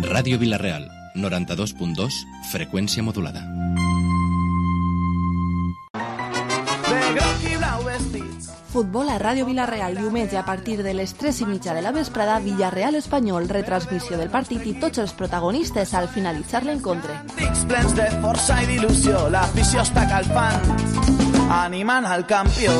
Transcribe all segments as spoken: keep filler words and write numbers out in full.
Ràdio Vila-real, noranta-dos punt dos, freqüència modulada. Futbol a Ràdio Vila-real, diumenge a partir de les tres i mitja de la vesprada, Villarreal Espanyol, retransmissió del partit i tots els protagonistes al finalitzar l'encontre. Dics plens de força i d'il·lusió, l'afició està calfant, animant al campió.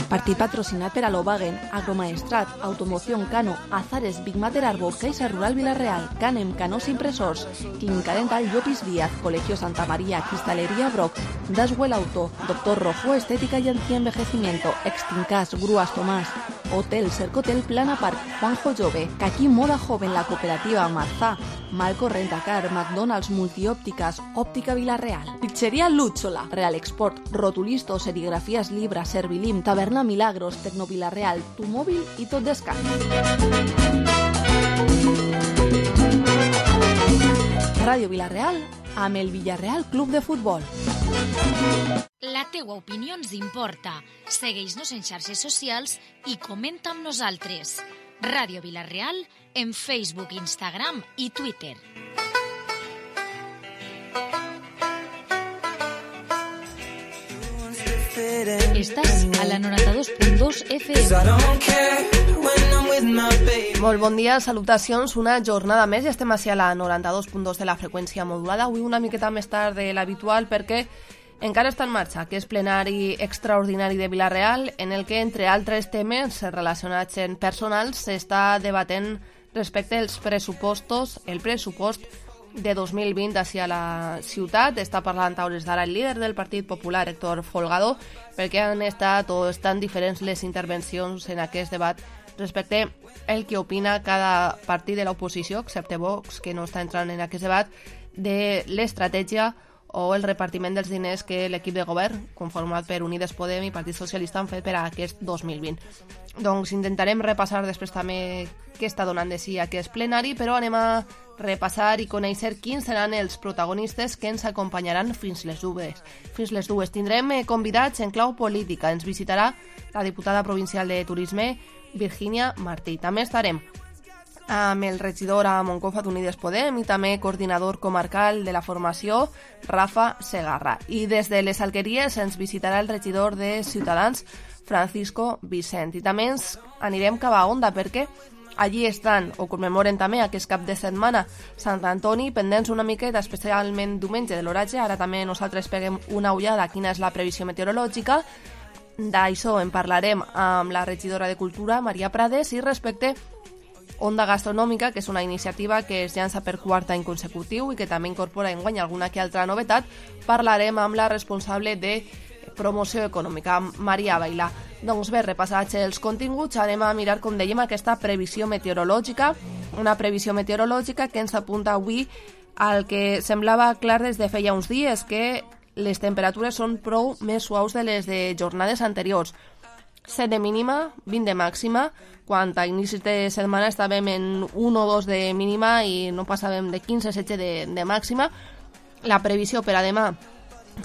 Partit patrocinat per Alobagen, Agromaestrat, Automoción Cano, Azares, Big Mater Arbo, Caixa Rural Vila-real, Canem, Canós Impresors, Clínica Dental Llopis Díaz, Colegio Santa María, Cristalería Brock, Daswell Auto, Doctor Rojo, Estética y Antienvejecimiento, Extincas, Grúas Tomás, Hotel Cercotel Plana Park, Juanjo Jove, Caqui Moda Joven, La Cooperativa Marzá, Malco Rentacar, McDonald's, Multiópticas, Óptica Vila-real, Pizzería Lúchola, Real Export, Rotulisto, Serigrafías Libra, Servilim, Taberna Milagros, Tecno Vila-real, Tu Móvil i Tot Descans. Ràdio Vila-real amb el Villarreal Club de Futbol. La teua opinió ens importa. Segueix-nos en xarxes socials i comenta amb nosaltres. Ràdio Vila-real en Facebook, Instagram i Twitter. Estàs a la noranta-dos punt dos F M. Molt bon dia, salutacions, una jornada més i estem així a la noranta-dos punt dos de la freqüència modulada. Avui una miqueta més tard de l'habitual perquè encara està en marxa aquest plenari extraordinari de Vila-real en el que, entre altres temes relacionats en personals, s'està debatent respecte als pressupostos, el pressupost de dos mil vint hacia la ciutat. Està parlant a hores d'ara el líder del Partit Popular, Héctor Folgado, perquè han estat o estan diferents les intervencions en aquest debat respecte el que opina cada partit de l'oposició, excepte Vox, que no està entrant en aquest debat, de l'estratègia o el repartiment dels diners que l'equip de govern, conformat per Unides Podem i Partit Socialista, han fet per a aquest dos mil vint. Doncs intentarem repassar després també què està donant de si aquest plenari, però anem a repassar i conèixer quins seran els protagonistes que ens acompanyaran fins les dues. Fins les dues tindrem convidats en clau política. Ens visitarà la diputada provincial de Turisme, Virginia Martí. També estarem amb el regidor a Moncofa d'Unides Podem i també coordinador comarcal de la formació, Rafa Segarra. I des de les Alqueries ens visitarà el regidor de Ciutadans, Francisco Vicent. I també ens anirem cap a Onda perquè allí estan o commemoren també aquest cap de setmana Sant Antoni, pendents una miqueta, especialment diumenge de l'oratge. Ara també nosaltres peguem una ullada a quina és la previsió meteorològica. D'això en parlarem amb la regidora de Cultura, Maria Prades, i respecte Onda Gastronòmica, que és una iniciativa que es llança per quart any consecutiu i que també incorpora enguany alguna que altra novetat, parlarem amb la responsable de promoció econòmica, Maria Bailà. Doncs bé, repassats els continguts, anem a mirar, com dèiem, aquesta previsió meteorològica, una previsió meteorològica que ens apunta avui al que semblava clar des de feia uns dies, que les temperatures són prou més suaus de les de jornades anteriors. set de mínima, vint de màxima, quan a inicis de setmana estàvem en un o dos de mínima i no passàvem de quinze a setze de, de màxima. La previsió per a demà,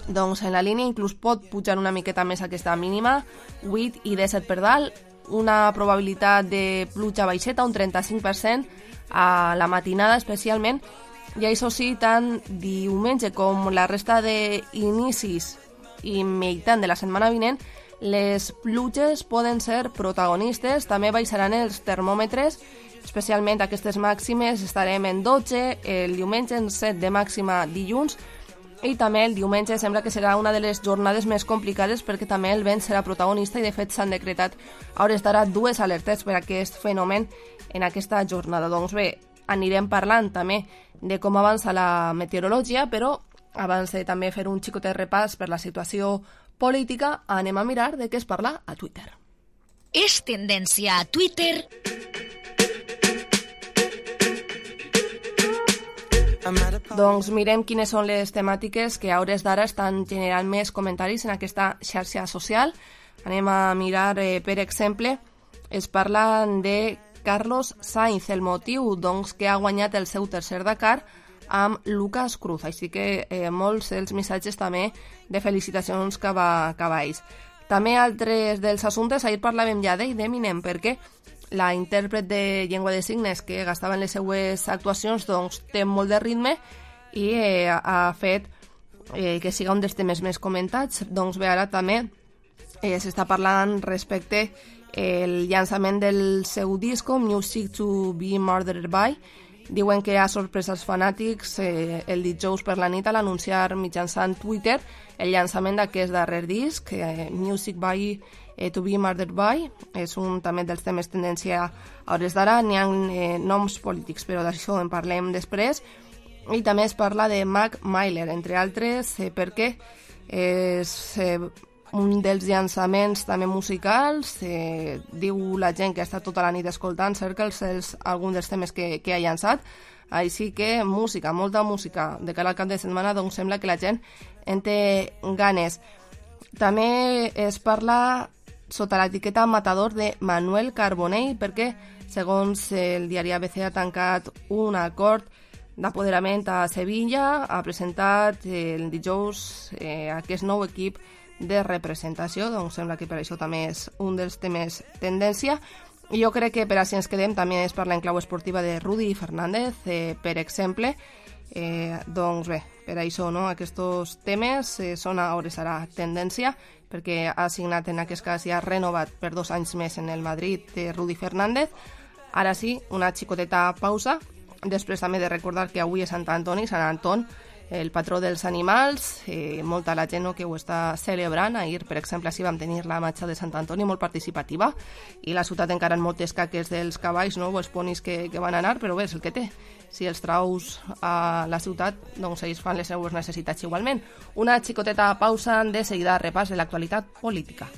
doncs en la línia inclús pot pujar una miqueta més aquesta mínima, vuit i disset per dalt, una probabilitat de pluja baixeta, un trenta-cinc per cent a la matinada especialment, i això sí, tant diumenge com la resta d'inicis i meitat de la setmana vinent, les pluges poden ser protagonistes. També baixaran els termòmetres, especialment aquestes màximes estarem en dotze, el diumenge en set de màxima dilluns, i també el diumenge sembla que serà una de les jornades més complicades perquè també el vent serà protagonista i de fet s'han decretat a hores d'ara dues alertes per a aquest fenomen en aquesta jornada. Doncs bé, anirem parlant també de com avança la meteorologia, però abans de també fer un xicotet repàs per la situació política, anem a mirar de què es parla a Twitter. És tendència a Twitter. Doncs mirem quines són les temàtiques que a hores d'ara estan generant més comentaris en aquesta xarxa social. Anem a mirar, eh, per exemple, es parla de Carlos Sainz, el motiu doncs, que ha guanyat el seu tercer Dakar amb Lucas Cruz, així que eh, molts dels missatges també de felicitacions cap a, cap a ells. També altres dels assumptes, ahir parlàvem ja d'ell, d'Eminem, perquè la intèrpret de llengua de signes que gastava en les seues actuacions, doncs té molt de ritme i eh, ha fet eh, que siga un dels temes més comentats. Doncs bé, ara també eh, s'està parlant respecte el llançament del seu disco Music to be Murdered by. Diuen que ha sorprès els fanàtics eh, el dijous per la nit a l'anunciar mitjançant Twitter el llançament d'aquest darrer disc, eh, Music by eh, to be Murdered by. És un també dels temes tendència a hores d'ara. N'hi ha eh, noms polítics, però d'això en parlem després. I també es parla de Mac Miller, entre altres, eh, perquè és eh, un dels llançaments també musicals. Eh, diu la gent que ha estat tota la nit escoltant Circles és algun dels temes que, que ha llançat. Així que música, molta música. De cara al cap de setmana, doncs sembla que la gent en té ganes. També es parla sota l'etiqueta Matador de Manuel Carbonell, perquè, segons el diari A B C, ha tancat un acord d'apoderament a Sevilla, ha presentat el dijous eh, aquest nou equip de representació, doncs sembla que per això també és un dels temes tendència. I jo crec que per a si ens quedem també es parla en clau esportiva de Rudy Fernández, eh, per exemple. Eh, doncs bé, per això no? Aquests temes eh, són a hores ara tendència, perquè ha signat en aquest cas i ha renovat per dos anys més en el Madrid de Rudy Fernández. Ara sí, una xicoteta pausa, després també de recordar que avui és Sant Antoni, Sant Anton, el patró dels animals, eh, molta la gent no, que ho està celebrant. Ahir, per exemple, així vam tenir la marxa de Sant Antoni molt participativa i la ciutat encara en moltes caques dels cavalls, no, o els ponis que, que van anar, però bé, és el que té. Si els traus a la ciutat, doncs ells fan les seues necessitats igualment. Una xicoteta pausa, de seguida repàs de l'actualitat política.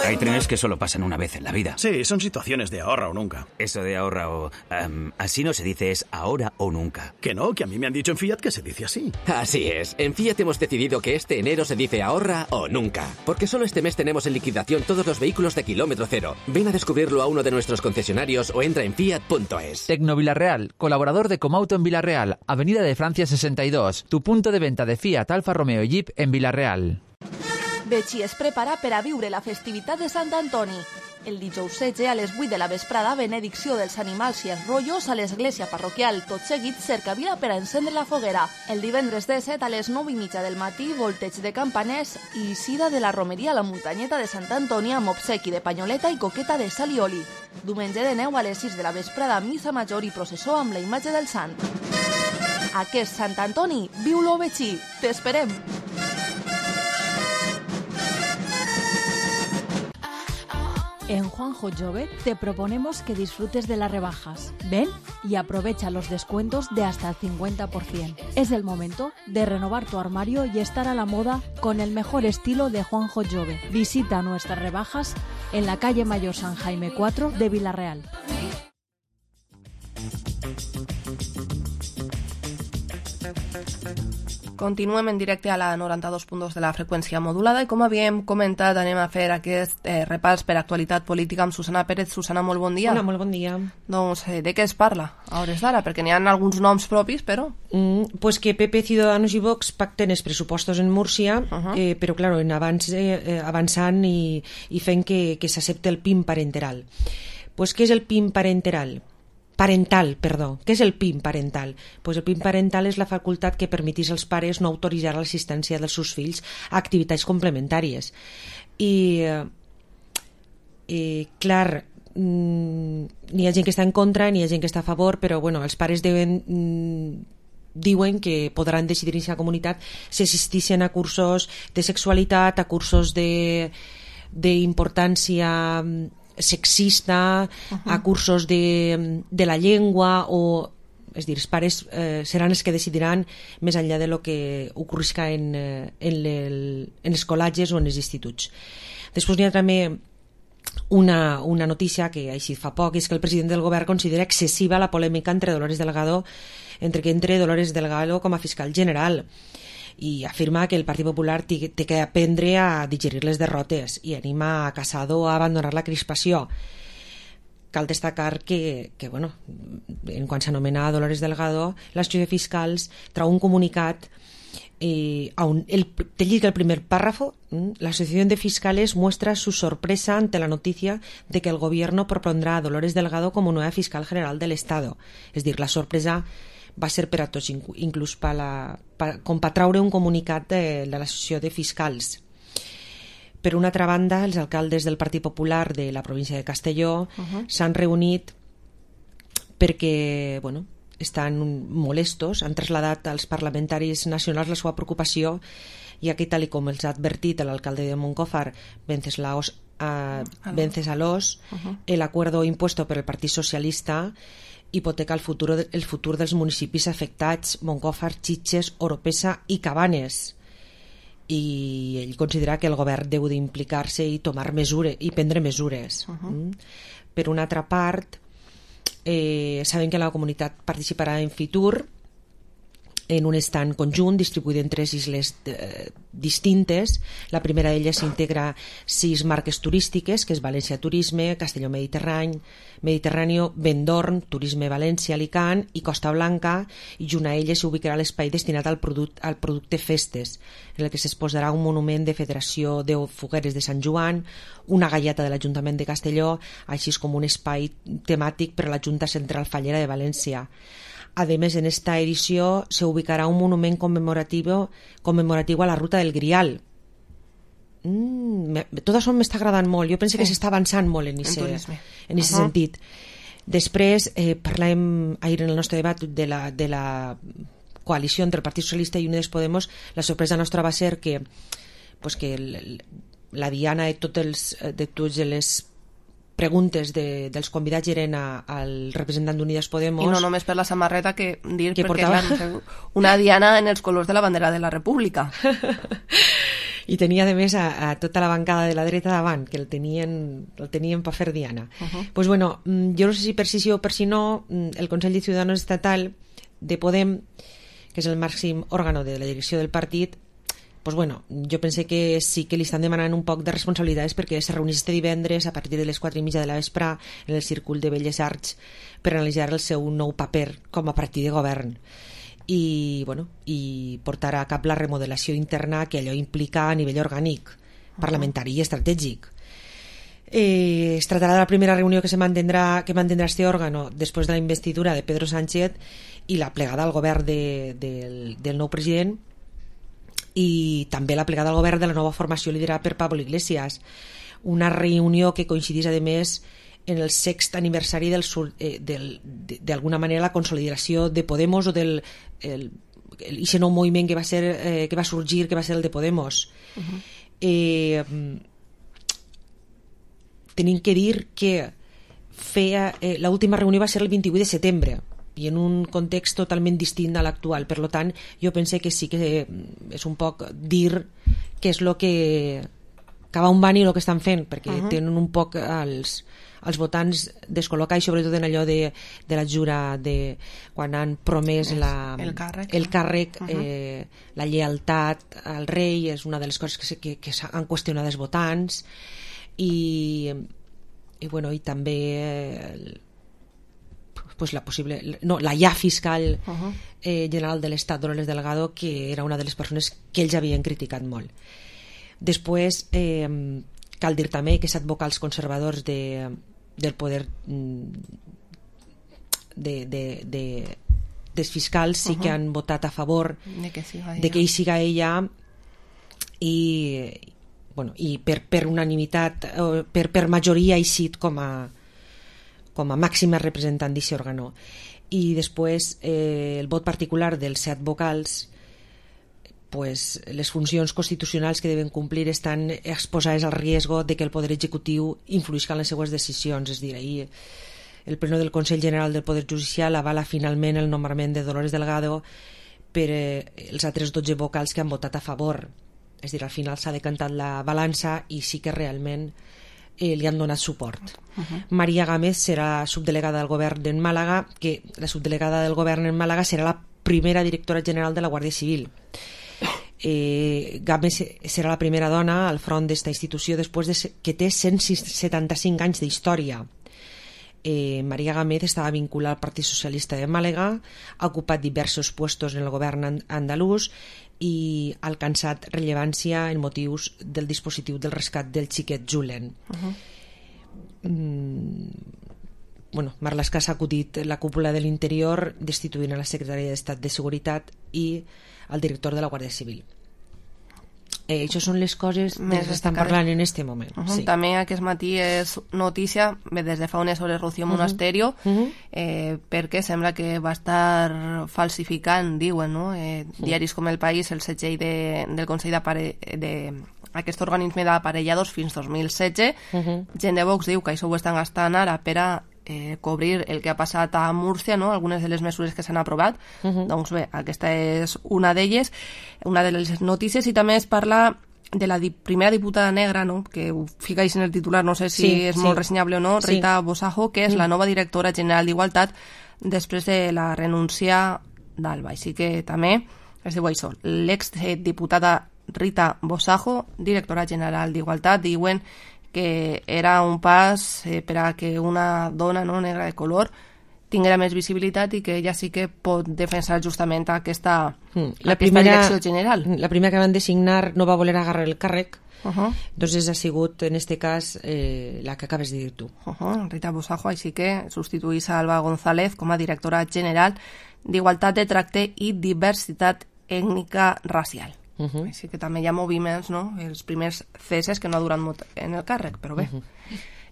Hay trenes que solo pasan una vez en la vida. Sí, son situaciones de ahorra o nunca. Eso de ahorra o... Um, así no se dice, es ahora o nunca. Que no, que a mí me han dicho en Fiat que se dice así. Así es. En Fiat hemos decidido que este enero se dice ahorra o nunca. Porque solo este mes tenemos en liquidación todos los vehículos de kilómetro cero. Ven a descubrirlo a uno de nuestros concesionarios o entra en fiat punto es. Tecno Villarreal, colaborador de Comauto en Villarreal, Avenida de Francia sesenta y dos. Tu punto de venta de Fiat, Alfa Romeo y Jeep en Villarreal. Betxí es prepara per a viure la festivitat de Sant Antoni. El dijous setze a les vuit de la vesprada, benedicció dels animals i els rotllos a l'església parroquial. Tot seguit, cercavila per a encendre la foguera. El divendres disset a les nou i mitja del matí, volteig de campaners i eixida de la romeria a la muntanyeta de Sant Antoni amb obsequi de panyoleta i coqueta de sal i oli. Diumenge de neu a les sis de la vesprada, missa major i processó amb la imatge del sant. Aquest Sant Antoni, viu-lo Betxí. T'esperem! En Juanjo Jove te proponemos que disfrutes de las rebajas. Ven y aprovecha los descuentos de hasta el cincuenta por ciento. Es el momento de renovar tu armario y estar a la moda con el mejor estilo de Juanjo Jove. Visita nuestras rebajas en la calle Mayor San Jaime cuatro de Villarreal. Continuem en directe a la noranta-dos punt dos de la freqüència modulada i com havíem comentat anem a fer aquest eh, repàs per actualitat política amb Susana Pérez. Susana, molt bon dia. Hola, molt bon dia. Doncs eh, de què es parla a hores d'ara? Perquè n'hi ha alguns noms propis, però... Mm, pues que P P, Ciudadanos i Vox pacten els pressupostos en Múrcia, uh -huh. eh, però claro, en avance, eh, avançant i, i fent que, que s'accepte el P I M parenteral. Pues què és el P I M parenteral? Parental, perdó. Què és el P I M parental? Pues el P I M parental és la facultat que permetís als pares no autoritzar l'assistència dels seus fills a activitats complementàries. I, i clar, mm, n'hi ha gent que està en contra, n'hi ha gent que està a favor, però bueno, els pares deuen... Mm, diuen que podran decidir en la comunitat si assisteixen a cursos de sexualitat, a cursos de d'importància sexista, uh-huh. a cursos de, de la llengua, o és dir, els pares eh, seran els que decidiran més enllà de lo que ocorrisca en, en, el, en els col·legis o en els instituts. Després n'hi ha també una, una notícia que així fa poc, és que el president del govern considera excessiva la polèmica entre Dolores Delgado entre que entre Dolores Delgado com a fiscal general i afirma que el Partit Popular té, té que aprendre a digerir les derrotes i anima a Casado a abandonar la crispació. Cal destacar que, que bueno, en quan s'anomena Dolores Delgado, l'Associació de Fiscals trau un comunicat Eh, aun el, te llega el primer párrafo. La Asociación de Fiscales muestra su sorpresa ante la noticia de que el gobierno propondrá a Dolores Delgado como nueva fiscal general del Estado. És dir, la sorpresa va ser per a tots, inclús per la, per, com per traure un comunicat de, de l'Associació de Fiscals. Per una altra banda, els alcaldes del Partit Popular de la província de Castelló uh-huh. s'han reunit perquè, bueno, estan molestos, han traslladat als parlamentaris nacionals la seva preocupació, ja que, tal com els ha advertit l'alcalde de Moncófar, Venceslaos, uh, Vencesalos, uh-huh. el acuerdo impuesto per el Partit Socialista hipoteca el futur, el futur dels municipis afectats, Moncófar, Sitges, Oropesa i Cabanes. I ell considera que el govern deu d'implicar-se i tomar mesures, i prendre mesures. Uh-huh. Mm? Per una altra part, Eh, saben que la comunitat participarà en Fitur en un estand conjunt distribuït en tres isles eh, distintes. La primera d'elles s'integra sis marques turístiques, que és València Turisme, Castelló Mediterrani, Mediterráneo, Vendorn, Turisme València, Alicant i Costa Blanca, i junt a elles s'ubicarà l'espai destinat al, product, al producte Festes, en el que s'exposarà un monument de Federació de Fogueres de Sant Joan, una galleta de l'Ajuntament de Castelló, així com un espai temàtic per a la Junta Central Fallera de València. Además, en esta edició se ubicarà un monument conmemorativo, conmemorativo a la ruta del Grial. Mm, me, tot això m'està agradant molt. Jo penso sí. que s'està avançant molt en aquest uh-huh. sentit. Després, eh, parlàvem ahir en el nostre debat de la, de la coalició entre el Partit Socialista i Unides Podemos. La sorpresa nostra va ser que, pues que el, la diana de tots els, de tots les preguntes de, dels convidats eren a, al representant d'Unides Podemos. I no només per la samarreta, que dir que perquè portava... clar, una diana en els colors de la bandera de la República. I tenia, a més, a, a tota la bancada de la dreta davant, que el tenien, el tenien per fer diana. Uh-huh. Pues bueno, jo no sé si per si sí o per si no, el Consell de Ciudadanos Estatal de Podem, que és el màxim òrgano de la direcció del partit, pues bueno, jo pense que sí que li estan demanant un poc de responsabilitats, perquè se reunís este divendres a partir de les quatre i mitja de la vespre en el Círcul de Belles Arts per analitzar el seu nou paper com a partit de govern i, bueno, i portar a cap la remodelació interna que allò implica a nivell orgànic, parlamentari i estratègic. Eh, es tractarà de la primera reunió que se mantendrà que mantendrà este òrgano després de la investidura de Pedro Sánchez i la plegada al govern de, del, del nou president, i també la plegada al govern de la nova formació liderada per Pablo Iglesias, una reunió que coincidís a més en el sext aniversari del, eh, del, d'alguna manera la consolidació de Podemos o del el, el, ese nou moviment que va, ser, eh, que va sorgir, que va ser el de Podemos. Uh-huh. eh, tenim que dir que feia, eh, l'última reunió va ser el vint-i-vuit de setembre i en un context totalment distint a l'actual. Per tant, jo pense que sí que és un poc dir què és el que cap on van i el que estan fent, perquè uh-huh. tenen un poc els, els votants descol·locats, sobretot en allò de, de la jura de quan han promès la, el càrrec, el càrrec uh-huh. eh, la lleialtat al rei és una de les coses que, que, que han qüestionat els votants i, i, bueno, i també el, pues la possible, no, la ja fiscal uh-huh. eh, general de l'Estat, Dolores Delgado, que era una de les persones que ells havien criticat molt. Després, eh, cal dir també que set vocals conservadors de, del poder de, de, de, dels fiscals sí uh-huh. que han votat a favor de que siga ella, de que hi siga ella i, bueno, i per, per unanimitat, per, per majoria ha eixit com a com a màxima representant d'aquest òrgano. I després eh, el vot particular dels set vocals, pues, les funcions constitucionals que deuen complir estan exposades al riesgo de que el poder executiu influïsca en les seues decisions. És dir, ahir el pleno del Consell General del Poder Judicial avala finalment el nombrament de Dolores Delgado per eh, els altres dotze vocals que han votat a favor. És dir, al final s'ha decantat la balança i sí que realment Eh, li han donat suport. Uh-huh. Maria Gámez serà subdelegada del govern en Màlaga, que la subdelegada del govern en Màlaga serà la primera directora general de la Guàrdia Civil. Eh, Gámez serà la primera dona al front d'esta institució després de que té cent setanta-cinc anys d'història. Eh, María Gámez estava vinculada al Partit Socialista de Màlaga, ha ocupat diversos puestos en el govern andalús i ha alcançat rellevància en motius del dispositiu del rescat del xiquet Julen. Uh-huh. mm, bueno, Marlaska s'ha acudit la cúpula de l'Interior destituint a la secretària d'Estat de Seguretat i al director de la Guàrdia Civil. Eh, això són les coses més que estan parlant en aquest moment. Uh-huh. Sí. També aquest matí és notícia, des de fa unes hores, Rocío Monasterio, uh-huh. eh, perquè sembla que va estar falsificant, diuen, no? eh, uh-huh. diaris com El País, el setge de, del Consell d'aquest organisme d'aparelladors fins dos mil setze. Uh-huh. Gent de Vox diu que això ho estan gastant ara per a Eh, cobrir el que ha passat a Múrcia, no? Algunes de les mesures que s'han aprovat. Uh-huh. Doncs bé, aquesta és una d'elles, una de les notícies, i també es parla de la di- primera diputada negra, no? Que ho ficáis en el titular, no sé si sí, és sí. molt ressenyable o no, Rita sí. Bosajo, que és mm. la nova directora general d'Igualtat després de la renúncia d'Alba. Així que també es diu això, l'ex-diputada Rita Bosajo, directora general d'Igualtat, diuen que era un pas eh, per a que una dona, no, negra de color tinguera més visibilitat i que ella sí que pot defensar justament aquesta, mm. la aquesta primera, direcció general. La primera que van designar no va voler agarrar el càrrec, uh-huh. entonces ha sigut en este cas eh, la que acabes de dir tu. Uh-huh. Rita Bosajo, així que substituís a Alba González com a directora general d'Igualtat de Tracte i Diversitat Ètnica Racial. Uh-huh. Així que també hi ha moviments, no? Els primers ceses que no ha durat molt en el càrrec, però bé. Uh-huh.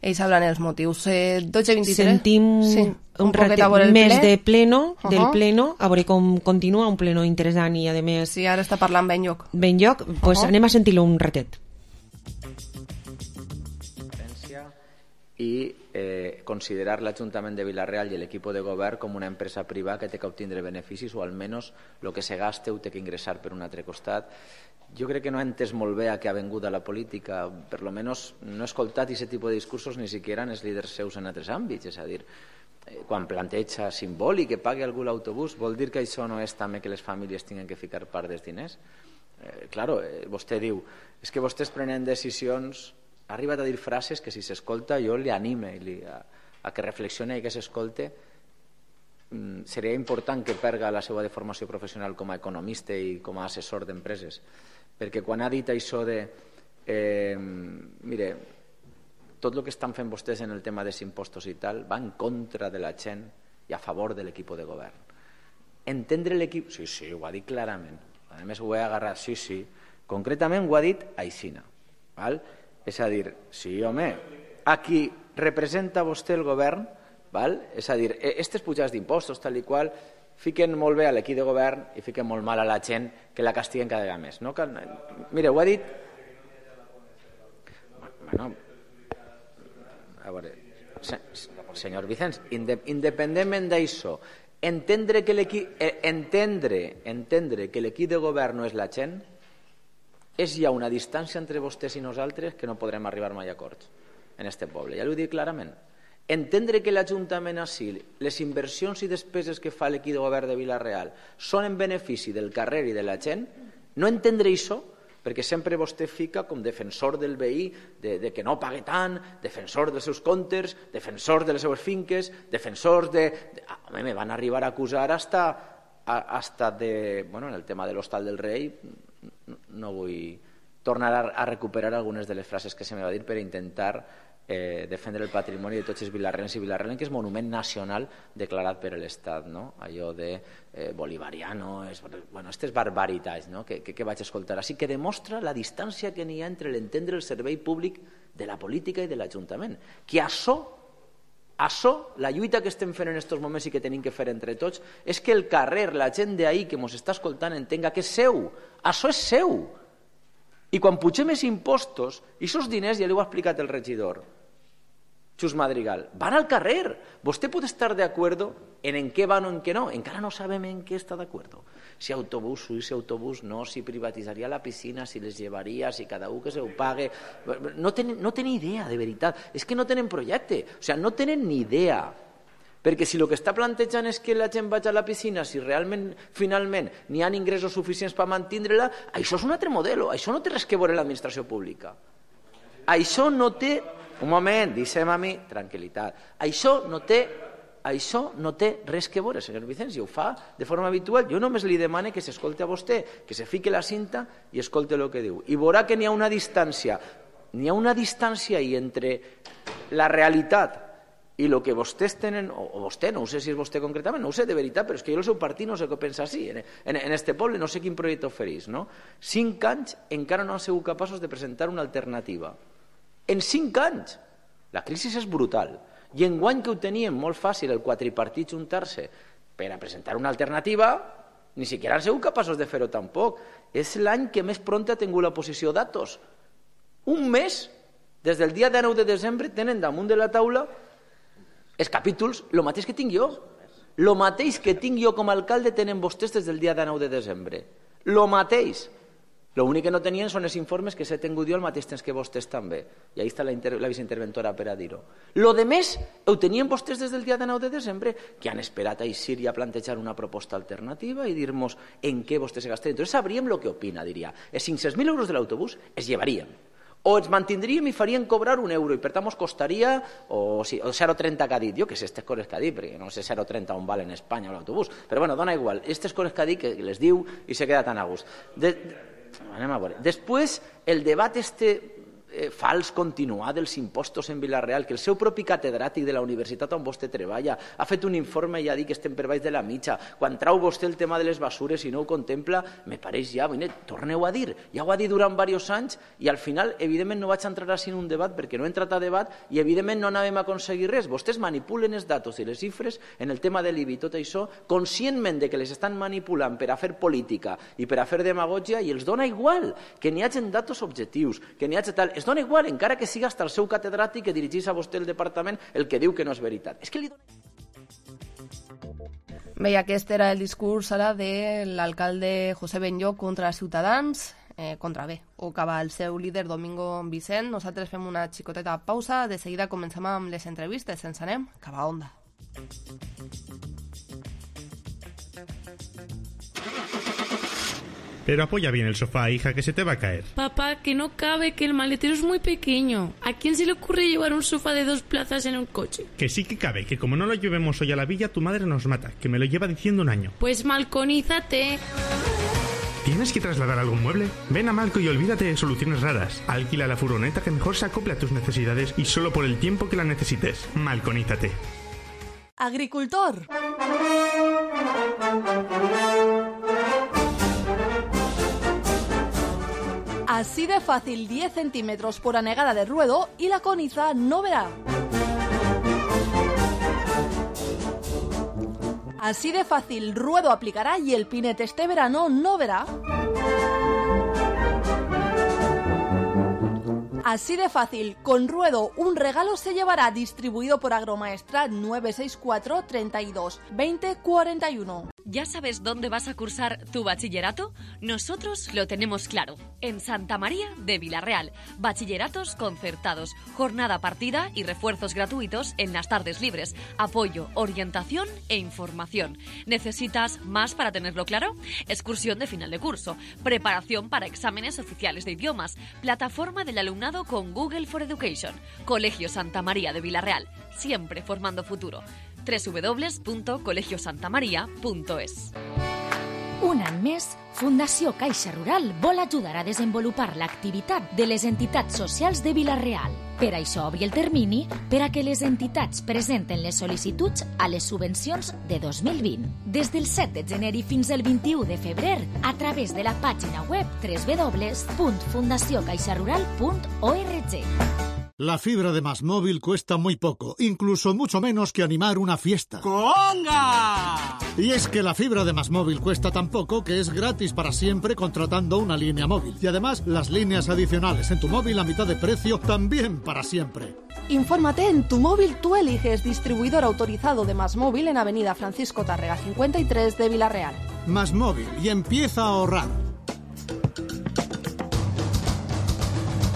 Ells hablan els motius. Eh, dotze vint-i-tres. Sentim sí, un, un ratet més ple. de pleno, uh-huh. del pleno, a veure com continua, un pleno interessant i, a més... Sí, ara està parlant ben lloc. Ben lloc, doncs pues uh-huh. anem a sentir-lo un ratet. I eh, considerar l'Ajuntament de Vila-real i l'equip de govern com una empresa privada que té que obtindre beneficis, o almenys el que se gasta ho té que ingressar per un altre costat. Jo crec que no ha entès molt bé a què ha vengut a la política, per lo menos no he escoltat aquest tipus de discursos ni siquiera en els líders seus en altres àmbits, és a dir, eh, quan planteja simbòlic que pagui algú l'autobús, vol dir que això no és també que les famílies tinguin que ficar part dels diners? Eh, claro, eh, vostè diu, és que vostès prenen decisions... Ha arribat a dir frases que si s'escolta jo li anime li, a, a que reflexione i que s'escolte. Mm, seria important que perga la seva formació professional com a economista i com a assessor d'empreses, perquè quan ha dit això de eh, mire, tot el que estan fent vostès en el tema dels impostos i tal va en contra de la gent i a favor de l'equip de govern. Entendre l'equip... Sí, sí, ho ha dit clarament. A més ho he agarrat, sí, sí. Concretament ho ha dit aixina, val? És a dir, sí, home, a qui representa vostè el govern, val? És a dir, aquestes pujades d'impostos, tal i qual, fiquen molt bé a l'equip de govern i fiquen molt mal a la gent que la castiguen cada vegada més. No? Mire, ho ha dit... Bueno, a veure, senyor Vicenç, independentment d'això, entendre que l'equip entendre, entendre que l'equip de govern no és la gent, és ja una distància entre vostès i nosaltres que no podrem arribar mai a acords en este poble, ja l'ho dic clarament. Entendre que l'Ajuntament així, les inversions i despeses que fa l'equip de govern de Vila-real són en benefici del carrer i de la gent, no entendre això, perquè sempre vostè fica com defensor del veí, de, de que no pague tant, defensor dels seus comptes, defensor de les seues finques, defensor de... de ah, home, me van arribar a acusar hasta, hasta de... Bueno, en el tema de l'Hostal del Rei... no vull tornar a recuperar algunes de les frases que se me va dir per intentar eh, defendre el patrimoni de tots els vilarrencs i vilarrenques, que és monument nacional declarat per l'Estat, no? Allò de eh, bolivariano, és, bueno, aquestes barbaritats, no? que, que, que vaig escoltar. Així que demostra la distància que n'hi ha entre l'entendre el servei públic de la política i de l'Ajuntament. Que això, això, la lluita que estem fent en aquests moments i que tenim que fer entre tots, és que el carrer, la gent d'ahir que ens està escoltant entenga que és seu. Això és seu. I quan pugem més impostos, i aquests diners, ja li ho ha explicat el regidor, Xus Madrigal, van al carrer. Vostè pot estar d'acord en en què van o en què no. Encara no sabem en què està d'acord. Si autobús, si autobús no, si privatitzaria la piscina, si les llevaria, si cada un que se ho pague. No tenen, no tenen idea, de veritat. És que no tenen projecte. O sigui, no tenen ni idea. Perquè si el que està plantejant és que la gent vagi a la piscina, si realment, finalment, n'hi ha ingressos suficients per mantindre-la, això és un altre model. Això no té res que veure l'administració pública. Això no té... un moment, deixem a mi, tranquil·litat. Això no té, això no té res que veure, senyor Vicenç, i ho fa de forma habitual. Jo només li demane que s'escolte a vostè, que se fique la cinta i escolte el que diu. I veurà que n'hi ha una distància, n'hi ha una distància ahí entre la realitat i el que vostès tenen, o vostè, no sé si és vostè concretament, no ho sé de veritat, però és que jo el seu partit no sé què pensa així, en, en, en este poble no sé quin projecte oferís, no? Cinc anys encara no han sigut capaços de presentar una alternativa. En cinc anys! La crisi és brutal. I enguany que ho teníem molt fàcil, el quadripartit juntar-se per a presentar una alternativa, ni siquiera han sigut capaços de fer-ho tampoc. És l'any que més pront ha tingut la posició d'Atos. Un mes, des del dia dinou de desembre, tenen damunt de la taula els capítols, el mateix que tinc jo. El mateix que tinc jo com a alcalde tenen vostès des del dia dinou de desembre. El mateix. L'únic que no tenien són els informes que s'he tingut jo al mateix temps que vostès també. I ahí està la, inter... la viceinterventora per a dir-ho. Lo de més ho tenien vostès des del dia dinou de desembre, que han esperat a eixir i a plantejar una proposta alternativa i dir-nos en què vostès se gasten. Entonces sabríem el que opina, diria. Els cinc-cents mil euros de l'autobús es llevarien. O ens mantindríem i farien cobrar un euro i per tant ens costaria o, sí, o zero coma trenta que ha dit, jo que sé aquestes coses que ha dit, perquè no sé zero coma trenta on val en Espanya l'autobús, però bueno, dona igual, aquestes coses que ha dit que les diu i se queda tan a gust. De, anem a veure. Després, el debat este eh, fals continuat dels impostos en Vila-real, que el seu propi catedràtic de la universitat on vostè treballa ha fet un informe i ha dit que estem per baix de la mitja. Quan trau vostè el tema de les basures i no ho contempla, me pareix ja, bueno, torneu a dir. Ja ho ha dit durant diversos anys i al final, evidentment, no vaig entrar així en un debat perquè no he entrat a debat i, evidentment, no anàvem a aconseguir res. Vostès manipulen els datos i les xifres en el tema de l'I B I, tot això, conscientment de que les estan manipulant per a fer política i per a fer demagògia i els dona igual que n'hi hagi datos objectius, que n'hi hagi tal... Es dona igual, encara que siga hasta el seu catedràtic que dirigís a vostè el departament el que diu que no és veritat. És que li dona... Bé, aquest era el discurs ara de l'alcalde José Benlloch contra Ciutadans, eh, contra bé, o acaba el seu líder Domingo Vicent. Nosaltres fem una xicoteta pausa, de seguida comencem amb les entrevistes, ens anem cap a Onda. Pero apoya bien el sofá, hija, que se te va a caer. Papá, que no cabe, que el maletero es muy pequeño. ¿A quién se le ocurre llevar un sofá de dos plazas en un coche? Que sí que cabe, que como no lo llevemos hoy a la villa, tu madre nos mata, que me lo lleva diciendo un año. Pues malconízate. ¿Tienes que trasladar algún mueble? Ven a Malco y olvídate de soluciones raras. Alquila la furgoneta que mejor se acople a tus necesidades y solo por el tiempo que la necesites. Malconízate. Agricultor. Así de fácil, diez centímetros por anegada de ruedo y la coniza no verá. Así de fácil, ruedo aplicará y el pinete este verano no verá. Así de fácil, con ruedo un regalo se llevará, distribuido por Agromaestra nueve seis cuatro, treinta y dos, veinte, cuarenta y uno. ¿Ya sabes dónde vas a cursar tu bachillerato? Nosotros lo tenemos claro. En Santa María de Vila-real. Bachilleratos concertados, jornada partida y refuerzos gratuitos en las tardes libres. Apoyo, orientación e información. ¿Necesitas más para tenerlo claro? Excursión de final de curso. Preparación para exámenes oficiales de idiomas. Plataforma del alumnado con Google for Education. Colegio Santa María de Vila-real. Siempre formando futuro. doble u doble u doble u punt colegio santa maria punt es. Un any més, Fundació Caixa Rural vol ajudar a desenvolupar l'activitat de les entitats socials de Vila-real. Per això obri el termini per a que les entitats presenten les sol·licituds a les subvencions de dos mil vint. Des del set de gener i fins al vint-i-u de febrer, a través de la pàgina web doble u doble u doble u punt fundació caixa rural punt org. La fibra de MásMóvil cuesta muy poco, incluso mucho menos que animar una fiesta. ¡Conga! Y es que la fibra de MásMóvil cuesta tan poco que es gratis para siempre contratando una línea móvil. Y además, las líneas adicionales en tu móvil a mitad de precio también para siempre. Infórmate en Tu Móvil Tú Eliges, distribuidor autorizado de MásMóvil en Avenida Francisco Tárrega cincuenta y tres de Vila-real. MásMóvil, y empieza a ahorrar.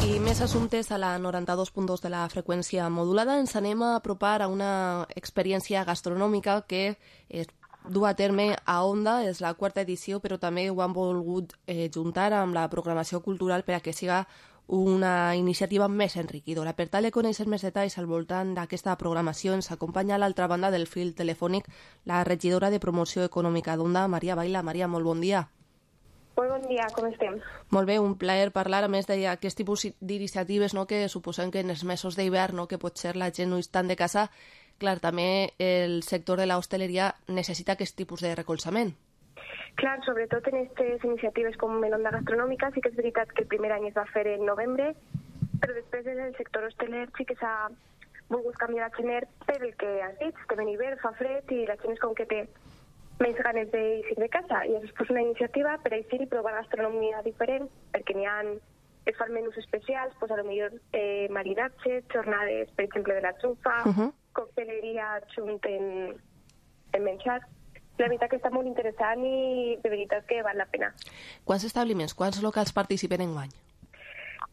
I més assumptes a la noranta-dos punt dos de la freqüència modulada. Ens anem a apropar a una experiència gastronòmica que es du a terme a Onda. És la quarta edició, però també ho han volgut eh, juntar amb la programació cultural per a que siga una iniciativa més enriquidora. Per tal de conèixer més detalls al voltant d'aquesta programació, ens acompanya a l'altra banda del fil telefònic la regidora de Promoció Econòmica d'Onda, Maria Baila. Maria, molt bon dia. Molt bon dia, com estem? Molt bé, un plaer parlar, a més d'aquest tipus d'iniciatives, no, que suposem que en els mesos d'hivern, no, que potser la gent no és tant de casa, clar, també el sector de l'hostaleria necessita aquest tipus de recolzament. Clar, sobretot en aquestes iniciatives com en Onda Gastronòmica, sí que és veritat que el primer any es va fer en novembre, però després en el sector hosteler sí que s'ha volgut canviar a gener per el que has dit, que ven hivern, fa fred i la gent és com que té més ganes d'eixir de casa, i és pues, una iniciativa per eixir i provar gastronomia diferent, perquè n'hi ha, es fan menús especials, pues, a lo millor eh, marinatges, jornades, per exemple, de la trufa, uh -huh. cocteleria junt en, en menjar. La veritat que està molt interessant i de veritat que val la pena. Quants establiments, quants locals participen en guany?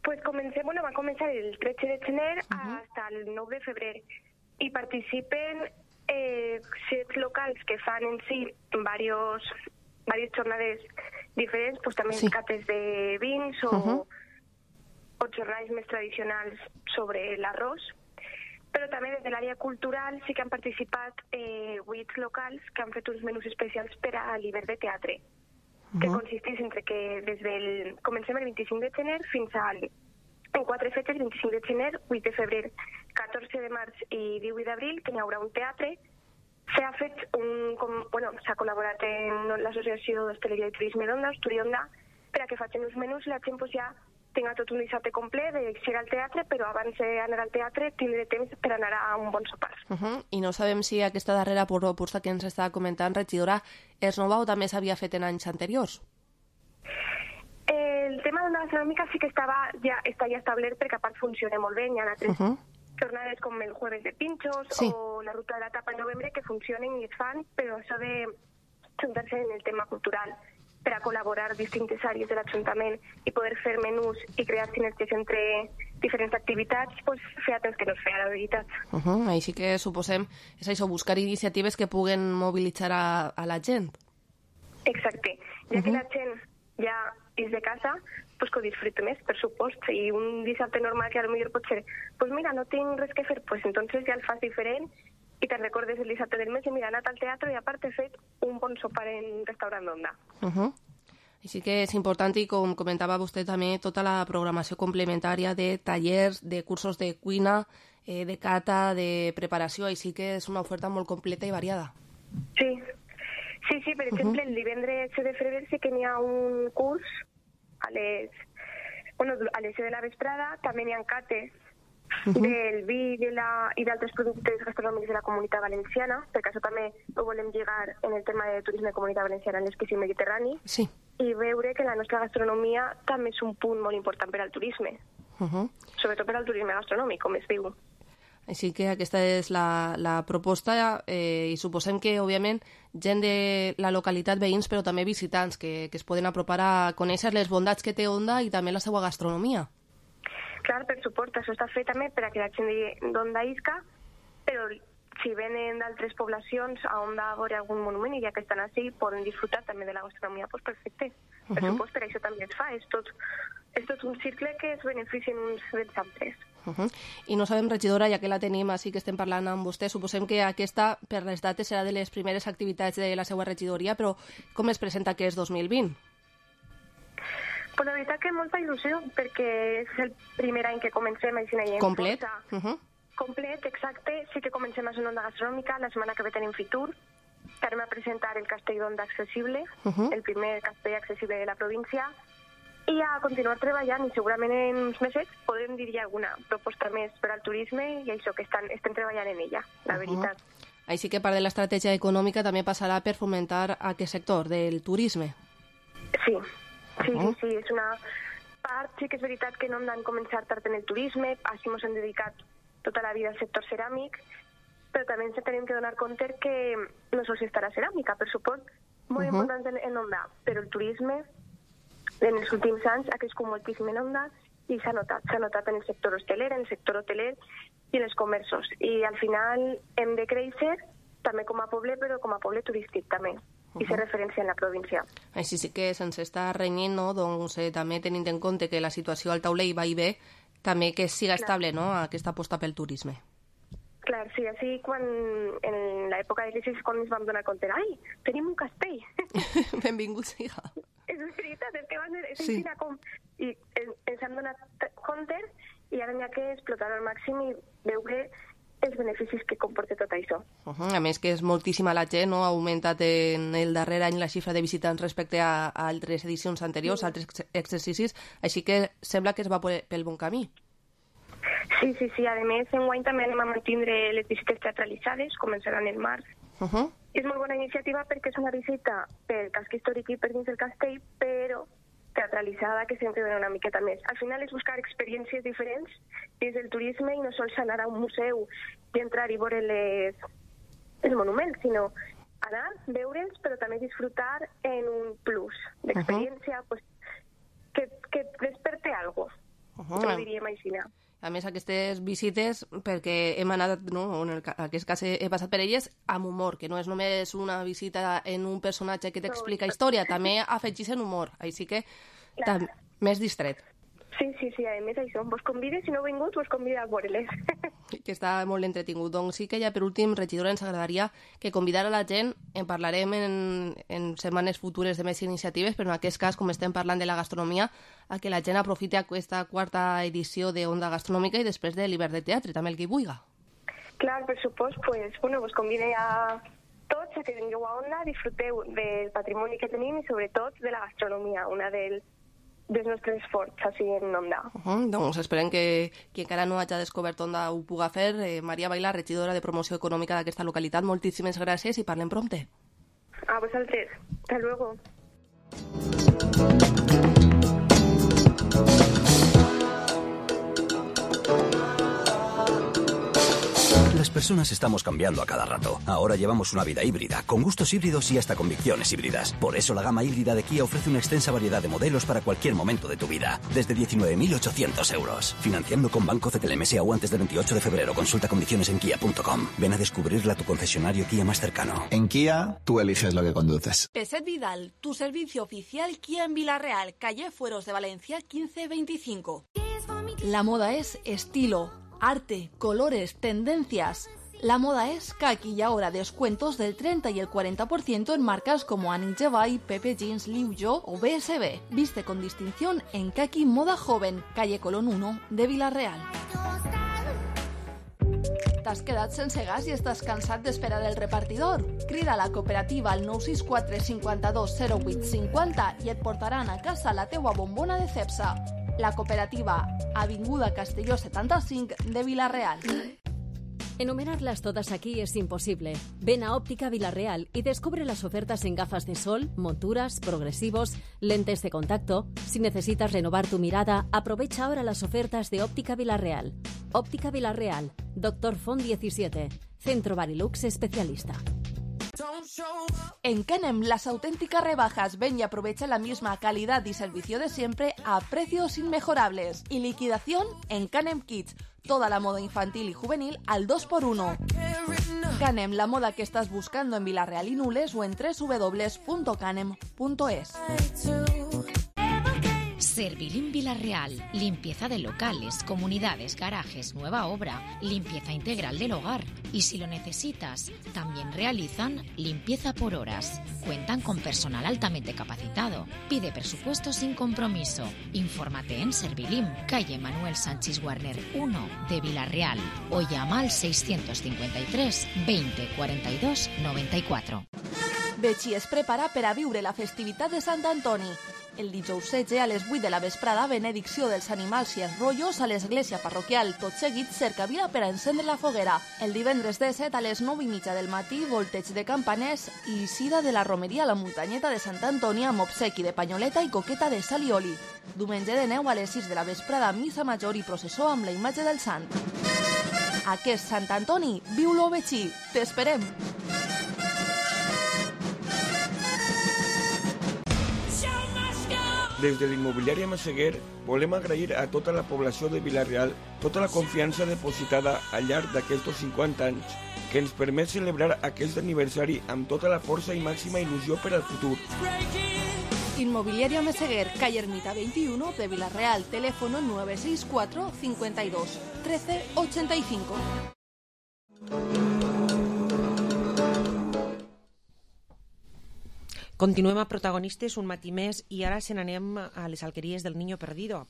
Pues comencem, bueno, va començar el tretze de gener uh -huh. hasta el nou de febrer i participen Eh, set locals que fan en si varios, varias jornades diferents, pues també sí. cates de vins o, uh -huh. o jornades més tradicionals sobre l'arròs, però també des de l'àrea cultural sí que han participat eh, vuit locals que han fet uns menús especials per a l'hivern de teatre, uh -huh. que consisteix entre que des del comencem el vint-i-cinc de gener fins al en quatre fetges, vint-i-cinc de gener, vuit de febrer, catorze de març i divuit d'abril, que hi haurà un teatre. S'ha fet un, com, bueno, s'ha col·laborat en l'Associació d'Hostaleria i Turisme d'Onda, Osturionda, per a que facin uns menús i la gent pues, ja tinga tot un dissabte complet d'eixir al teatre, però abans d'anar al teatre tindré temps per anar a un bon sopar. Uh -huh. I no sabem si aquesta darrera proposta que ens està comentant, regidora, és nova o també s'havia fet en anys anteriors? El tema d'Onda Gastronòmica sí que estava ja, està ja establert perquè a part funciona molt bé, hi ha altres uh -huh. jornades com el jueves de pinchos sí. o la ruta de la tapa en novembre que funcionen i es fan, però això de juntar-se en el tema cultural per a col·laborar distintes àrees de l'Ajuntament i poder fer menús i crear sinergies entre diferents activitats, pues, feia temps que no es feia, la veritat. Uh -huh. Així que suposem, és això, buscar iniciatives que puguen mobilitzar a, a la gent. Exacte, ja uh -huh. que la gent ja és de casa, pues que ho disfrute més, per supost. I un dissabte normal que a lo millor pot ser, pues mira, no tinc res que fer, pues entonces ja el fas diferent i te'n recordes el dissabte del mes i mira, he anat al teatre i a part he fet un bon sopar en restaurant d'Onda. Uh -huh. Així que és important i com comentava vostè també tota la programació complementària de tallers, de cursos de cuina, eh, de cata, de preparació, així que és una oferta molt completa i variada. Sí, sí, sí, per exemple, uh -huh. el divendres de febrer sí que n'hi ha un curs a les, bueno, a les set de la vesprada, també n'hi ha cates uh -huh. del vi de la, i d'altres productes gastronòmics de la Comunitat Valenciana, perquè això també ho volem lligar en el tema de turisme de Comunitat Valenciana en l'esquí mediterrani, sí. i veure que la nostra gastronomia també és un punt molt important per al turisme, uh -huh. sobretot per al turisme gastronòmic, com es diu. Així que aquesta és la, la proposta eh, i suposem que, òbviament, gent de la localitat, veïns, però també visitants que, que es poden apropar a conèixer les bondats que té Onda i també la seva gastronomia. Clar, per suport, això està fet també per a que la gent d'Onda isca, però si venen d'altres poblacions a Onda a veure algun monument i ja que estan així poden disfrutar també de la gastronomia, doncs perfecte. Per uh -huh. suport, per això també es fa. És tot, és tot un cicle que es beneficien uns dels altres. Uh -huh. I no sabem, regidora, ja que la tenim així que estem parlant amb vostè, suposem que aquesta, per les dates, serà de les primeres activitats de la seva regidoria, però com es presenta que és dos mil vint? Pues la veritat que molta il·lusió, perquè és el primer any que comencem així en complet? Uh -huh. Complet, exacte. Sí que comencem a Onda Gastronòmica, la setmana que ve tenim Fitur, que anem a presentar el Castell d'Onda Accessible, uh -huh. el primer castell accessible de la província, i a continuar treballant, i segurament en uns mesos podrem dir ja alguna proposta més per al turisme, i això que estan, estem treballant en ella, la uh -huh. veritat. Així que part de l'estratègia econòmica també passarà per fomentar aquest sector del turisme. Sí, sí, uh -huh. sí, sí, és una part, sí que és veritat que no hem de començar tard en el turisme, així ens hem dedicat tota la vida al sector ceràmic, però també ens tenim que donar compte que no sols està la ceràmica, per suport, molt uh -huh. important en, en Onda, però el turisme en els últims anys ha crescut moltíssim en Onda i s'ha notat, s'ha notat en el sector hosteler, en el sector hoteler i en els comerços. I al final hem de créixer també com a poble, però com a poble turístic també. i ser referència en la província. Així sí que sense estar renyint, no? Doncs eh, també tenint en compte que la situació al taulell va i bé, també que siga Clar. estable, no?, aquesta aposta pel turisme. Clar, sí, així quan en l'època de crisi quan ens vam donar compte, ai, tenim un castell. Benvinguts, hija. És veritat, és que van és sí. com... I ens hem donat compte i ara n'hi ha que explotar al màxim i veure els beneficis que comporta tot això. Uh -huh. A més que és moltíssima la gent, no? Ha augmentat en el darrer any la xifra de visitants respecte a, a altres edicions anteriors, sí. altres exercicis, així que sembla que es va pel bon camí. Sí, sí, sí. A més, enguany també anem a mantindre les visites teatralitzades, començaran el març. Uh -huh. És molt bona iniciativa perquè és una visita pel casc històric i per dins del castell, però teatralitzada, que sempre dona una miqueta més. Al final és buscar experiències diferents dins del turisme i no sols anar a un museu i entrar i veure les, els monuments, sinó anar, veure'ls, però també disfrutar en un plus d'experiència uh -huh. pues, que, que desperte algo, uh -huh. ho diríem així. A més, aquestes visites, perquè hem anat, no, en el, aquest cas he, he passat per elles, amb humor, que no és només una visita en un personatge que t'explica història, també afegís en humor, així que tam, més distret. Sí, sí, sí, a més això, vos convides, si no heu vingut, vos convida a veure-les. Que està molt entretingut. Doncs sí que ja per últim, regidora, ens agradaria que convidar a la gent, en parlarem en, en setmanes futures de més iniciatives, però en aquest cas, com estem parlant de la gastronomia, a que la gent aprofiti aquesta quarta edició d'Onda Gastronòmica i després de l'hivern de teatre, també el que hi vulgui. Clar, per supost, pues, bueno, vos convide a tots a que vingueu a Onda, disfruteu del patrimoni que tenim i sobretot de la gastronomia, una del dels nostres forts, així en Onda. Uh -huh, doncs esperem que qui encara no hagi descobert Onda ho puga fer. Eh, Maria Bailar, regidora de Promoció Econòmica d'aquesta localitat, moltíssimes gràcies i parlem prompte. A vosaltres. Hasta luego. Las personas estamos cambiando a cada rato. Ahora llevamos una vida híbrida, con gustos híbridos y hasta convicciones híbridas. Por eso la gama híbrida de Kia ofrece una extensa variedad de modelos para cualquier momento de tu vida. Desde diecinueve mil ochocientos euros. Financiando con Banco C T L M S A U antes del veintiocho de febrero. Consulta condiciones en kia punto com. Ven a descubrirla a tu concesionario Kia más cercano. En Kia, tú eliges lo que conduces. Peset Vidal, tu servicio oficial Kia en Villarreal, calle Fueros de Valencia quince veinticinco. La moda es estilo, arte, colores, tendencias. La moda es Kaki y ahora descuentos del treinta y el cuarenta por ciento en marcas como Annie Jevay, Pepe Jeans, Liu Yo o B S B. Viste con distinción en Kaki Moda Joven, calle Colón uno de Villarreal. T'has quedat sense gas i estàs cansat d'esperar el repartidor? Crida a la cooperativa al nou sis quatre cinquanta-dos zero vuit cinquanta i et portaran a casa la teua bombona de Cepsa. La cooperativa, Avinguda Castelló setanta-cinc de Villarreal. Enumerarlas todas aquí es imposible. Ven a Óptica Villarreal y descubre las ofertas en gafas de sol, monturas, progresivos, lentes de contacto. Si necesitas renovar tu mirada, aprovecha ahora las ofertas de Óptica Villarreal. Óptica Villarreal, Doctor Font diecisiete, Centro Barilux especialista. En Canem, las auténticas rebajas. Ven y aprovecha la misma calidad y servicio de siempre a precios inmejorables. Y liquidación en Canem Kids. Toda la moda infantil y juvenil al dos por uno. Canem, la moda que estás buscando en Villarreal y Nules o en doble u doble u doble u punto canem punto es. Servilim Villarreal, limpieza de locales, comunidades, garajes, nueva obra, limpieza integral del hogar. Y si lo necesitas, también realizan limpieza por horas. Cuentan con personal altamente capacitado. Pide presupuesto sin compromiso. Infórmate en Servilim, calle Manuel Sánchez Warner uno de Villarreal o llama al seiscientos cincuenta y tres veinte cuarenta y dos noventa y cuatro. Betxí es prepara per a viure la festivitat de Sant Antoni. El dijous setze a les vuit de la vesprada, benedicció dels animals i els rotllos a l'església parroquial. Tot seguit, cercavila per a encendre la foguera. El divendres disset a les nou i mitja del matí, volteig de campaners i eixida de la romeria a la muntanyeta de Sant Antoni amb obsequi de panyoleta i coqueta de sal i oli. Diumenge de neu a les sis de la vesprada, missa major i processó amb la imatge del sant. Aquest Sant Antoni, viu-lo Betxí. T'esperem! Des de l'immobiliària Massaguer volem agrair a tota la població de Villarreal tota la confiança depositada al llarg d'aquests cinquanta anys que ens permet celebrar aquest aniversari amb tota la força i màxima il·lusió per al futur. Inmobiliaria Meseguer, calle Ermita veintiuno de Villarreal, teléfono nueve seis cuatro cincuenta y dos trece ochenta y cinco. Continuem a Protagonistes un matí més i ara se n'anem a les alqueries del Niño Perdido.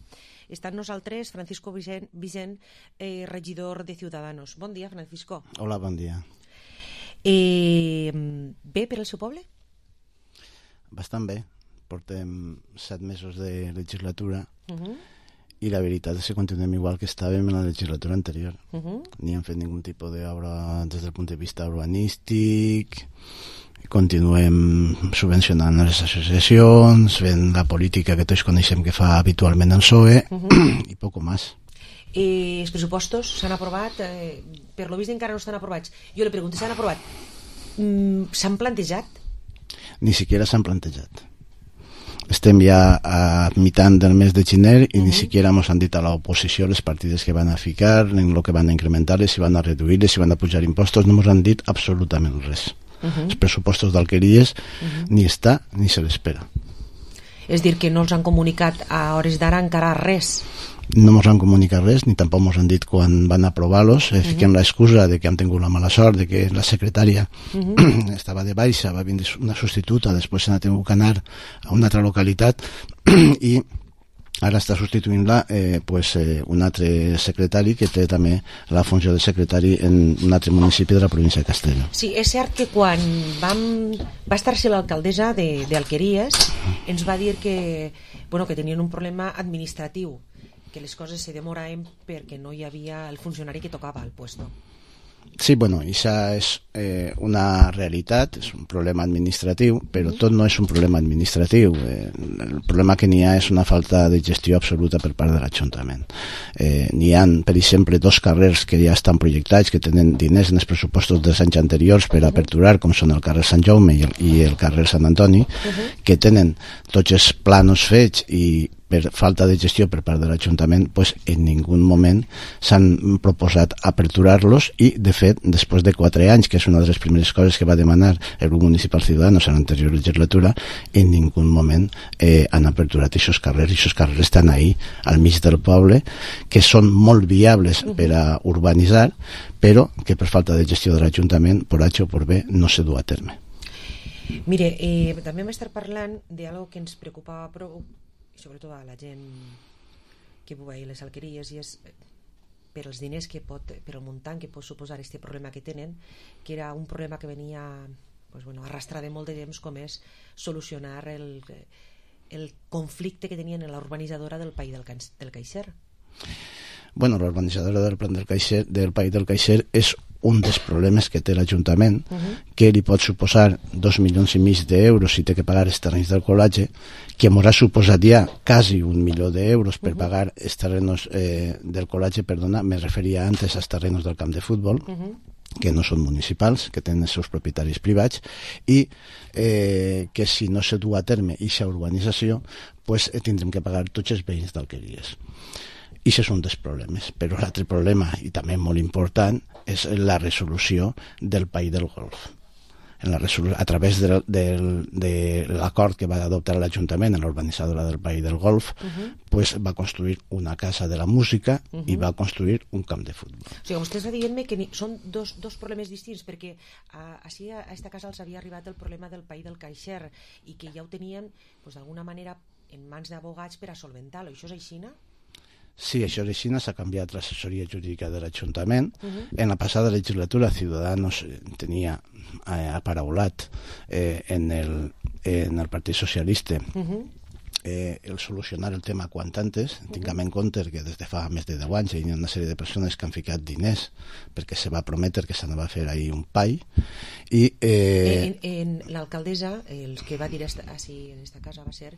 Està amb nosaltres Francisco Vicent, Vicent eh, regidor de Ciudadanos. Bon dia, Francisco. Hola, bon dia. Eh, bé per al seu poble? Bastant bé. Portem set mesos de legislatura Uh -huh. i la veritat és que continuem igual que estàvem en la legislatura anterior. Uh -huh. Ni hem fet ningun tipus d'obra des del punt de vista urbanístic, continuem subvencionant les associacions, fent la política que tots coneixem que fa habitualment el P S O E, Uh -huh. i poc més. Eh, els pressupostos s'han aprovat, eh, per lo vist encara no estan aprovats. Jo li pregunto, s'han aprovat? Mm, s'han plantejat? Ni siquiera s'han plantejat. Estem ja a mitjan del mes de gener i uh -huh. ni siquiera ens han dit a l'oposició les partides que van a ficar, en el que van a incrementar-les, si van a reduir-les, si van a pujar impostos, no ens han dit absolutament res. Uh -huh. Els pressupostos d'alqueries uh -huh. ni està ni se l'espera. És dir, que no els han comunicat a hores d'ara encara res? No ens han comunicat res, ni tampoc ens han dit quan van aprovar-los. Eh, fiquem uh -huh. l'excusa de que han tingut la mala sort de que la secretària uh -huh. estava de baixa, va vindre una substituta, després se n'ha tingut que anar a una altra localitat i ara està substituint-la eh, pues, eh, un altre secretari que té també la funció de secretari en un altre municipi de la província de Castelló. Sí, és cert que quan vam, va estar-se l'alcaldessa d'Alqueries ens va dir que, bueno, que tenien un problema administratiu, que les coses se demoraven perquè no hi havia el funcionari que tocava al puesto. Sí, bueno, això és eh, una realitat, és un problema administratiu, però tot no és un problema administratiu. Eh, el problema que n'hi ha és una falta de gestió absoluta per part de l'Ajuntament. Eh, n'hi ha, per exemple, dos carrers que ja estan projectats, que tenen diners en els pressupostos dels anys anteriors per aperturar, com són el carrer Sant Jaume i el, i el carrer Sant Antoni, que tenen tots els planos fets i per falta de gestió per part de l'Ajuntament, pues, en ningú moment s'han proposat aperturar-los i, de fet, després de quatre anys, que és una de les primeres coses que va demanar el grup municipal Ciudadanos en l'anterior legislatura, en ningú moment eh, han aperturat aquests carrers, i aquests carrers estan ahí, al mig del poble, que són molt viables per a urbanitzar, però que per falta de gestió de l'Ajuntament, per H o per B, no se du a terme. Mire, eh, també vam estar parlant d'algo que ens preocupava prou, sobretot a la gent que viu a les alqueries, i és per els diners que pot, per el muntant que pot suposar aquest problema que tenen, que era un problema que venia pues, bueno, arrastrar de molt de temps, com és solucionar el, el conflicte que tenien en la urbanitzadora del País del, del Caixer. Bueno, l'urbanitzadora del Plan del Caixer, del País del Caixer, és un dels problemes que té l'Ajuntament, uh -huh. que li pot suposar dos milions i mig d'euros si té que pagar els terrenys del col·legi, que ens ha suposat ja quasi un milió d'euros per uh -huh. pagar els terrenos eh, del col·legi, perdona, me referia antes als terrenos del camp de futbol, uh -huh. que no són municipals, que tenen els seus propietaris privats, i eh, que si no se du a terme aquesta urbanització, pues, eh, tindrem que pagar tots els veïns d'alqueries. I això és un dels problemes, però l'altre problema, i també molt important, és la resolució del País del Golf. En la resolu- a través de, de, de l'acord que va adoptar l'Ajuntament en l'urbanitzadora del País del Golf, uh-huh. pues, va construir una casa de la música uh-huh. i va construir un camp de futbol. O sigui, vostè està dient-me que ni, són dos, dos problemes distints, perquè a, així a aquesta casa els havia arribat el problema del País del Caixer i que ja ho tenien pues, d'alguna manera en mans d'abogats per a solventar-lo. Això és així, no? Sí, això és així, s'ha canviat l'assessoria jurídica de l'Ajuntament. Uh-huh. En la passada legislatura Ciudadanos tenia eh, aparaulat eh, en, el, en el Partit Socialista uh-huh. eh, el solucionar el tema quant antes. Uh-huh. Tinguem en compte que des de fa més de deu anys hi ha una sèrie de persones que han ficat diners perquè se va prometre que s'anava a fer ahir un pai i... Eh... En, en l'alcaldessa, el que va dir així en aquesta casa va ser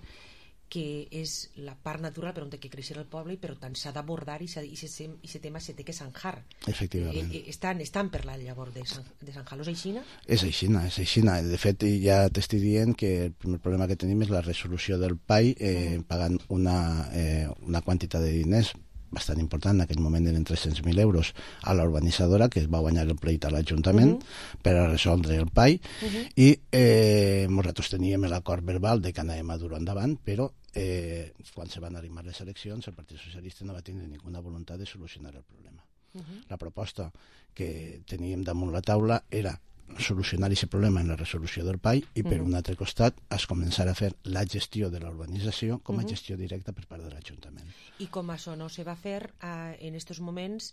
que és la part natural per on té que créixer el poble, però tant s'ha d'abordar i aquest tema se té que zanjar. Efectivament. Eh, estan, estan per la llavor de, San, de zanjar-los aixina? És aixina, és aixina. De fet, ja t'estic dient que el primer problema que tenim és la resolució del P A I eh, pagant una, eh, una quantitat de diners bastant important, en aquell moment eren tres-cents mil euros, a la urbanitzadora, que va guanyar el pleit a l'Ajuntament uh-huh. per a resoldre el P A I, uh-huh. i eh, nosaltres teníem l'acord verbal de que anàvem a dur endavant, però eh, quan se van arrimar les eleccions el Partit Socialista no va tenir ninguna voluntat de solucionar el problema. Uh-huh. La proposta que teníem damunt la taula era solucionar aquest problema en la resolució del P A I i per uh-huh. un altre costat es començar a fer la gestió de l'urbanització com a uh-huh. gestió directa per part de l'Ajuntament. I com això no se va fer, eh, en aquests moments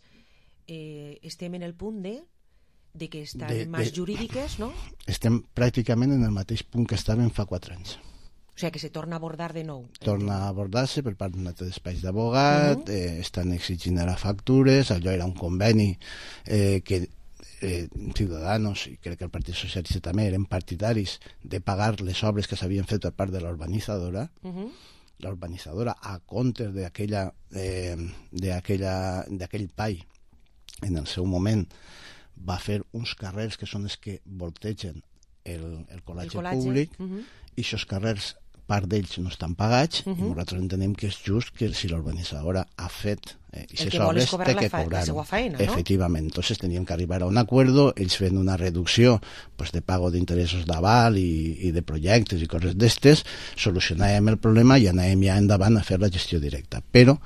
eh, estem en el punt de, de que estan de, més de, jurídiques, no? Estem pràcticament en el mateix punt que estàvem fa quatre anys. O sigui que se torna a abordar de nou. Torna a abordar-se per part d'un altre despatx d'abogat, uh-huh. eh, estan exigint ara factures, allò era un conveni eh, que Eh, Ciudadanos i crec que el Partit Socialista també eren partidaris de pagar les obres que s'havien fet per part de la urbanitzadora uh-huh. la urbanitzadora a compte d'aquella eh, d'aquella d'aquell P A I en el seu moment va fer uns carrers que són els que voltegen el, el col·legi públic uh-huh. i aquests carrers part d'ells no estan pagats uh-huh. i nosaltres entenem que és just que si la urbanitzadora ha fet eh, i les obres té que cobrar-ho. ¿No? Efectivament, entonces teníem que arribar a un acuerdo, ells fent una reducció pues, de pago d'interessos d'aval i, i de projectes i coses d'estes, solucionàvem el problema i anàvem ja endavant a fer la gestió directa. Però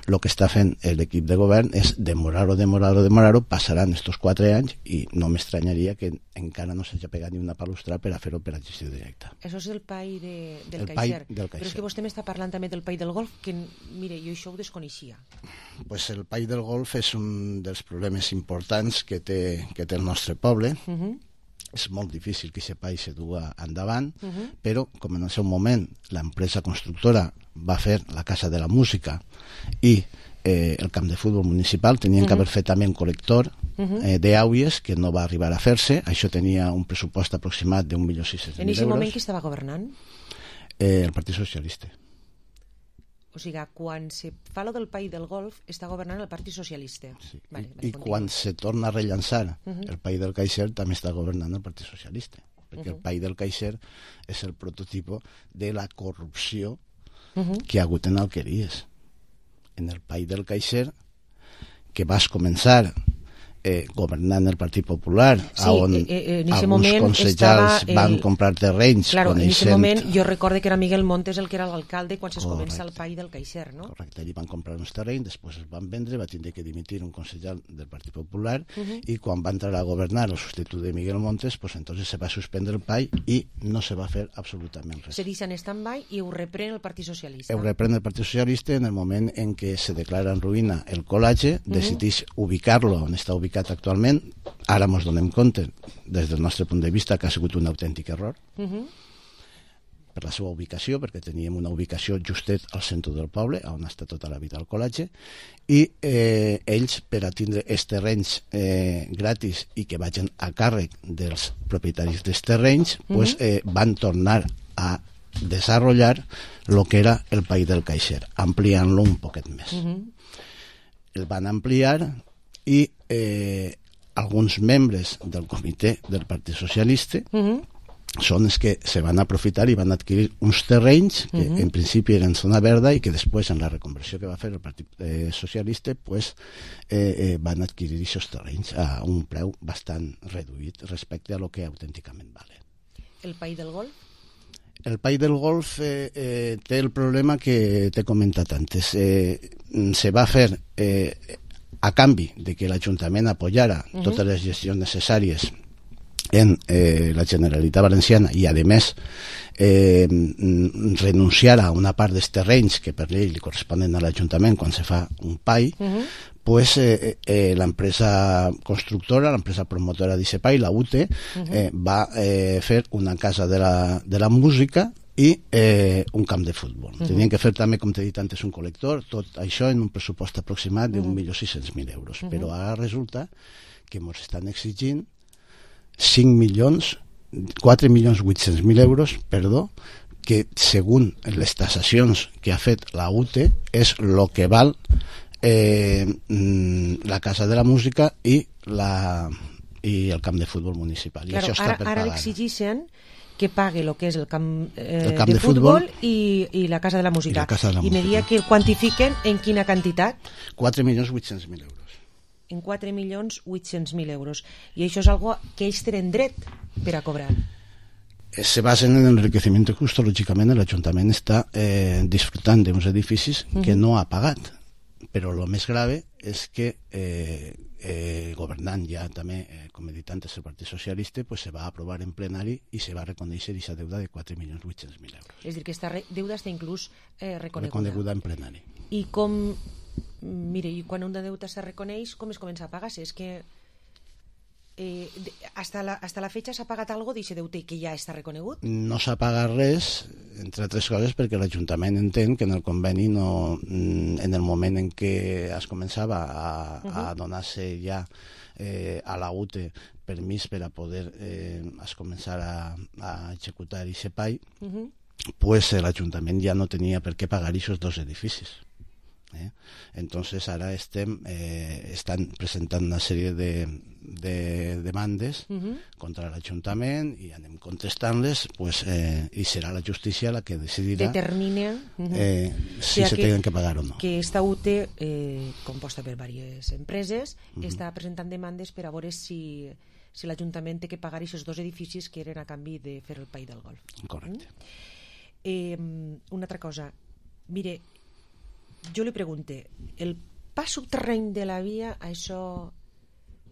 el que està fent l'equip de govern és demorar-ho, demorar-ho, demorar-ho, passaran estos quatre anys i no m'estranyaria que encara no s'hagi pegat ni una palustra per a fer-ho per a gestió directa. Això és el P A I de, del el Caixer. Del Però és que vostè m'està parlant també del P A I del Golf, que mire, jo això ho desconeixia. Pues el P A I del Golf és un dels problemes importants que té, que té el nostre poble. Uh-huh. És molt difícil que aquest P A I se duga endavant, uh-huh. però com en el seu moment l'empresa constructora va fer la Casa de la Música i eh, el camp de futbol municipal, tenien uh-huh. que haver fet també un col·lector uh-huh. eh, d'àuies que no va arribar a fer-se. Això tenia un pressupost aproximat d'un milió sis-cents mil euros. En aquest moment qui estava governant? Eh, el Partit Socialista. O sigui, quan se fa lo del P A I del Golf està governant el Partit Socialista. Sí. Vale, I, i quan se torna a rellançar uh-huh. el P A I del Caixer també està governant el Partit Socialista, perquè uh-huh. el P A I del Caixer és el prototipo de la corrupció uh-huh. que ha hagut en Alqueries. En el P A I del Caixer, que vas començar eh, governant el Partit Popular, sí, on eh, eh, alguns consellers el... van comprar terrenys claro, coneixent... en aquest moment jo recorde que era Miguel Montes el que era l'alcalde quan es comença el P A I del Caixer, no? Correcte, allí van comprar uns terrenys, després es van vendre, va tindre que dimitir un conseller del Partit Popular uh-huh. i quan va entrar a governar el substitut de Miguel Montes, pues entonces se va suspendre el P A I i no se va fer absolutament res. Se deixa en stand-by i ho reprèn el Partit Socialista. Ho reprèn el Partit Socialista en el moment en què se declara en ruïna el col·legi, uh-huh. decideix ubicar-lo on està ubicat actualment. Ara ens donem compte, des del nostre punt de vista, que ha sigut un autèntic error uh-huh. per la seva ubicació, perquè teníem una ubicació justet al centre del poble, on està tota la vida el col·legi, i eh, ells, per a tindre els terrenys eh, gratis i que vagin a càrrec dels propietaris dels terrenys, uh-huh. pues, eh, van tornar a desenvolupar el que era el P A I del Caixer, ampliant-lo un poquet més. Uh-huh. El van ampliar i eh, alguns membres del comitè del Partit Socialista uh-huh. són els que se van aprofitar i van adquirir uns terrenys que uh-huh. en principi eren zona verda i que després en la reconversió que va fer el Partit eh, Socialista pues, eh, eh, van adquirir aquests terrenys a un preu bastant reduït respecte a lo que autènticament vale. El P A I del Golf? El P A I del Golf eh, eh, té el problema que t'he comentat antes. Eh, se va fer eh, a canvi de que l'Ajuntament apoyara uh-huh. totes les gestions necessàries en eh, la Generalitat Valenciana i, a més, eh, renunciara a una part dels terrenys que per llei li corresponen a l'Ajuntament quan se fa un P A I, uh-huh. pues eh, eh, l'empresa constructora, l'empresa promotora d'aquest P A I, la U T E, uh-huh. eh, va eh, fer una casa de la, de la música i eh, un camp de futbol. Uh-huh. Tenien que fer també, com t'he dit antes, un col·lector, tot això en un pressupost aproximat d'un milió sis-cents mil euros. Uh-huh. Però ara resulta que ens estan exigint cinc milions, quatre milions vuit-cents mil euros, perdó, que segons les tasacions que ha fet la U T E és el que val eh, la Casa de la Música i, la, i el camp de futbol municipal. I claro, això està ara, per ara pagar. l'exigeixen que pague el que és el camp, eh, el camp de, de futbol, futbol i, i la Casa de la Música. I, la casa de la I me dia que quantifiquen en quina quantitat? quatre milions vuit-cents mil euros. En quatre milions vuit-cents mil euros. I això és algo que ells tenen dret per a cobrar. Se basen en el enriquecimiento justo, lógicamente el Ayuntamiento está eh, disfrutando de unos edificios uh-huh. que no ha pagado. Pero lo más grave es que eh, eh, gobernant ja també, eh, com he dit antes, el Partit Socialista, pues se va a aprovar en plenari i se va a reconèixer aquesta deuda de quatre milions vuit-cents mil euros. És a dir, que aquesta deuda està inclús eh, reconeguda. Reconeguda en plenari. I com... Mire, i quan una deuta se reconeix, com es comença a pagar-se? És que eh, hasta, la, hasta la fecha s'ha pagat algo d'aquest deute que ja està reconegut? No s'ha pagat res, entre altres coses, perquè l'Ajuntament entén que en el conveni, no, en el moment en què es començava a, uh-huh. a donar-se ja eh, a la U T E permís per a poder eh, es començar a, a executar aquest P A I, uh-huh. pues l'Ajuntament ja no tenia per què pagar aquests dos edificis. Eh? Entonces ara estem eh, estan presentant una sèrie de, de demandes uh-huh. contra l'Ajuntament i anem contestant-les, pues, eh, i serà la justícia la que decidirà determina uh-huh. eh, si o sea se tenen que pagar o no. Que esta U T E, eh, composta per diverses empreses, uh-huh. està presentant demandes per a veure si, si l'Ajuntament té que pagar aquests dos edificis que eren a canvi de fer el P A I del Golf. Correcte. Mm? Eh, una altra cosa, mire, jo li pregunte, el pas subterrani de la via, això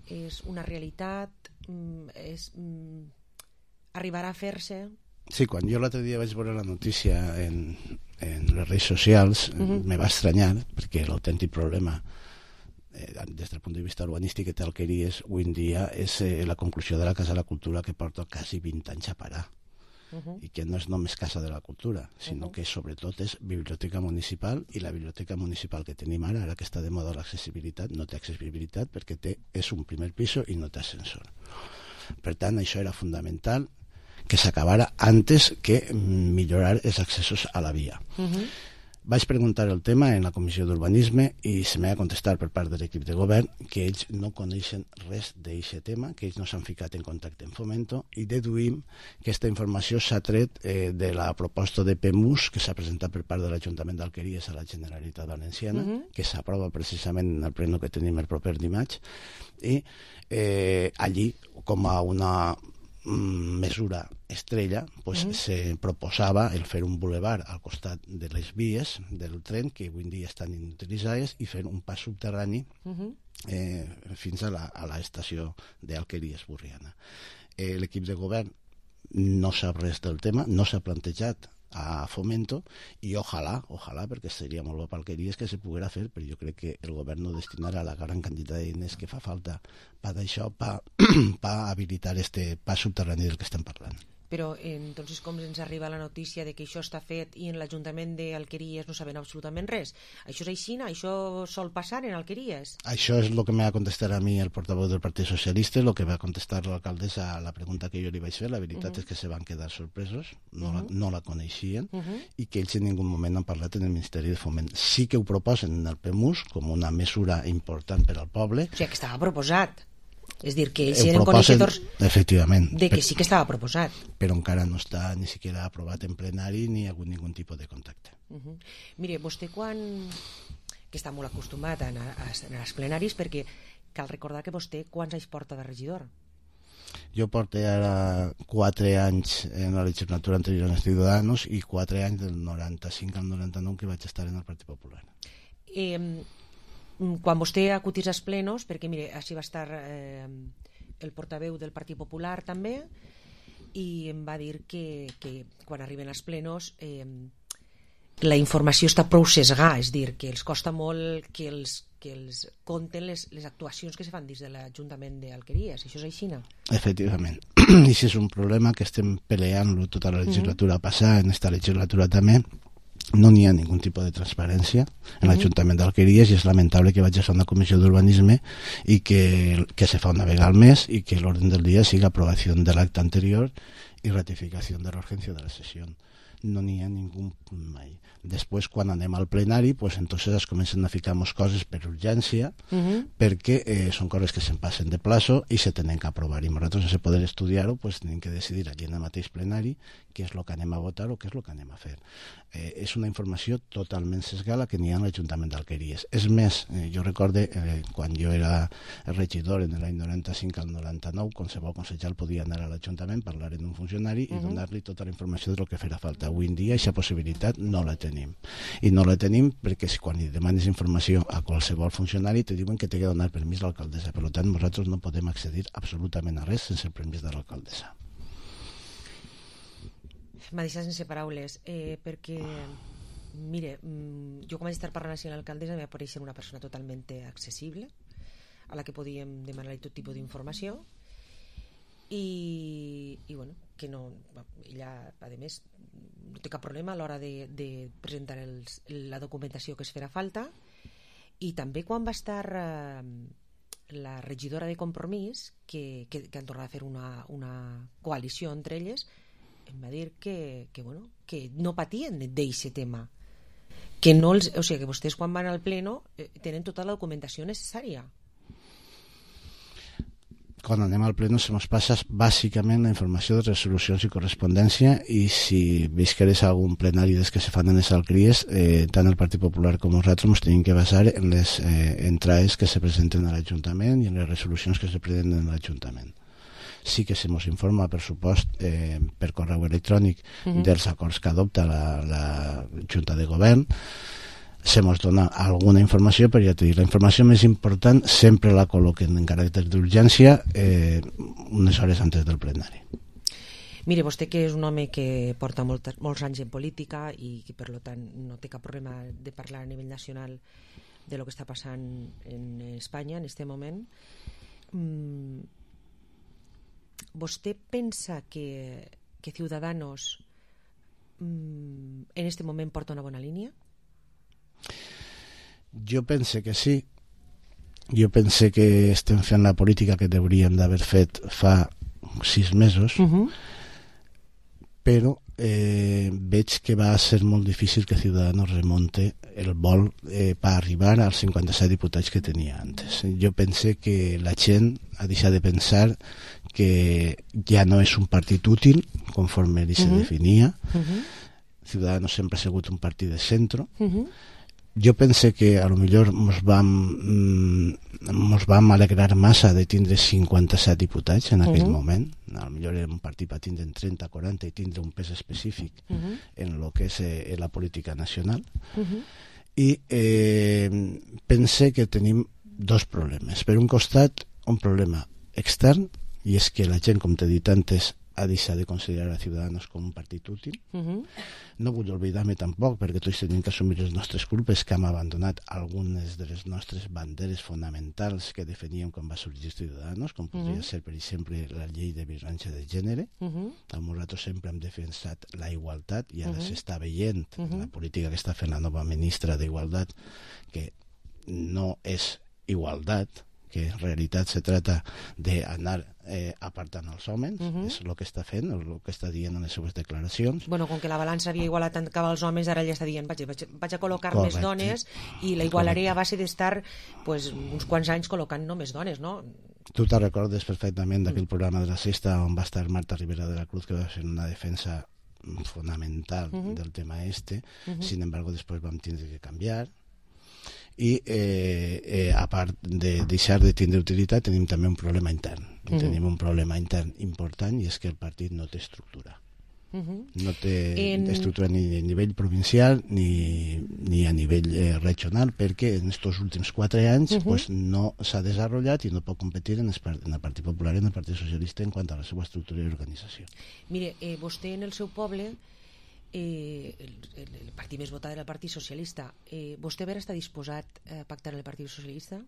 és una realitat? És, arribarà a fer-se? Sí, quan jo l'altre dia vaig veure la notícia en, en les redes socials, uh-huh. me va estranyar, perquè l'autèntic problema eh, des del punt de vista urbanístic que té Alqueries avui en dia és eh, la conclusió de la Casa de la Cultura, que porta quasi vint anys a parar. Uh-huh. I que no és només Casa de la Cultura, sinó uh-huh. que sobretot és biblioteca municipal, i la biblioteca municipal que tenim ara, ara que està de moda l'accessibilitat, no té accessibilitat perquè té, és un primer piso i no té ascensor. Per tant, això era fundamental que s'acabara antes que millorar els accessos a la via. Uh-huh. Vaig preguntar el tema en la Comissió d'Urbanisme i se m'ha contestat per part de l'equip de govern que ells no coneixen res d'aquest tema, que ells no s'han ficat en contacte amb Fomento, i deduïm que aquesta informació s'ha tret eh, de la proposta de P M U S que s'ha presentat per part de l'Ajuntament d'Alqueries a la Generalitat Valenciana, uh-huh. que s'aprova precisament en el pleno que tenim el proper dimarts, i eh, allí, com a una mesura estrella, pues uh-huh. se proposava el fer un boulevard al costat de les vies del tren que avui en dia estan inutilitzades i fer un pas subterrani uh-huh. eh, fins a la, a l'estació d'Alqueries Burriana. Eh, l'equip de govern no sap res del tema, no s'ha plantejat a Fomento, i ojalà, ojalà, perquè seria molt bo per Alqueries que se poguera fer, però jo crec que el govern no destinarà la gran quantitat de diners que fa falta per això, per habilitar este pas subterrani del que estem parlant. Però entonces com ens arriba la notícia de que això està fet i en l'Ajuntament d'Alqueries no saben absolutament res? Això és així? Això sol passar en Alqueries? Això és el que m'ha contestat a mi el portaveu del Partit Socialista, el que va contestar l'alcaldessa a la pregunta que jo li vaig fer. La veritat uh-huh. és que se van quedar sorpresos, no, uh-huh. la, no la coneixien, uh-huh. i que ells en ningú moment han parlat en el Ministeri de Foment. Sí que ho proposen en el P M U S com una mesura important per al poble. O sigui, que estava proposat. És dir, que ells ho eren proposen, coneixedors efectivament, de que sí que estava proposat. Però encara no està ni siquiera aprovat en plenari ni ha hagut ningun tipus de contacte. Uh-huh. Mire, vostè quan... que està molt acostumat a anar als plenaris, perquè cal recordar que vostè quants anys porta de regidor? Jo porto ara quatre anys en la legislatura anterior en els Ciudadanos i quatre anys del noranta-cinc al noranta-nou que vaig estar en el Partit Popular. Eh... Quan vostè acudís als plenos, perquè mire, així va estar eh, el portaveu del Partit Popular també, i em va dir que, que quan arriben als plenos eh, la informació està prou sesgada, és dir, que els costa molt que els, que els compten les, les actuacions que se fan dins de l'Ajuntament d'Alqueries. Això és així, no? Efectivament. I si és un problema que estem peleant-lo tota la legislatura uh-huh. passada, en esta legislatura també, no n'hi ha ningun tipus de transparència en l'Ajuntament d'Alqueries, i és lamentable que vaig a fer una comissió d'urbanisme i que, que se fa una vegada al mes i que l'ordre del dia siga aprovació de l'acte anterior i ratificació de l'urgència de la sessió. no n'hi ha ningú mai. Després, quan anem al plenari, pues, entonces es comencen a ficar-nos coses per urgència, uh-huh. perquè eh, són coses que se'n passen de plazo i se tenen que aprovar. I nosaltres, sense poder estudiar-ho, pues, tenim que decidir allí en el mateix plenari què és el que anem a votar o què és el que anem a fer. Eh, és una informació totalment sesgada que n'hi ha a l'Ajuntament d'Alqueries. És més, eh, jo recorde eh, quan jo era regidor en l'any noranta-cinc al noranta-nou, qualsevol consellal podia anar a l'Ajuntament, parlar amb un funcionari i uh-huh. donar-li tota la informació del que farà falta. Avui en dia aquesta possibilitat no la tenim. I no la tenim perquè si quan li demanes informació a qualsevol funcionari te diuen que té que donar permís a l'alcaldessa. Per tant, nosaltres no podem accedir absolutament a res sense el permís de l'alcaldessa. M'ha deixat sense paraules, eh, perquè, mire, jo com vaig estar parlant així amb l'alcaldessa em va aparèixer una persona totalment accessible, a la que podíem demanar-li tot tipus d'informació, i, i bueno, que no, ella, a més, no té cap problema a l'hora de, de presentar els, la documentació que es farà falta, i també quan va estar eh, la regidora de Compromís, que, que, que han tornat a fer una, una coalició entre elles, em va dir que, que, bueno, que no patien d'aquest tema, que no els, o sigui, que vostès quan van al pleno eh, tenen tota la documentació necessària. Quan anem al pleno se ens passa bàsicament la informació de resolucions i correspondència, i si visqueres algun plenari des que se fan en les alcaldies, eh, tant el Partit Popular com nosaltres ens tenim que basar en les eh, entrades que se presenten a l'Ajuntament i en les resolucions que se prenen en l'Ajuntament. Sí que se ens informa, per supost, eh, per correu electrònic uh-huh. dels acords que adopta la, la Junta de Govern. Se ens dona alguna informació, però ja t'he dit, la informació més important sempre la col·loquen en caràcter d'urgència eh, unes hores antes del plenari. Mire, vostè que és un home que porta molt, molts anys en política i que per tant no té cap problema de parlar a nivell nacional de lo que està passant en Espanya en aquest moment, mmm, ¿vostè pensa que, que Ciudadanos mmm, en este moment porta una bona línia? Jo pense que sí. Jo pense que estem fent la política que hauríem d'haver fet fa sis mesos, uh-huh. però eh, veig que va ser molt difícil que Ciudadanos remonte el vol eh, per arribar als cinquanta-set diputats que tenia antes. Jo pense que la gent ha deixat de pensar que ja no és un partit útil conforme ell se uh-huh. definia. Uh-huh. Ciudadanos sempre ha sigut un partit de centre. Uh-huh. Jo pense que a lo millor mos vam, mm, mos vam alegrar massa de tindre cinquanta-set diputats en aquell uh-huh. moment. A lo millor era un partit per tindre trenta, quaranta i tindre un pes específic uh-huh. en lo que és eh, la política nacional. Uh-huh. I eh, pense que tenim dos problemes. Per un costat, un problema extern, i és que la gent, com t'he dit antes, ha deixat de considerar a Ciudadanos com un partit útil. Uh-huh. No vull oblidar-me tampoc, perquè tots tenim que assumir les nostres culpes, que hem abandonat algunes de les nostres banderes fonamentals que definíem quan va sorgir Ciudadanos, com podria uh-huh. ser, per exemple, la llei de violència de gènere. Uh-huh. Nosaltres sempre hem defensat la igualtat, i ara uh-huh. s'està veient uh-huh. la política que està fent la nova ministra d'Igualtat, que no és igualtat, que en realitat se trata d'anar eh, apartant els homes, uh-huh. és el que està fent, el que està dient en les seves declaracions. Bueno, com que la balança havia igualat tant cap als homes, ara ja està dient vaig, vaig, vaig a col·locar Correcte. Més dones i la igualaré a base d'estar pues, uns quants anys col·locant només dones, no? Tu te recordes perfectament d'aquell programa de la Sexta on va estar Marta Rivera de la Cruz, que va fer una defensa fonamental uh-huh. del tema este. Uh-huh. Sin embargo, després vam tindre que canviar. I eh, eh, a part de deixar de tindre utilitat, tenim també un problema intern. Uh-huh. Tenim un problema intern important, i és que el partit no té estructura. Uh-huh. No té en... estructura ni a nivell provincial ni, ni a nivell eh, regional, perquè en aquests últims quatre anys uh-huh. pues, no s'ha desenvolupat i no pot competir en el, en el Partit Popular i en el Partit Socialista en quant a la seva estructura i organització. Mire, eh, vostè en el seu poble, Eh, el, el, el partit més votat era el Partit Socialista. Eh, vostè vera està disposat a pactar amb el Partit Socialista?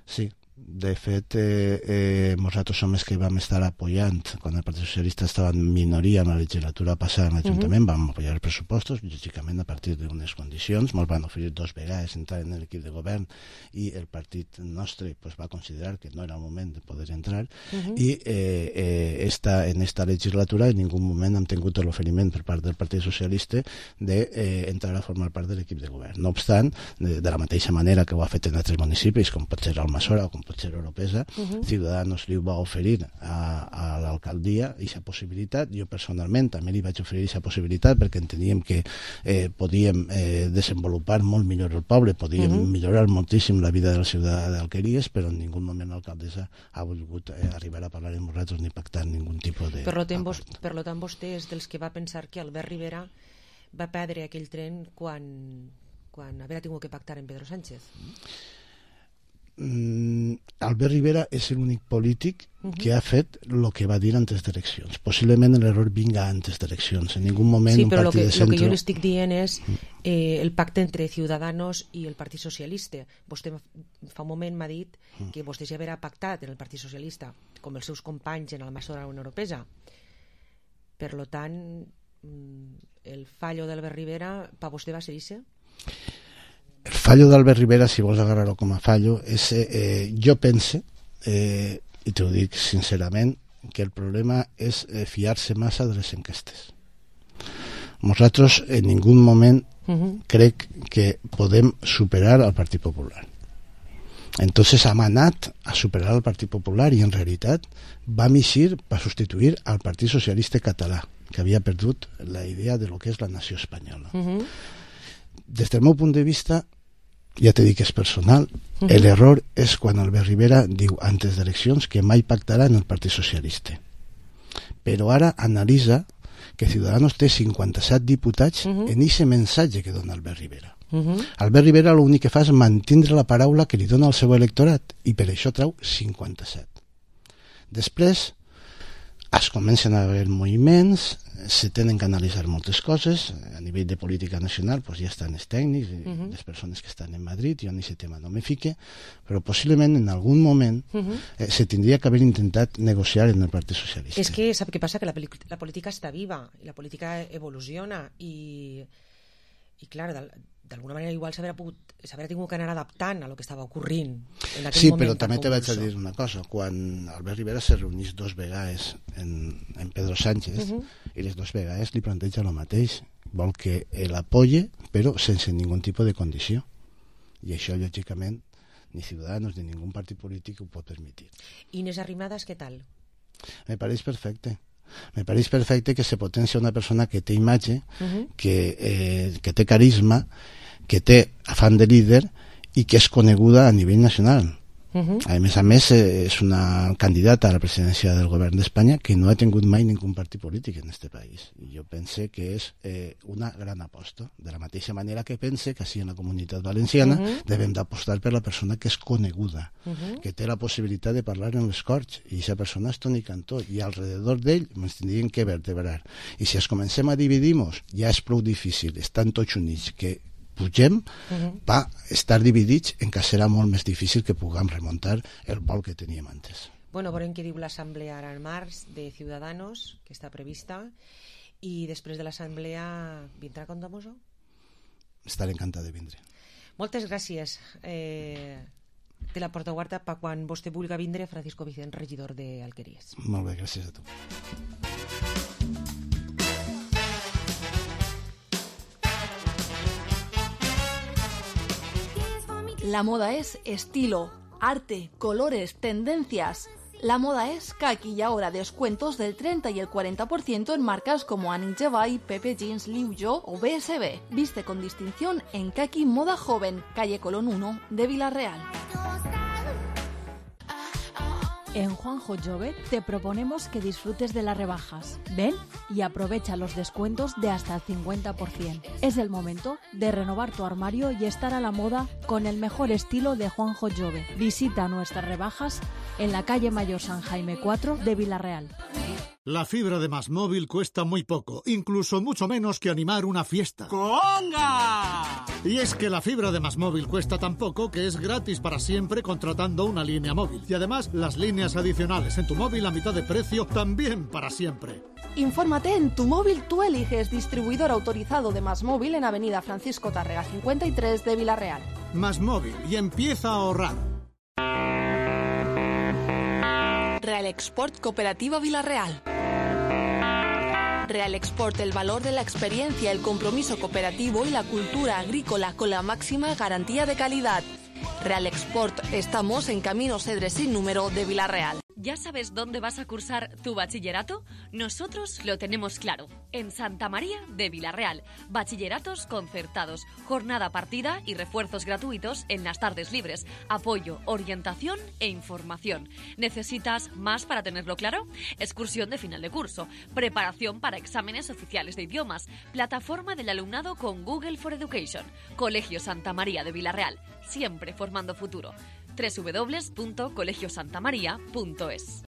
Sí, De fet, eh, eh, nosaltres som els que vam estar apoyant, quan el Partit Socialista estava en minoria en la legislatura passada en l'Ajuntament, uh-huh. vam apoyar els pressupostos, lògicament a partir d'unes condicions, ens van oferir dos vegades entrar en l'equip de govern i el partit nostre pues, va considerar que no era el moment de poder entrar uh-huh. i eh, eh, esta, en esta legislatura en ningú moment hem tingut l'oferiment per part del Partit Socialista d'entrar eh, a formar part de l'equip de govern. No obstant, de, de la mateixa manera que ho ha fet en altres municipis, com pot ser Almassora o com pot ser Oropesa, uh-huh. Ciudadanos li va oferir a, a l'alcaldia aquesta possibilitat. Jo personalment també li vaig oferir aquesta possibilitat perquè enteníem que eh, podíem eh, desenvolupar molt millor el poble, podíem uh-huh. millorar moltíssim la vida del ciutadà d'Alqueries, però en ningú moment l'alcaldessa ha volgut eh, arribar a parlar amb nosaltres ni pactar ningun tipus de... Per lo tant, vos, per lo tant vostè és dels que va pensar que Albert Rivera va perdre aquell tren quan, quan haver tingut que pactar amb Pedro Sánchez. Mm, Albert Rivera és l'únic polític uh-huh. que ha fet el que va dir antes d'eleccions. Possiblement l'error vinga antes d'eleccions. En ningú moment sí, un partit que, de centre... Sí, però el que jo l'estic dient és eh, el pacte entre Ciudadanos i el Partit Socialista. Vostè fa un moment m'ha dit que vostè ja haurà pactat en el Partit Socialista com els seus companys en Almassora o en Oropesa. Per lo tant, el fallo d'Albert Rivera per vostè va ser això? El fallo d'Albert Rivera, si vols agarrar-lo com a fallo, és, eh, jo pense, eh, i t'ho dic sincerament, que el problema és eh, fiar-se massa de les enquestes. Nosaltres en ningú moment uh-huh. crec que podem superar al Partit Popular. Entonces hem anat a superar el Partit Popular i en realitat vam eixir per substituir al Partit Socialista Català, que havia perdut la idea de lo que és la nació espanyola. Uh-huh. Des del meu punt de vista, ja t'he dit que és personal, uh-huh. l'error és quan Albert Rivera diu antes d'eleccions que mai pactarà en el Partit Socialista. Però ara analitza que Ciudadanos té cinquanta-set diputats uh-huh. en aquest mensatge que dona Albert Rivera. Uh-huh. Albert Rivera l'únic que fa és mantindre la paraula que li dona al seu electorat i per això trau cinquanta-set. Després es comencen a haver moviments, se tenen que analitzar moltes coses a nivell de política nacional, pues ja estan els tècnics, uh-huh. les persones que estan en Madrid, jo en aquest tema no me fique, però possiblement en algun moment uh-huh. eh, se tindria que haver intentat negociar en el Partit Socialista. És que sap què passa? Que la, la política està viva i la política evoluciona i, i clar, d'alguna manera igual s'haurà pogut s'haurà tingut que anar adaptant a lo que estava ocorrint en aquell sí, moment. Sí, però també te vaig a dir una cosa. Quan Albert Rivera se reunís dos vegades en, en Pedro Sánchez uh-huh. i les dos vegades li planteja el mateix. Vol que l'apoye, però sense ningun tipus de condició. I això, lògicament, ni Ciudadanos ni ningú partit polític ho pot permetre. Inés Arrimadas, què tal? Me pareix perfecte. Me pareix perfecte que se potencia una persona que té imatge, uh-huh. que, eh, que té carisma, que té afán de líder i que és coneguda a nivell nacional. Uh-huh. A més a més, eh, és una candidata a la presidència del govern d'Espanya que no ha tingut mai ningú partit polític en este país. I jo pense que és eh, una gran aposta. De la mateixa manera que pense que així en la comunitat valenciana uh-huh. devem d'apostar per la persona que és coneguda, uh-huh. que té la possibilitat de parlar en les Corts, i aquesta persona és Toni Cantó, i alrededor d'ell ens tindríem que vertebrar. I si es comencem a dividir-nos, ja és prou difícil, estan tots units, que pugem, uh-huh. va estar dividits en què serà molt més difícil que puguem remuntar el vol que teníem antes. Bueno, veurem què diu l'assemblea ara en març de Ciudadanos, que està prevista, i després de l'assemblea vindrà Condomoso? Estaré encantat de vindre. Moltes gràcies. Eh, te la porta guarda per quan vostè vulgui vindre, Francisco Vicent, regidor d'Alqueries. Molt bé, gràcies a tu. La moda es estilo, arte, colores, tendencias. La moda es Kaki y ahora descuentos del treinta y el cuarenta por ciento en marcas como Annick Jevay, Pepe Jeans, Liu Yo o B S B. Viste con distinción en Kaki Moda Joven, calle Colón uno de Villarreal. En Juanjo Jove te proponemos que disfrutes de las rebajas. Ven y aprovecha los descuentos de hasta el cincuenta por ciento. Es el momento de renovar tu armario y estar a la moda con el mejor estilo de Juanjo Jove. Visita nuestras rebajas en la calle Mayor San Jaime cuatro de Villarreal. La fibra de Más Móvil cuesta muy poco, incluso mucho menos que animar una fiesta. ¡Conga! Y es que la fibra de Más Móvil cuesta tan poco que es gratis para siempre contratando una línea móvil. Y además, las líneas adicionales en tu móvil a mitad de precio también para siempre. Infórmate en Tu Móvil Tú Eliges, distribuidor autorizado de Más Móvil en Avenida Francisco Tárrega cincuenta y tres de Villarreal. Más Móvil y empieza a ahorrar. Real Export Cooperativa Villarreal. Real Export, el valor de la experiencia, el compromiso cooperativo y la cultura agrícola con la máxima garantía de calidad. Real Export, estamos en Camino Cedres sin número de Villarreal. ¿Ya sabes dónde vas a cursar tu bachillerato? Nosotros lo tenemos claro. En Santa María de Villarreal. Bachilleratos concertados, jornada partida y refuerzos gratuitos en las tardes libres. Apoyo, orientación e información. ¿Necesitas más para tenerlo claro? Excursión de final de curso. Preparación para exámenes oficiales de idiomas. Plataforma del alumnado con Google for Education. Colegio Santa María de Villarreal. Siempre formando futuro. doble u doble u doble u punto colegio santa maría punto es.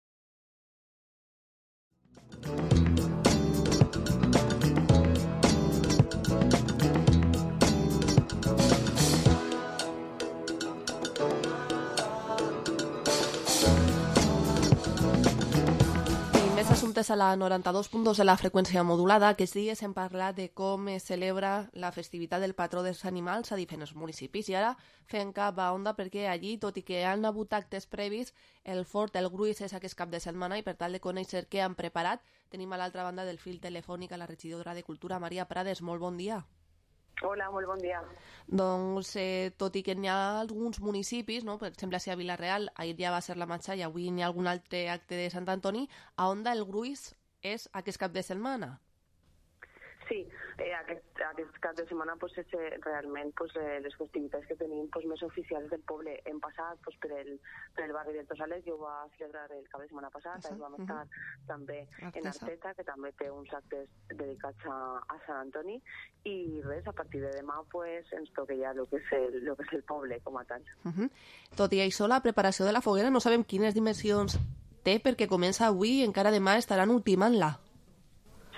Assumptes a la noranta-dos punt dos de la freqüència modulada. Aquests dies hem parlat de com es celebra la festivitat del patró dels animals a diferents municipis i ara fem cap a Onda perquè allí, tot i que han hagut actes previs, el fort, el gruix és aquest cap de setmana i per tal de conèixer què han preparat tenim a l'altra banda del fil telefònic a la regidora de Cultura, Maria Prades. Molt bon dia. Hola, molt bon dia. Doncs, eh, tot i que n'hi ha alguns municipis, no? Per exemple, si a Villarreal ahir ja va ser la marxa i avui n'hi ha algun altre acte de Sant Antoni, a Onda el gruix és aquest cap de setmana? Sí, eh, aquest, aquest cap de setmana pues, és eh, realment pues, eh, les festivitats que tenim pues, més oficials del poble. Hem passat pues, per, el, per el barri del Tosales, jo ho va celebrar el cap de setmana passat, ahir vam estar uh -huh. també en Arteta, que també té uns actes dedicats a, a Sant Antoni, i res, a partir de demà pues, ens toca ja el que, és el, lo que és el poble com a tal. Uh -huh. Tot i això, la preparació de la foguera no sabem quines dimensions té perquè comença avui i encara demà estaran ultimant-la.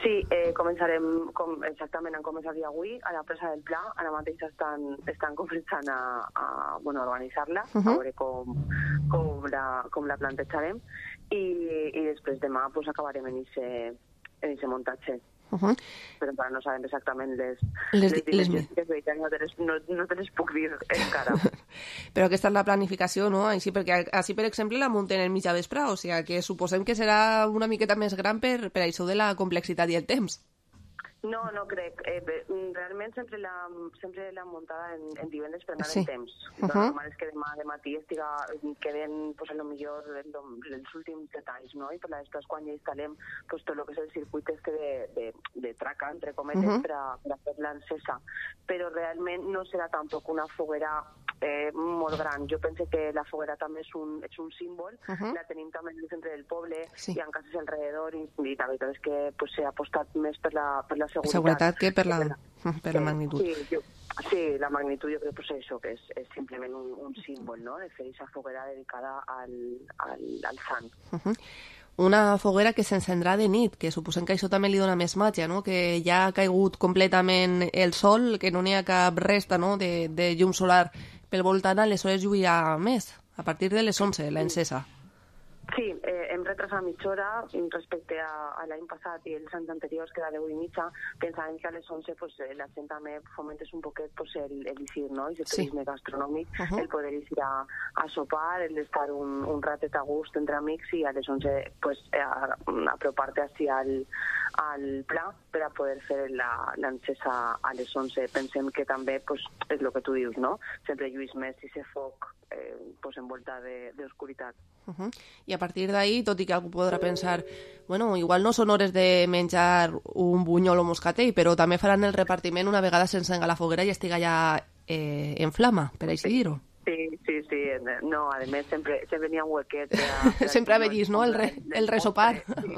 Sí, eh, començarem, com, exactament, han començat ja avui a la presa del Pla, ara mateix estan, estan començant a, a, bueno, a organitzar-la, uh -huh. a veure com, com, la, com la plantejarem, i, i després demà pues, acabarem en aquest muntatge. Uh -huh. Però encara no sabem exactament les, les, les dimensions que es no, te les, no, no te les puc dir encara. Però aquesta és la planificació, no? Així, perquè així, per exemple, la munten en mitja vespre, o sigui que suposem que serà una miqueta més gran per, per això de la complexitat i el temps. No, no crec. Eh, realment sempre la, sempre la muntada en, en divendres per anar sí. en temps. Uh -huh. Normal és que demà de matí estiga, queden pues, a lo millor els últims detalls, no? I per després quan ja instal·lem pues, tot el que és el circuit este de, de, de traca, entre cometes, uh -huh. per, a, per a fer l'encesa. Però realment no serà tampoc una foguera eh, molt gran. Jo penso que la foguera també és un, és un símbol, uh -huh. la tenim també en el centre del poble, sí. i en cases alrededor, i, i la veritat és que pues, s'ha apostat més per la, per la seguretat. Seguretat que per la, per la, per la magnitud. Sí, jo, sí, la magnitud jo crec que és això, que és, és simplement un, un símbol, no?, de fer aquesta foguera dedicada al, al, al sant. Uh -huh. Una foguera que s'encendrà de nit, que suposem que això també li dona més màgia, no?, que ja ha caigut completament el sol, que no n'hi ha cap resta, no?, de, de llum solar pel voltant, aleshores lluirà més, a partir de les onze, la encesa. Sí, eh, hem retrasat mitja hora respecte a, a l'any passat i els anys anteriors, que era deu i mitja. Pensàvem que a les onze pues, la gent també fomentés un poquet pues, el, el eixir, no?, i el sí. turisme gastronòmic, uh -huh. el poder eixir a, a sopar, el d'estar un, un ratet a gust entre amics i a les onze pues, a, a apropar-te així al, al pla per a poder fer l'encesa a les onze. Pensem que també pues, és el que tu dius, no?, sempre lluís més i se foc eh, pues, envolta d'oscuritat. Uh -huh. I a partir d'ahí, tot i que algú podrà pensar, bueno, igual no són hores de menjar un bunyol o moscatell, però també faran el repartiment una vegada s'encenga la foguera i estiga ja eh, en flama, per així dir-ho. Sí, sí, sí. No, a més, sempre, sempre n'hi ha un huequet. Sempre ha vist, no?, el, re, el resopar. Sí.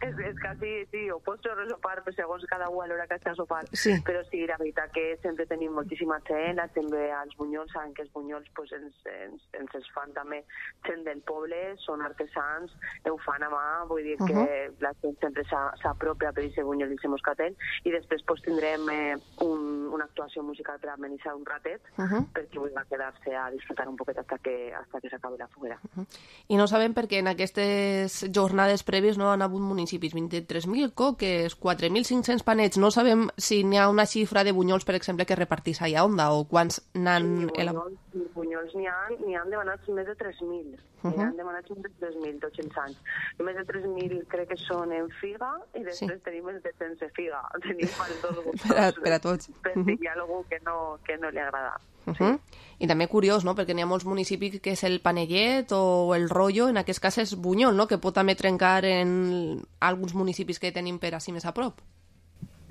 és, és quasi, sí, o pots resopar segons cada un a l'hora que està sopant. Sí. Però sí, la veritat que sempre tenim moltíssima gent, també als bunyols, saben que els bunyols pues, ens, ens, ens els fan també gent del poble, són artesans, ho fan a mà, vull dir que uh -huh. la gent sempre s'apropia per aquest bunyol i aquest moscatel, i després pues, tindrem eh, un, una actuació musical per amenitzar un ratet, uh -huh. perquè vull quedar-se a disfrutar un poquet hasta que, hasta que s'acabi la foguera. Uh -huh. I no sabem perquè en aquestes jornades prèvies no han hagut municipis, vint-i-tres mil coques, quatre mil cinc-cents panets, no sabem si n'hi ha una xifra de bunyols, per exemple, que repartís allà onda, o quants n'han... Sí, bunyols, bunyols n'hi ha, n'hi han demanats més de tres mil, uh -huh. n'hi han demanats més de tres mil tots els anys. Més de tres mil crec que són en figa, i després sí. tenim els de sense figa, tenim els dos gustos. Per a, per a tots. Per si hi ha algú que no, que no li agrada. Uh -huh. sí. I també curiós, no?, perquè n'hi ha molts municipis que és el panellet o el rotllo, en aquest cas és bunyol, no?, que pot també trencar en alguns municipis que tenim per així més a prop.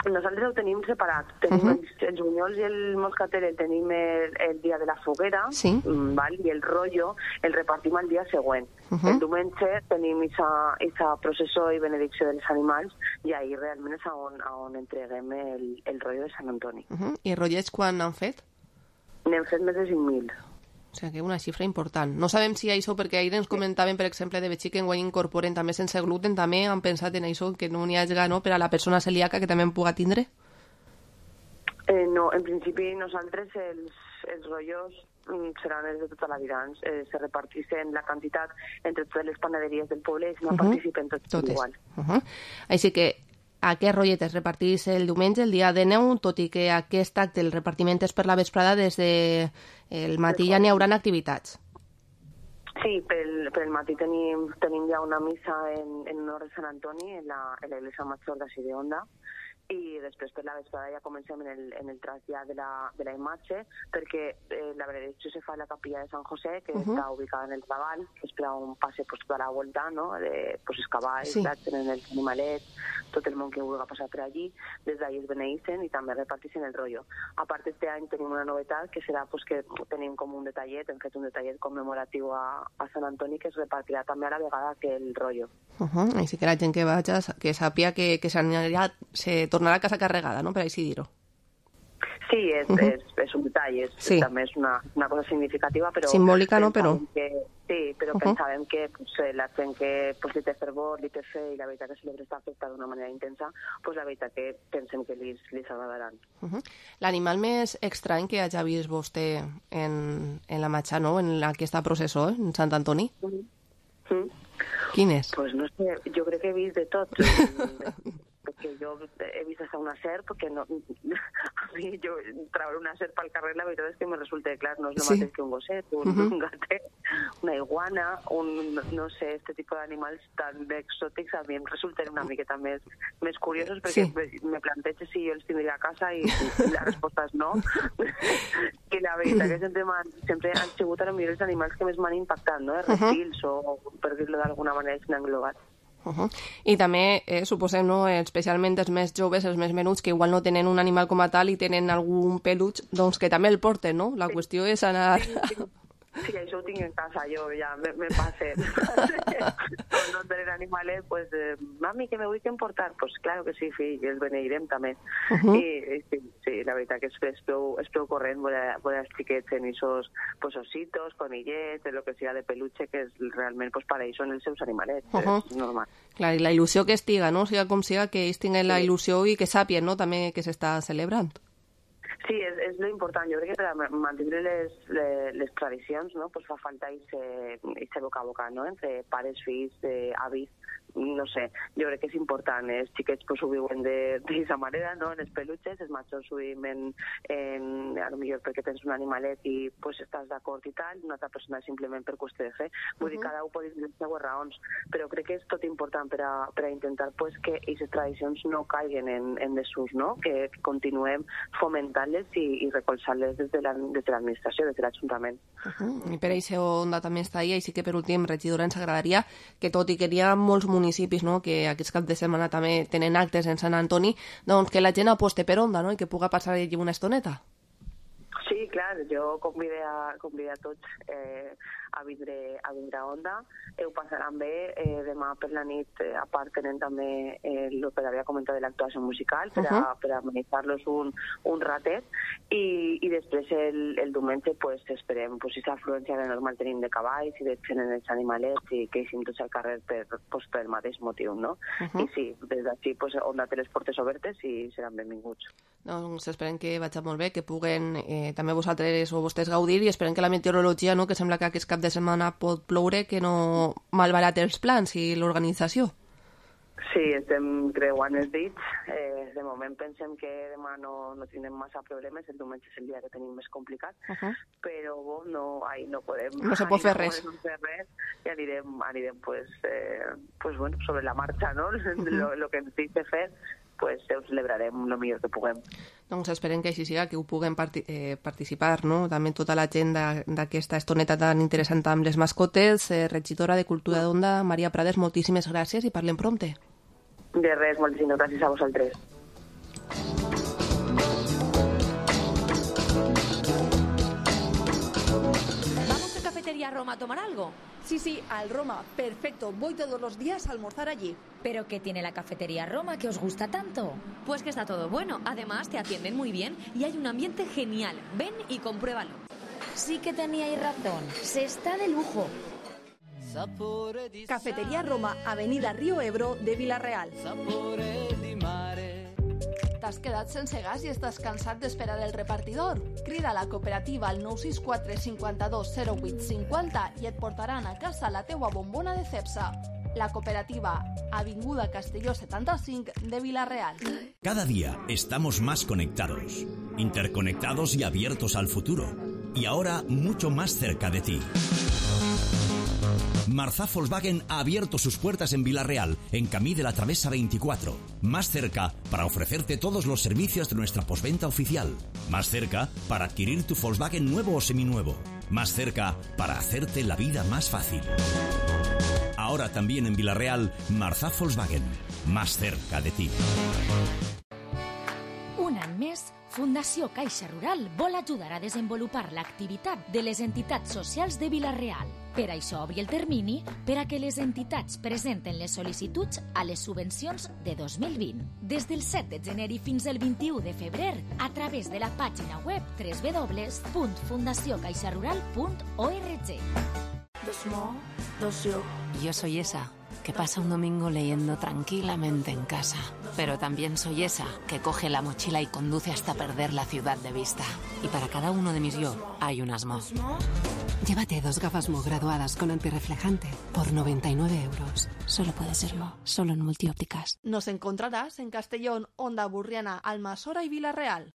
Nosaltres ho tenim separat. Tenim uh -huh. els, els bunyols i el moscatel el tenim el, el dia de la foguera, sí. val? I el rotllo el repartim el dia següent. Uh -huh. El diumenge tenim aquesta processó i benedicció dels animals, i ahir realment és on, on entreguem el, el rotllo de Sant Antoni. Uh -huh. I rotllets quan han fet? N'hem fet més de cinc mil. O sigui que una xifra important. No sabem si això, perquè ahir ens comentaven, per exemple, de Betxí que enguany incorporen també sense gluten, també han pensat en això, que no n'hi hagi, no?, per a la persona celíaca que també en puga tindre? Eh, no, en principi nosaltres els, els rotllos seran els de tota la vida. Eh, se reparteixen la quantitat entre totes les panaderies del poble i si no uh -huh. participen tots, tots igual. Uh -huh. Així que aquest rotllet es repartís el diumenge, el dia de neu, tot i que aquest acte, el repartiment és per la vesprada, des de el matí ja n'hi haurà activitats. Sí, pel, pel matí tenim, tenim ja una missa en, en honor de Sant Antoni, en la, en la iglesia major d'ací de Onda, i després per la vesprada ja comencem en el, en el trasllat de la, de la imatge, perquè eh, la benedicció se fa a la capilla de Sant José, que uh -huh. està ubicada en el Raval, que és per on passe pues, tota la volta, no?, de pues, els cavalls, sí. tenen els animalets, tot el món que vulgui passar per allí, des d'ahir es beneïcen i també reparteixen el rotllo. A part, este any tenim una novetat, que serà pues, que tenim com un detallet, hem fet un detallet commemoratiu a, a Sant Antoni, que es repartirà també a la vegada que el rotllo. Uh -huh. Així que la gent que vaig, que sàpia que, que s'anirà, se tornarà a casa carregada, no?, per així dir-ho. Sí, és, uh -huh. és, és un detall, és, sí. també és una, una cosa significativa, però... Simbòlica, no?, però... Que, sí, però uh -huh. pensàvem que pues, la gent que pues, li té fervor, li té fe, i la veritat que sempre està afectada d'una manera intensa, pues, la veritat que pensem que li, li agradaran. Uh -huh. L'animal més estrany que hagi vist vostè en, en la marxa, no?, en aquesta processó, eh? En Sant Antoni? Uh -huh. Uh -huh. Quin és? Pues no sé, jo crec que he vist de tot. Perquè jo he vist hasta una serp, perquè no, a mi jo treure una serp al carrer, la veritat és que me resulta clar, no és el sí. mateix que un gosset, un, uh -huh. un gatet, una iguana, un, no sé, este tipus d'animals tan exòtics a mi em resulten una miqueta més, més curiosos, perquè sí. me plantejo si jo els tindria a casa i, i la resposta és no. I la veritat que sempre, sempre han sigut a millor els animals que més m'han impactat, no? Els reptils, uh -huh. o per dir-lo d'alguna manera, s'han englobat. Uh -huh. I també, eh, suposem, no, especialment els més joves, els més menuts, que igual no tenen un animal com a tal i tenen algun peluig, doncs que també el porten, no? La sí. qüestió és anar... Sí, sí. Sí, això ho tinc en casa, jo ja me, me passe. Quan no tenen animales, pues, eh, mami, que me vull que emportar? Pues claro que sí, fill, els beneirem també. Uh -huh. I, i sí, sí, la veritat que és, és, prou, és prou corrent veure els xiquets en esos pues, ositos, conillets, de lo que siga de peluche, que és, realment pues, para ells són els seus animalets, uh -huh. és normal. Clar, i la il·lusió que estiga, no? Siga com siga, que ells tinguen sí. la il·lusió i que sàpien, no?, també que s'està celebrant. Sí, és, és lo important. Jo crec que per a mantenir les, les, les tradicions, no?, pues fa falta aquest boca a boca, no?, entre pares, fills, eh, avis, no sé, jo crec que és important. Els xiquets pues, ho viuen d'aquesta manera, no?, en els peluches, els majors ho viuen en, a lo millor perquè tens un animalet i pues, estàs d'acord i tal, una altra persona simplement per qüestió de fe. Vull uh -huh. dir, cada un pot dir les seues raons, però crec que és tot important per a, per a intentar pues, que aquestes tradicions no caiguen en, en desús, no?, que, que continuem fomentant-les i, i recolzant-les des de l'administració, des de l'Ajuntament. Uh -huh. I per això Onda també està ahí, així que per últim, regidora, ens agradaria que tot i que hi ha molts municipis, no?, que aquests cap de setmana també tenen actes en Sant Antoni, doncs que la gent aposte per Onda, no?, i que puga passar allí una estoneta. Sí, clar, clar, jo convide a, convide a tots eh, a vindre a vindre a Onda. Eh, ho passaran bé. Eh, demà per la nit, eh, a part, tenen també eh, el que havia comentat de l'actuació musical per a, uh-huh. per a amenitzar-los un, un ratet. I, i després el, el diumenge pues, esperem pues, aquesta afluència de normal tenim de cavalls i de gent en els animalets i que eixim tots al carrer per, pues, per el mateix motiu, no? Uh-huh. I sí, des d'ací pues, Onda té les portes obertes i seran benvinguts. Doncs esperem que vagi molt bé, que puguen eh, també vosaltres o vostès gaudir i esperem que la meteorologia, no, que sembla que aquest cap de setmana pot ploure, que no malbarati els plans i l'organització. Sí, estem creuant els dits. Eh, de moment pensem que demà no, no tindrem massa problemes, el diumenge és el dia que tenim més complicat, uh-huh. però bo, no, ai, no podem... No se pot fer no res. No fer res i anirem, anirem pues, eh, pues, bueno, sobre la marxa, no? Uh-huh. lo, lo que ens dice fer, pues ho celebrarem el millor que puguem. Doncs esperem que així siga, que ho puguem parti eh, participar, no? També tota la gent d'aquesta estoneta tan interessant amb les mascotes. Eh, regidora de Cultura d'Onda, Maria Prades, moltíssimes gràcies i parlem prompte. De res, moltíssimes gràcies a vosaltres. ¿Vamos a Cafetería Roma a tomar algo? Sí, sí, al Roma. Perfecto. Voy todos los días a almorzar allí. ¿Pero qué tiene la Cafetería Roma que os gusta tanto? Pues que está todo bueno. Además, te atienden muy bien y hay un ambiente genial. Ven y compruébalo. Sí que teníais razón. Se está de lujo. Cafetería Roma, Avenida Río Ebro de Vila-real. T'has quedat sense gas i estàs cansat d'esperar el repartidor? Crida a la cooperativa al nou sis quatre cinquanta-dos zero vuit cinquanta i et portaran a casa la teua bombona de Cepsa. La cooperativa, Avinguda Castelló setenta-cinc de Vila-real. Cada día estamos más conectados, interconectados y abiertos al futuro. Y ahora mucho más cerca de ti. Marzá Volkswagen ha abierto sus puertas en Vila-real, en Camí de la Travesa veinticuatro. Más cerca para ofrecerte todos los servicios de nuestra postventa oficial. Más cerca para adquirir tu Volkswagen nuevo o seminuevo. Más cerca para hacerte la vida más fácil. Ahora también en Vila-real, Marzá Volkswagen. Más cerca de ti. Un any més, Fundació Caixa Rural vol ajudar a desenvolupar l'activitat de les entitats socials de Vila-real. Per això obri el termini per a que les entitats presenten les sol·licituds a les subvencions de dos mil vint. Des del set de gener i fins al vint-i-u de febrer, a través de la pàgina web doble u doble u doble u punt fundació caixa rural punt org. Yo soy esa que pasa un domingo leyendo tranquilamente en casa. Pero también soy esa que coge la mochila y conduce hasta perder la ciudad de vista. Y para cada uno de mis yo hay un asmo. Llévate dos gafas Mo graduadas con antirreflejante por noventa y nueve euros. Solo puede ser Mo, solo en Multiópticas. Nos encontrarás en Castellón, Onda Burriana, Almasora y Vila-real.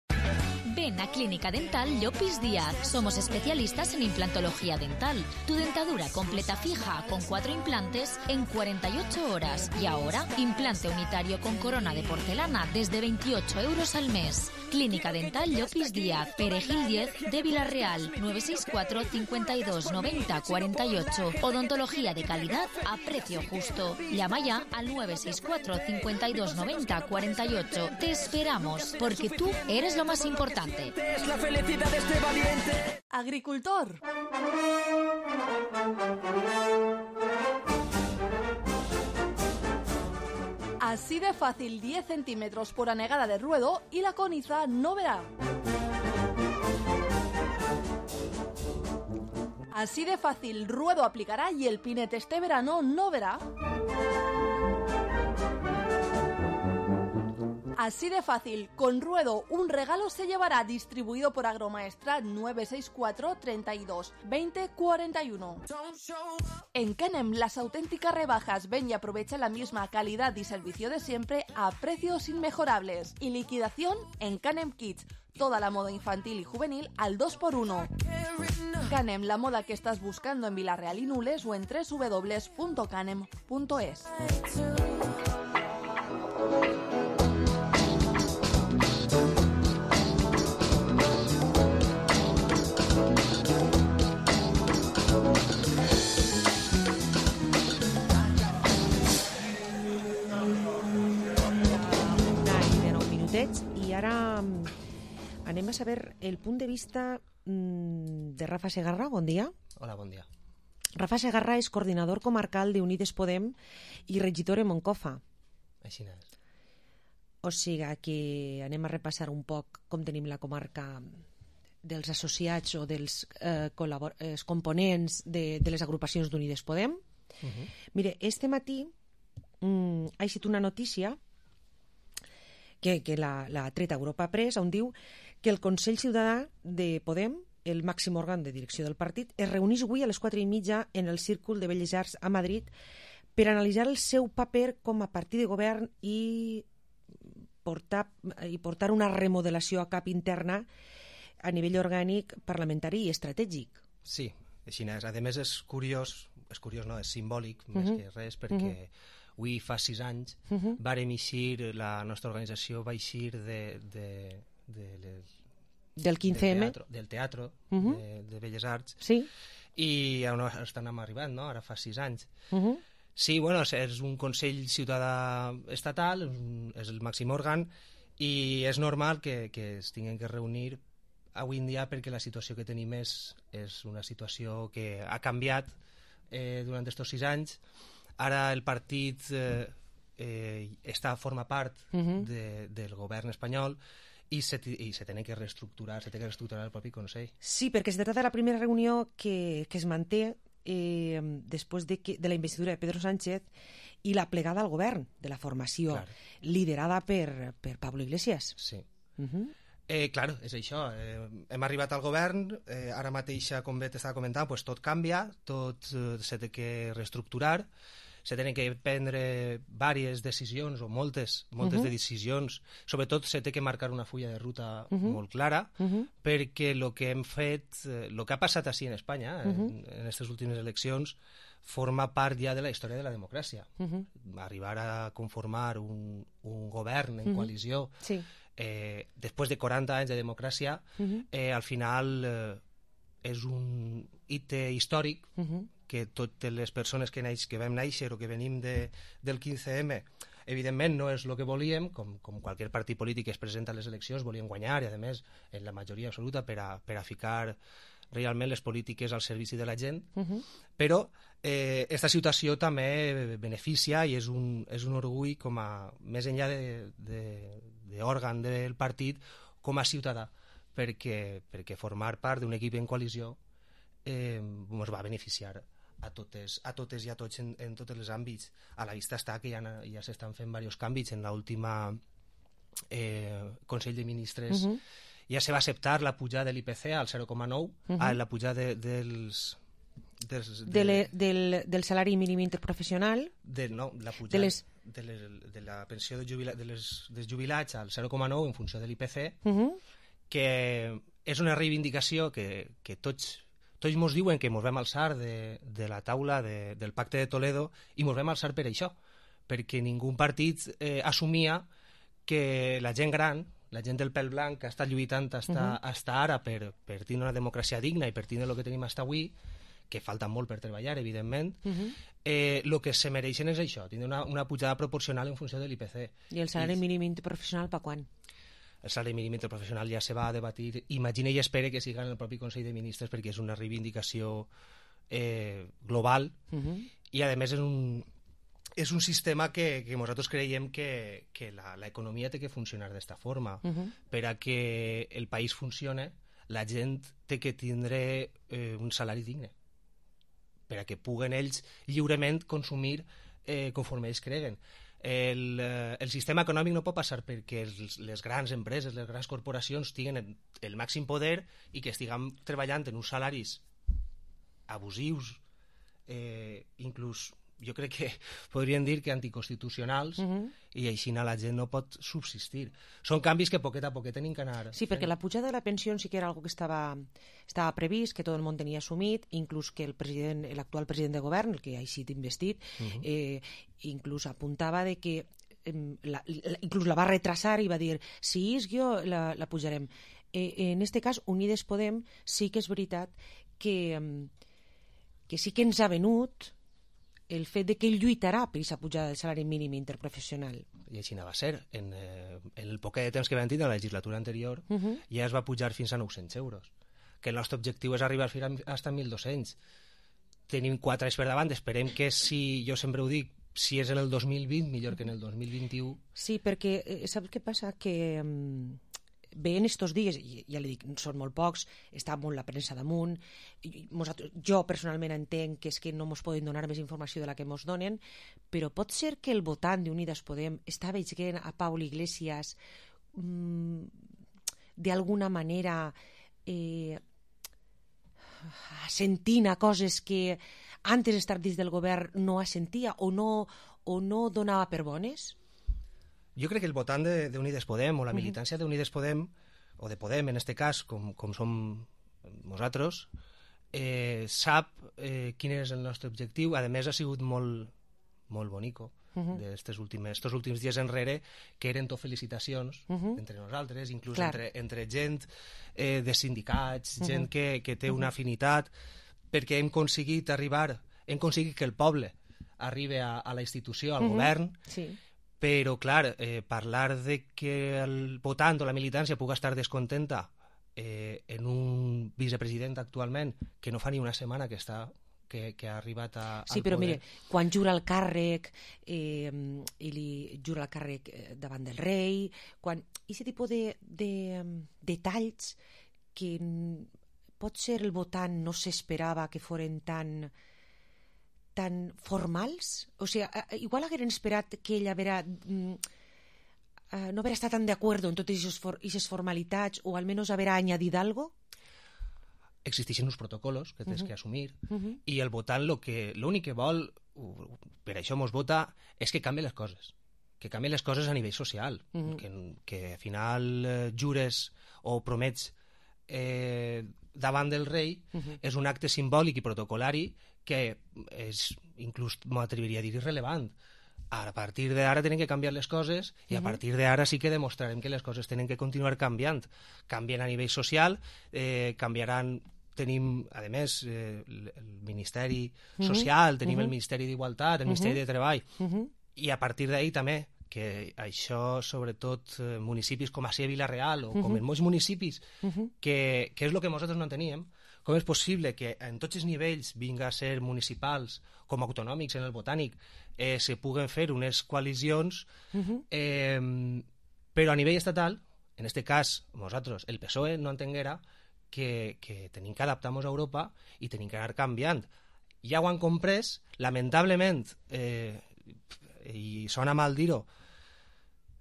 Ven a Clínica Dental Llopis Díaz. Somos especialistas en implantología dental. Tu dentadura completa fija con cuatro implantes en cuarenta y ocho horas. Y ahora, implante unitario con corona de porcelana desde veintiocho euros al mes. Clínica Dental Llopis Díaz, Perejil diez de Vila-real, nueve seis cuatro, cincuenta y dos, noventa, cuarenta y ocho. Odontología de calidad a precio justo. Llama ya al nueve seis cuatro, cincuenta y dos, noventa, cuarenta y ocho. Te esperamos, porque tú eres lo más importante. Es la felicidad de este valiente. Agricultor. Así de fácil, diez centímetros por anegada de ruedo y la coniza no verá. Así de fácil, ruedo aplicará y el pinete este verano no verá. Así de fácil, con Ruedo un regalo se llevará, distribuido por Agromaestrat nueve seis cuatro, treinta y dos, veinte, cuarenta y uno. En Canem, las auténticas rebajas. Ven y aprovecha la misma calidad y servicio de siempre a precios inmejorables. Y liquidación en Canem Kids. Toda la moda infantil y juvenil al dos por uno. Canem, la moda que estás buscando en Vila-real y Nules o en doble u doble u doble u punto canem punto es. I ara Anem a saber el punt de vista mmm, de Rafa Segarra. Bon dia. Hola, bon dia. Rafa Segarra és coordinador comarcal de Unides Podem i regidor en Moncofa. Així és. O sigui que anem a repassar un poc com tenim la comarca dels associats o dels eh, eh, components de, de les agrupacions d'Unides Podem. Uh-huh. Mire, este matí mm, ha eixit una notícia que, que la, la treta Europa Press, on diu que el Consell Ciutadà de Podem, el màxim òrgan de direcció del partit, es reuneix avui a les quatre i mitja en el Círcul de Belles Arts a Madrid per analitzar el seu paper com a partit de govern i portar, i portar una remodelació a cap interna a nivell orgànic, parlamentari i estratègic. Sí, així és. A més, és curiós, és curiós no, és simbòlic, uh-huh. més que res, perquè uh-huh. avui fa sis anys uh-huh. vàrem eixir, la nostra organització va eixir de, de, de les, del quinze eme, del teatro, del teatro uh-huh. de, de Belles Arts, sí. i on estan arribant, no? Ara fa sis anys. Uh-huh. Sí, bueno, és un Consell Ciutadà estatal, és el màxim òrgan, i és normal que, que es tinguin que reunir avui en dia perquè la situació que tenim és, és una situació que ha canviat eh, durant aquests sis anys. Ara el partit eh, eh, està, forma part uh-huh. de, del govern espanyol i se, i se tenen que reestructurar, se té que reestructurar el propi Consell. Sí, perquè es tracta de la primera reunió que, que es manté eh, després de, que, de la investidura de Pedro Sánchez i la plegada al govern de la formació, claro. liderada per, per Pablo Iglesias. Sí. Uh-huh. Eh, claro, és això. Eh, hem arribat al govern, eh, ara mateix, com bé t'estava comentant, pues tot canvia, tot eh, se té que reestructurar, se tenen que prendre diverses decisions, o moltes, moltes uh-huh. de decisions. Sobretot se té que marcar una fulla de ruta uh-huh. molt clara, uh-huh. perquè el que hem fet, el eh, que ha passat així en Espanya, uh-huh. en aquestes últimes eleccions, forma part ja de la història de la democràcia. Uh-huh. Arribar a conformar un, un govern en uh-huh. coalició, sí. eh, després de quaranta anys de democràcia, uh-huh. eh, al final eh, és un hit històric uh-huh. que totes les persones que, naix, que vam néixer o que venim de, del quinze eme, evidentment no és el que volíem, com, com qualsevol partit polític que es presenta a les eleccions, volien guanyar, i a més, en la majoria absoluta, per a, per a ficar realment les polítiques al servici de la gent, uh-huh. però eh, esta situació també beneficia i és un, és un orgull com a, més enllà d'òrgan de, de, del partit, com a ciutadà, perquè, perquè formar part d'un equip en coalició eh, ens va beneficiar a totes, a totes i a tots en, en tots els àmbits. A la vista està que ja, ja s'estan fent diversos canvis. En l'última eh, Consell de Ministres uh-huh. ja se va acceptar la pujada de l'I Pe Ce al zero coma nou, uh-huh. ah, la pujada de, dels... dels de, de, le, del, del salari mínim interprofessional, de, no, la pujada de, les... de, les, de la pensió de jubila, de les, dels jubilats al zero coma nou en funció de l'I Pe Ce, uh-huh. que és una reivindicació que, que tots tots ens diuen que ens vam alçar de, de la taula de, del Pacte de Toledo, i ens vam alçar per això, perquè ningú partit eh, assumia que la gent gran, la gent del pèl blanc, que ha estat lluitant hasta, uh-huh. hasta ara per, per tenir una democràcia digna i per tenir el que tenim hasta avui, que falta molt per treballar, evidentment, uh-huh. eh, el que se mereixen és això, tenir una, una pujada proporcional en funció de l'I Pe Ce. I el salari I... mínim interprofessional per quan? El salari mínim interprofessional ja se va a debatir, imagina i espere que siga en el propi Consell de Ministres, perquè és una reivindicació eh, global uh-huh. i a més és un, és un sistema que, que nosaltres creiem que, que l'economia té que funcionar d'esta forma. Uh-huh. Per a que el país funcione, la gent té que tindre eh, un salari digne, per a que puguen ells lliurement consumir eh, conforme ells creguen. El, el sistema econòmic no pot passar perquè els, les grans empreses, les grans corporacions tinguin el màxim poder i que estiguem treballant en uns salaris abusius, eh, inclús jo crec que podríem dir que anticonstitucionals, uh-huh. i així la gent no pot subsistir. Són canvis que poquet a poquet tenim que anar. Sí, perquè la pujada de la pensió sí que era algo que estava, estava previst, que tot el món tenia assumit, inclús que el president, l'actual president de govern, el que ha sigut investit, uh-huh. eh, inclús apuntava de que eh, la, la, inclús la va retrasar i va dir, si és jo, la, la pujarem. Eh, en este cas, Unides Podem sí que és veritat que, que sí que ens ha venut el fet de que ell lluitarà per aquesta pujada del salari mínim interprofessional. I així va ser. En, eh, en el poquet de temps que vam tenir, en la legislatura anterior, Uh -huh. ja es va pujar fins a nou-cents euros. Que el nostre objectiu és arribar fins a mil dos-cents. Tenim quatre anys per davant, esperem que, si jo sempre ho dic, si és en el dos mil vint, millor que en el dos mil vint-i-u. Sí, perquè eh, saps què passa? Que um, veient estos dies, i ja li dic, són molt pocs, està molt la premsa damunt, i nosaltres, jo personalment entenc que és que no ens poden donar més informació de la que ens donen, però pot ser que el votant d'Unides Podem està veient a Pablo Iglesias mm, d'alguna manera eh, sentint a coses que antes d'estar dins del govern no sentia o no, o no donava per bones? Jo crec que el votant d'Unides Podem o la militància d'Unides Podem, o de Podem en este cas, com, com som nosaltres, eh, sap eh, quin és el nostre objectiu. A més, ha sigut molt, molt bonico uh -huh. d'estos últims, últims dies enrere, que eren tot felicitacions uh -huh. entre nosaltres, inclús entre, entre gent eh, de sindicats, uh -huh. gent que, que té una afinitat, perquè hem aconseguit arribar, hem aconseguit que el poble arribi a, a la institució, al uh -huh. govern, sí. Però, clar, eh, parlar de que el votant o la militància pugui estar descontenta eh, en un vicepresident actualment que no fa ni una setmana que està que, que ha arribat a, sí, al però poder. mire, quan jura el càrrec eh, i li jura el càrrec davant del rei, quan aquest tipus de, de um, detalls que pot ser el votant no s'esperava que foren tan tan formals, o sigui, igual hagueren esperat que ell haguera, mm, uh, no haguera estat tan d'acord en totes aquestes formalitats, o almenys haguera añadit algo. Existeixen uns protocols que tens uh -huh. que assumir, uh -huh. i el votant l'únic que vol, per això mos vota, és que canvi les coses, que canvi les coses a nivell social, uh -huh. que, que al final eh, jures o promets eh, davant del rei uh -huh. és un acte simbòlic i protocolari que és, inclús m'atreviria a dir, irrelevant. A partir d'ara tenen que canviar les coses i a partir d'ara sí que demostrarem que les coses tenen que continuar canviant. Canvien a nivell social, eh, canviaran, tenim, a més, eh, el Ministeri Social, tenim el Ministeri d'Igualtat, el Ministeri de Treball, i a partir d'ahir també, que això, sobretot, eh, municipis com a Sia Vila-real o com en molts municipis, que, que és el que nosaltres no teníem, com és possible que en tots els nivells, vinga a ser municipals com autonòmics en el botànic, eh, se puguen fer unes coalicions, eh, però a nivell estatal, en aquest cas, nosaltres, el P S O E, no entenguera que, que tenim que adaptar-nos a Europa i tenim que anar canviant. Ja ho han comprès, lamentablement, eh, i sona mal dir-ho,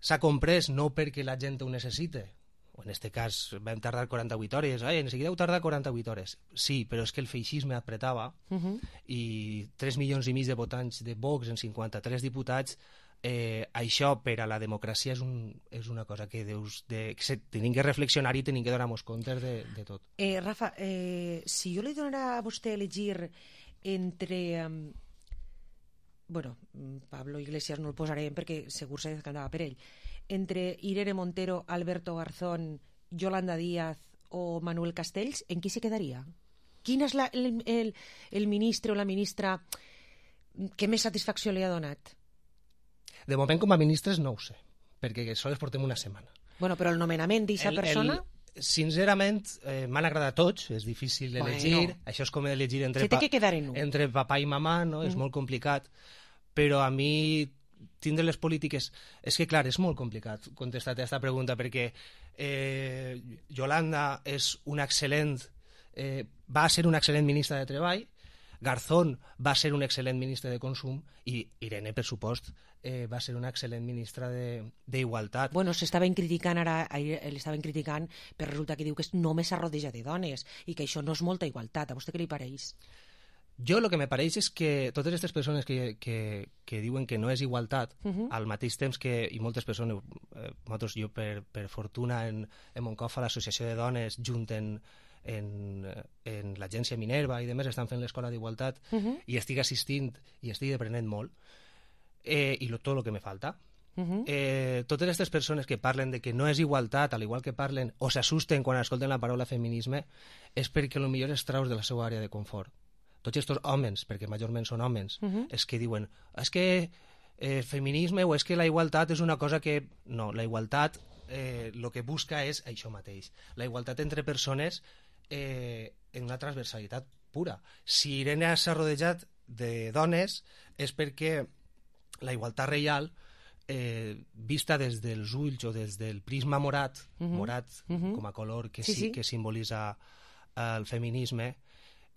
s'ha comprès no perquè la gent ho necessite, o en aquest cas vam tardar quaranta-vuit hores, ai, en seguida heu tardat quaranta-vuit hores. Sí, però és que el feixisme apretava uh -huh. i tres milions i mig de votants de Vox en cinquanta-tres diputats, eh, això per a la democràcia és, un, és una cosa que deus de, que se, tenim que reflexionar i tenim que donar-nos comptes de, de tot. Eh, Rafa, eh, si jo li donara a vostè elegir entre... Um, bueno, Pablo Iglesias no el posarem perquè segur se decantava per ell, entre Irene Montero, Alberto Garzón, Yolanda Díaz o Manuel Castells, en qui se quedaria? Quin és la, el, el, el ministre o la ministra que més satisfacció li ha donat? De moment, com a ministres, no ho sé, perquè sols portem una setmana. Bueno, però el nomenament d'aquesta persona... El, sincerament, eh, m'han agradat tots, és difícil elegir, bueno. Això és com elegir entre, pa, entre papà i mamà, no? Mm. És molt complicat, però a mi tindre les polítiques... És que, clar, és molt complicat contestar a aquesta pregunta, perquè eh, Yolanda és una excel·lent... Eh, va ser una excel·lent ministra de Treball, Garzón va ser un excel·lent ministre de Consum i Irene, per supost, eh, va ser una excel·lent ministra d'Igualtat. Bueno, s'estaven criticant ara, l'estaven criticant, però resulta que diu que només s'arrodeja de dones i que això no és molta igualtat. A vostè què li pareix? Jo el que me pareix és que totes aquestes persones que, que, que diuen que no és igualtat, uh -huh. al mateix temps que, i moltes persones, eh, nosaltres, jo per, per fortuna en, en Moncofa, l'associació de dones, junten en, en l'agència Minerva i demés, estan fent l'escola d'igualtat uh -huh. i estic assistint i estic aprenent molt, eh, i lo, tot el que me falta. Uh -huh. eh, totes aquestes persones que parlen de que no és igualtat, al igual que parlen o s'assusten quan escolten la paraula feminisme, és perquè potser es traus de la seva àrea de confort, tots aquests homes, perquè majorment són homes, Uh -huh. és que diuen, és que el feminisme o és que la igualtat és una cosa que... No, la igualtat eh, el que busca és això mateix. La igualtat entre persones eh, en una transversalitat pura. Si Irene s'ha rodejat de dones és perquè la igualtat real, eh, vista des dels ulls o des del prisma morat, Uh-huh. morat Uh-huh. com a color que Sí, sí, sí. que simbolitza el feminisme,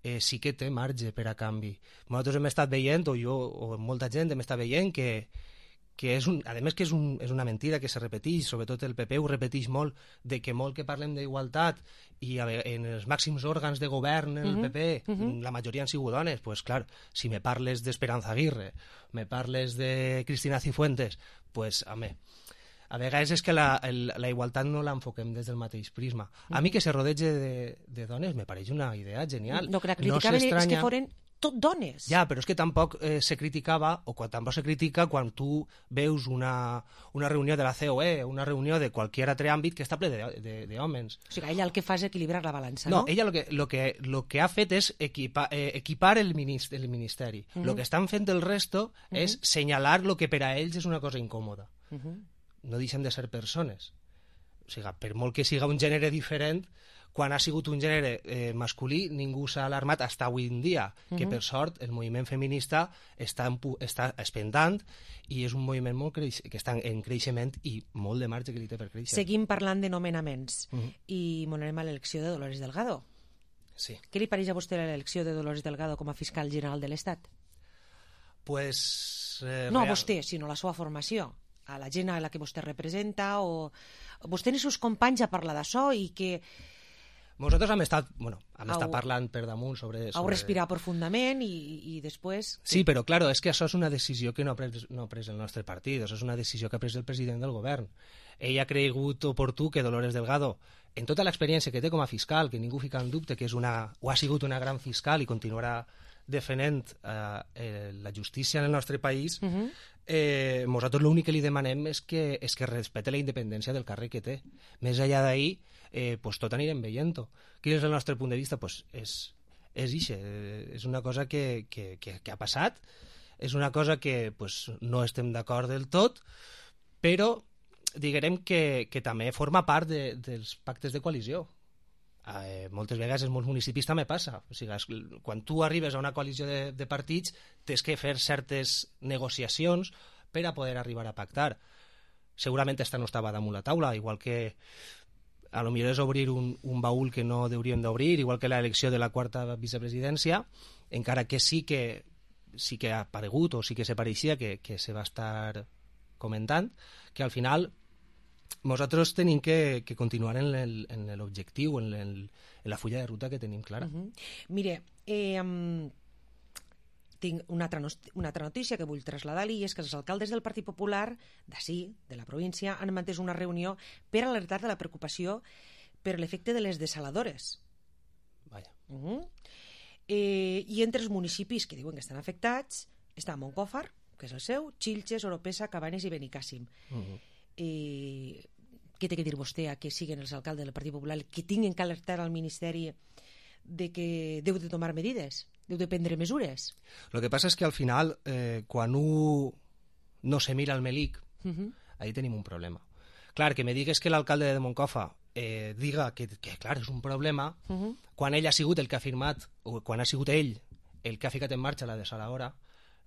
eh, sí que té marge per a canvi. Nosaltres hem estat veient, o jo, o molta gent hem estat veient que, que és un, a més que és, un, és una mentida que se repeteix, sobretot el P P ho repeteix molt, de que molt que parlem d'igualtat i a, ve- en els màxims òrgans de govern en el Mhm, P P mhm. la majoria han sigut dones, pues clar, si me parles d'Esperanza Aguirre, me parles de Cristina Cifuentes, pues home, a vegades és que la, el, la igualtat no l'enfoquem des del mateix prisma. A mi que se rodege de, de dones me pareix una idea genial. No, que la criticaven és s'estranya- que foren tot dones. Ja, però és que tampoc eh, se criticava, o quan, tampoc se critica quan tu veus una, una reunió de la C O E, una reunió de qualsevol altre àmbit que està ple de- de- d'homes. O sigui, ella el que fa és equilibrar la balança, No, no? ella lo que, lo que, lo que ha fet és equipa, eh, equipar el, ministeri, el ministeri. Mhm. Lo que estan fent el resto Mhm. és senyalar lo que per a ells és una cosa incòmoda. Uh-huh. No deixen de ser persones. O sigui, per molt que siga un gènere diferent, quan ha sigut un gènere eh, masculí, ningú s'ha alarmat fins avui en dia, que Mhm. per sort el moviment feminista està, en, pu- està espentant i és un moviment molt creix, que està en creixement i molt de marge que li té per créixer. Seguim parlant de nomenaments Mhm. i m'ho anem a l'elecció de Dolores Delgado. Sí. Què li pareix a vostè l'elecció de Dolores Delgado com a fiscal general de l'Estat? Pues, eh, No a real- vostè, sinó a la seva formació, a la gent a la que vostè representa, o vostè i els seus companys a parlar d'això i que Nosaltres hem estat, bueno, hem Au- estat parlant per damunt sobre... heu sobre... respirat profundament i, i després... Sí, però claro, és que això és una decisió que no ha, pres, no ha pres el nostre partit, això és una decisió que ha pres el president del govern. Ell ha cregut oportú que Dolores Delgado, en tota l'experiència que té com a fiscal, que ningú fica en dubte que és una, o ha sigut una gran fiscal i continuarà defendent eh, eh, la justícia en el nostre país, Uh -huh. eh, nosaltres l'únic que li demanem és que, és que respecte la independència del càrrec que té. Més enllà d'ahir, eh, pues tot anirem veient-ho. Quin és el nostre punt de vista? Pues és, és ixe, eh, és una cosa que, que, que, que ha passat, és una cosa que pues, no estem d'acord del tot, però diguem que, que també forma part de, dels pactes de coalició. Eh, moltes vegades en molts municipis també passa. O sigui, es- quan tu arribes a una coalició de, de partits tens que fer certes negociacions per a poder arribar a pactar. Segurament esta no estava damunt la taula, igual que a lo millor és obrir un, un baúl que no hauríem d'obrir, igual que l'elecció de la quarta vicepresidència, encara que sí que sí que ha aparegut o sí que se pareixia que, que se va estar comentant, que al final nosaltres tenim que, que continuar en el- en l'objectiu, en, el- en la fulla de ruta que tenim clara. Uh -huh. Mire, eh, um, tinc una altra, nos- una altra notícia que vull traslladar-li, i és que els alcaldes del Partit Popular d'ací, de la província, han mantès una reunió per alertar de la preocupació per l'efecte de les desaladores. Vaja. Uh -huh. eh, I entre els municipis que diuen que estan afectats està Montcòfar, que és el seu, Xilxes, Oropesa, Cabanes i Benicàssim. Uh -huh. eh, què té que dir vostè a que siguin els alcaldes del Partit Popular que tinguin que alertar al Ministeri de que deu de tomar medides, deu de prendre mesures? Lo que passa és que al final, eh, quan un no se mira al melic, Uh -huh. ahí tenim un problema. Clar, que me digues que l'alcalde de Moncofa eh, diga que, que, clar, és un problema, Uh -huh. quan ell ha sigut el que ha firmat, o quan ha sigut ell el que ha ficat en marxa la desaladora,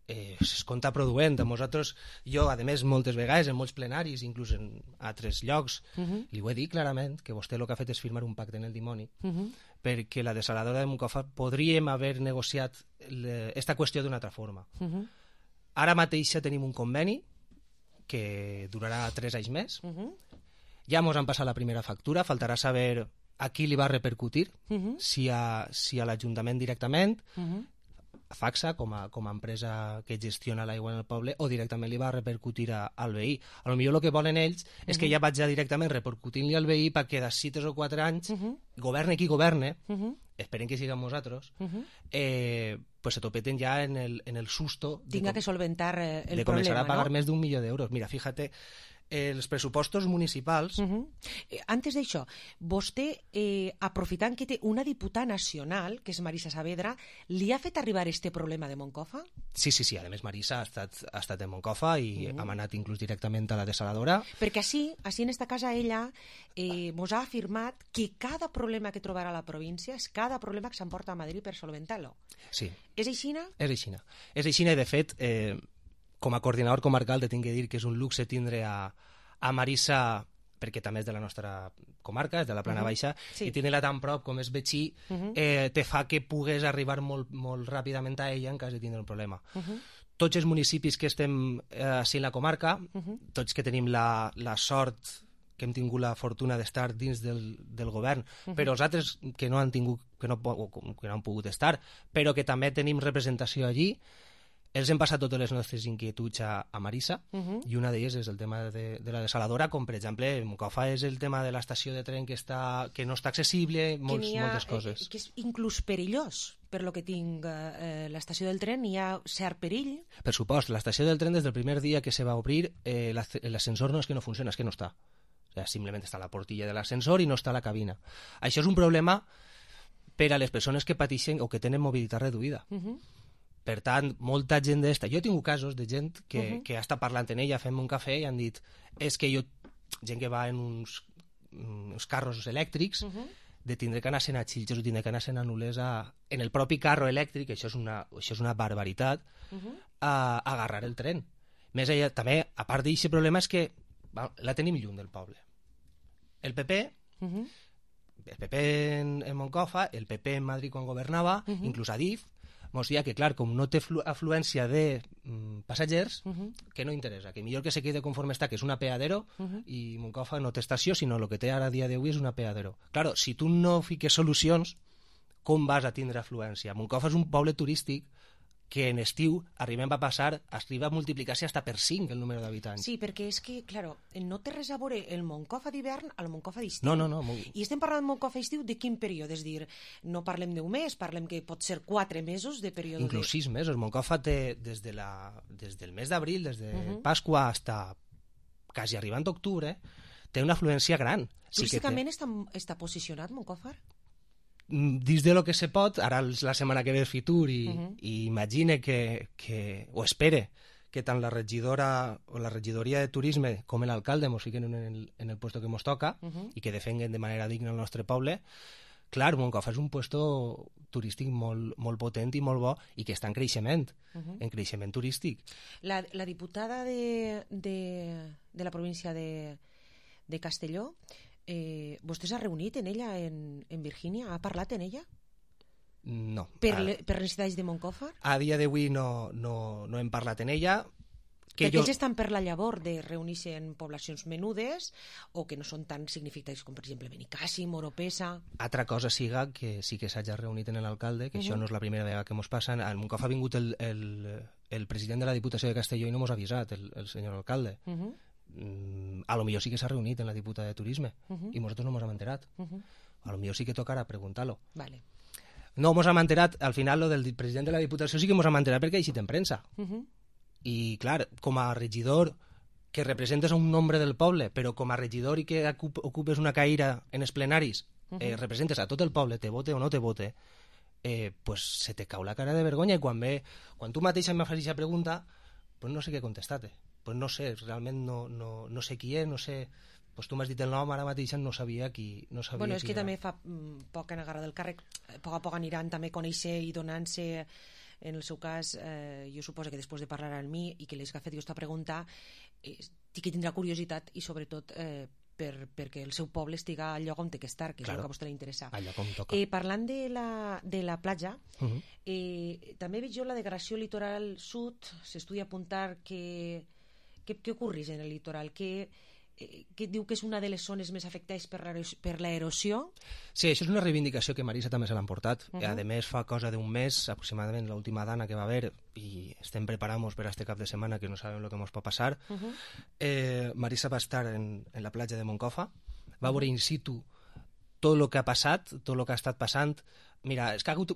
eh, es compta produent. A nosaltres, jo, a més, moltes vegades, en molts plenaris, inclús en altres llocs, Uh -huh. li ho he dit clarament, que vostè el que ha fet és firmar un pacte en el dimoni, Uh -huh. perquè la desaladora de Moncofa podríem haver negociat aquesta qüestió d'una altra forma. Uh -huh. Ara mateix ja tenim un conveni que durarà tres anys més. Uh -huh. Ja mos han passat la primera factura, faltarà saber a qui li va repercutir, Uh -huh. si a, si a l'Ajuntament directament, Uh -huh. a Faxa, com a, com a empresa que gestiona l'aigua en el poble, o directament li va repercutir a, al veí. A lo millor el que volen ells és que Mhm. ja vaig ja directament repercutint-li al veí perquè d'ací tres o quatre anys, Uh -huh. governe qui governe, Uh -huh. esperem que siguem nosaltres, Uh -huh. eh, pues se topeten ja en el, en el susto de Tinga com- que solventar eh, el de comenzar problema, a pagar no? més d'un milió d'euros. Mira, fíjate, els pressupostos municipals... Uh -huh. eh, antes d'això, vostè, eh, aprofitant que té una diputada nacional, que és Marisa Saavedra, li ha fet arribar este problema de Moncofa? Sí, sí, sí. A més, Marisa ha estat, ha estat en Moncofa i uh -huh. hem anat inclús directament a la desaladora. Perquè així, així en esta casa ella eh, mos ha afirmat que cada problema que trobarà la província és cada problema que s'emporta a Madrid per solventar-lo. Sí. És aixina? És aixina. És aixina i, de fet, eh, com a coordinador comarcal te tinc que dir que és un luxe tindre a, a Marisa, perquè també és de la nostra comarca, és de la Plana uh -huh. Baixa, sí. i tenir-la tan prop com és vecí, uh -huh. eh, te fa que pugues arribar molt, molt ràpidament a ella en cas de tindre un problema. Uh -huh. Tots els municipis que estem eh, així en la comarca, uh -huh. tots que tenim la, la sort, que hem tingut la fortuna d'estar dins del, del govern, uh -huh. però els altres que no han tingut, que no, que no han pogut estar, però que també tenim representació allí, els hem passat totes les nostres inquietuds a, a Marisa, uh -huh. i una d'elles és el tema de, de la desaladora, com per exemple, en Moncofa és el tema de l'estació de tren que, està, que no està accessible, molts, ha, moltes coses. Eh, que és inclús perillós, per lo que tinc eh, l'estació del tren, hi ha cert perill? Per supost, l'estació del tren des del primer dia que se va obrir, eh, l'ascensor no és que no funciona, és que no està. O sea, simplement està la portilla de l'ascensor i no està la cabina. Això és un problema per a les persones que pateixen o que tenen mobilitat reduïda. Uh -huh. Per tant, molta gent d'esta... Jo he tingut casos de gent que, uh -huh. que ha estat parlant en ella, fent un cafè, i han dit, és que jo, gent que va en uns, uns carros elèctrics, uh -huh. de tindre que anar sent a Xilxes o tindre que anar sent a Nules a, en el propi carro elèctric, això és una, això és una barbaritat, uh -huh. a, a agarrar el tren. Més allà, també, a part d'aquest problema, és que va, la tenim lluny del poble. El P P... Uh -huh. El P P en, en Moncofa, el P P en Madrid quan governava, uh -huh. inclús a D I F, mos dia que, clar, com no té afluència de mm, passatgers, uh -huh. que no interessa, que millor que se quede conforme està, que és un apeadero, uh -huh. i Moncofa no té estació, sinó el que té ara a dia d'avui és un apeadero. Claro, si tu no fiques solucions, com vas a tindre afluència? Moncofa és un poble turístic que en estiu arribem a passar, arriba a multiplicar-se hasta per cinc el número d'habitants. Sí, perquè és que, claro, no té res a veure el Moncofa d'hivern al Moncofa d'estiu. No, no, no. I estem parlant de Moncofa d'estiu de quin període? És dir, no parlem d'un mes, parlem que pot ser quatre mesos de període. Inclús de... sis mesos. Moncofa té des, de la, des del mes d'abril, des de uh -huh. Pasqua hasta quasi arribant a octubre, té una afluència gran. Turísticament sí té... està, està posicionat Moncofa? Dins de lo que se pot, ara la setmana que ve el Fitur i, uh -huh. i imagine que, que, o espere que tant la regidora o la regidoria de turisme com l'alcalde mos fiquen en el, en el puesto que mos toca uh -huh. i que defenguen de manera digna el nostre poble. Clar, Moncofa és un puesto turístic molt, molt potent i molt bo i que està en creixement, uh -huh. en creixement turístic. La, la diputada de, de, de la província de, de Castelló, Eh, vostè s'ha reunit en ella en, en Virgínia? Ha parlat en ella? No. Per, a, per necessitats de Moncofa? A dia d'avui no, no, no hem parlat en ella. Que perquè jo... ells estan per la llavor de reunir-se en poblacions menudes o que no són tan significatives com, per exemple, Benicàssim, Oropesa... Altra cosa siga que sí que s'hagi reunit en l'alcalde, que uh -huh. això no és la primera vegada que mos passa. Al Moncofa ha vingut el, el, el president de la Diputació de Castelló i no mos ha avisat, el, el senyor alcalde. Uh -huh. A lo millor sí que s'ha reunit en la diputada de Turisme uh -huh. i nosaltres no mos hem enterat. Uh -huh. A lo millor sí que tocarà preguntar-lo. Vale. No mos hem enterat, al final lo del president de la Diputació sí que mos hem enterat perquè ha eixit en premsa. Uh -huh. I clar, com a regidor que representes a un nombre del poble, però com a regidor i que ocupes una caïra en els plenaris, uh -huh. eh, representes a tot el poble, te vote o no te vote, eh, pues se te cau la cara de vergonya i quan ve, quan tu mateixa em fas aquesta pregunta, pues no sé què contestar-te. Pues no sé, realment no, no, no sé qui és, no sé... Pues tu m'has dit el nom, ara mateix no sabia qui, no sabia bueno, és qui que era. També fa mm, poc en agarrar del càrrec, a poc a poc aniran també conèixer i donant-se, en el seu cas, eh, jo suposo que després de parlar amb mi i que les que ha fet aquesta pregunta, eh, sí que tindrà curiositat i sobretot eh, per, perquè el seu poble estiga al lloc on té que estar, que claro, és el que a vostè li interessa. Allà com toca. Eh, parlant de la, de la platja, uh -huh. eh, també veig jo la degradació litoral sud, s'estudia apuntar que Què, què ocorreix en el litoral? Què, eh, què diu que és una de les zones més afectades per l'erosió? Sí, això és una reivindicació que Marisa també se l'ha emportat. Uh -huh. A més, fa cosa d'un mes, aproximadament l'última dana que va haver, i estem preparant-nos per a este cap de setmana que no sabem el que ens pot passar. Uh -huh. eh, Marisa va estar en, en la platja de Moncofa, va veure in situ tot el que ha passat, tot el que ha estat passant. Mira, és que ha hagut,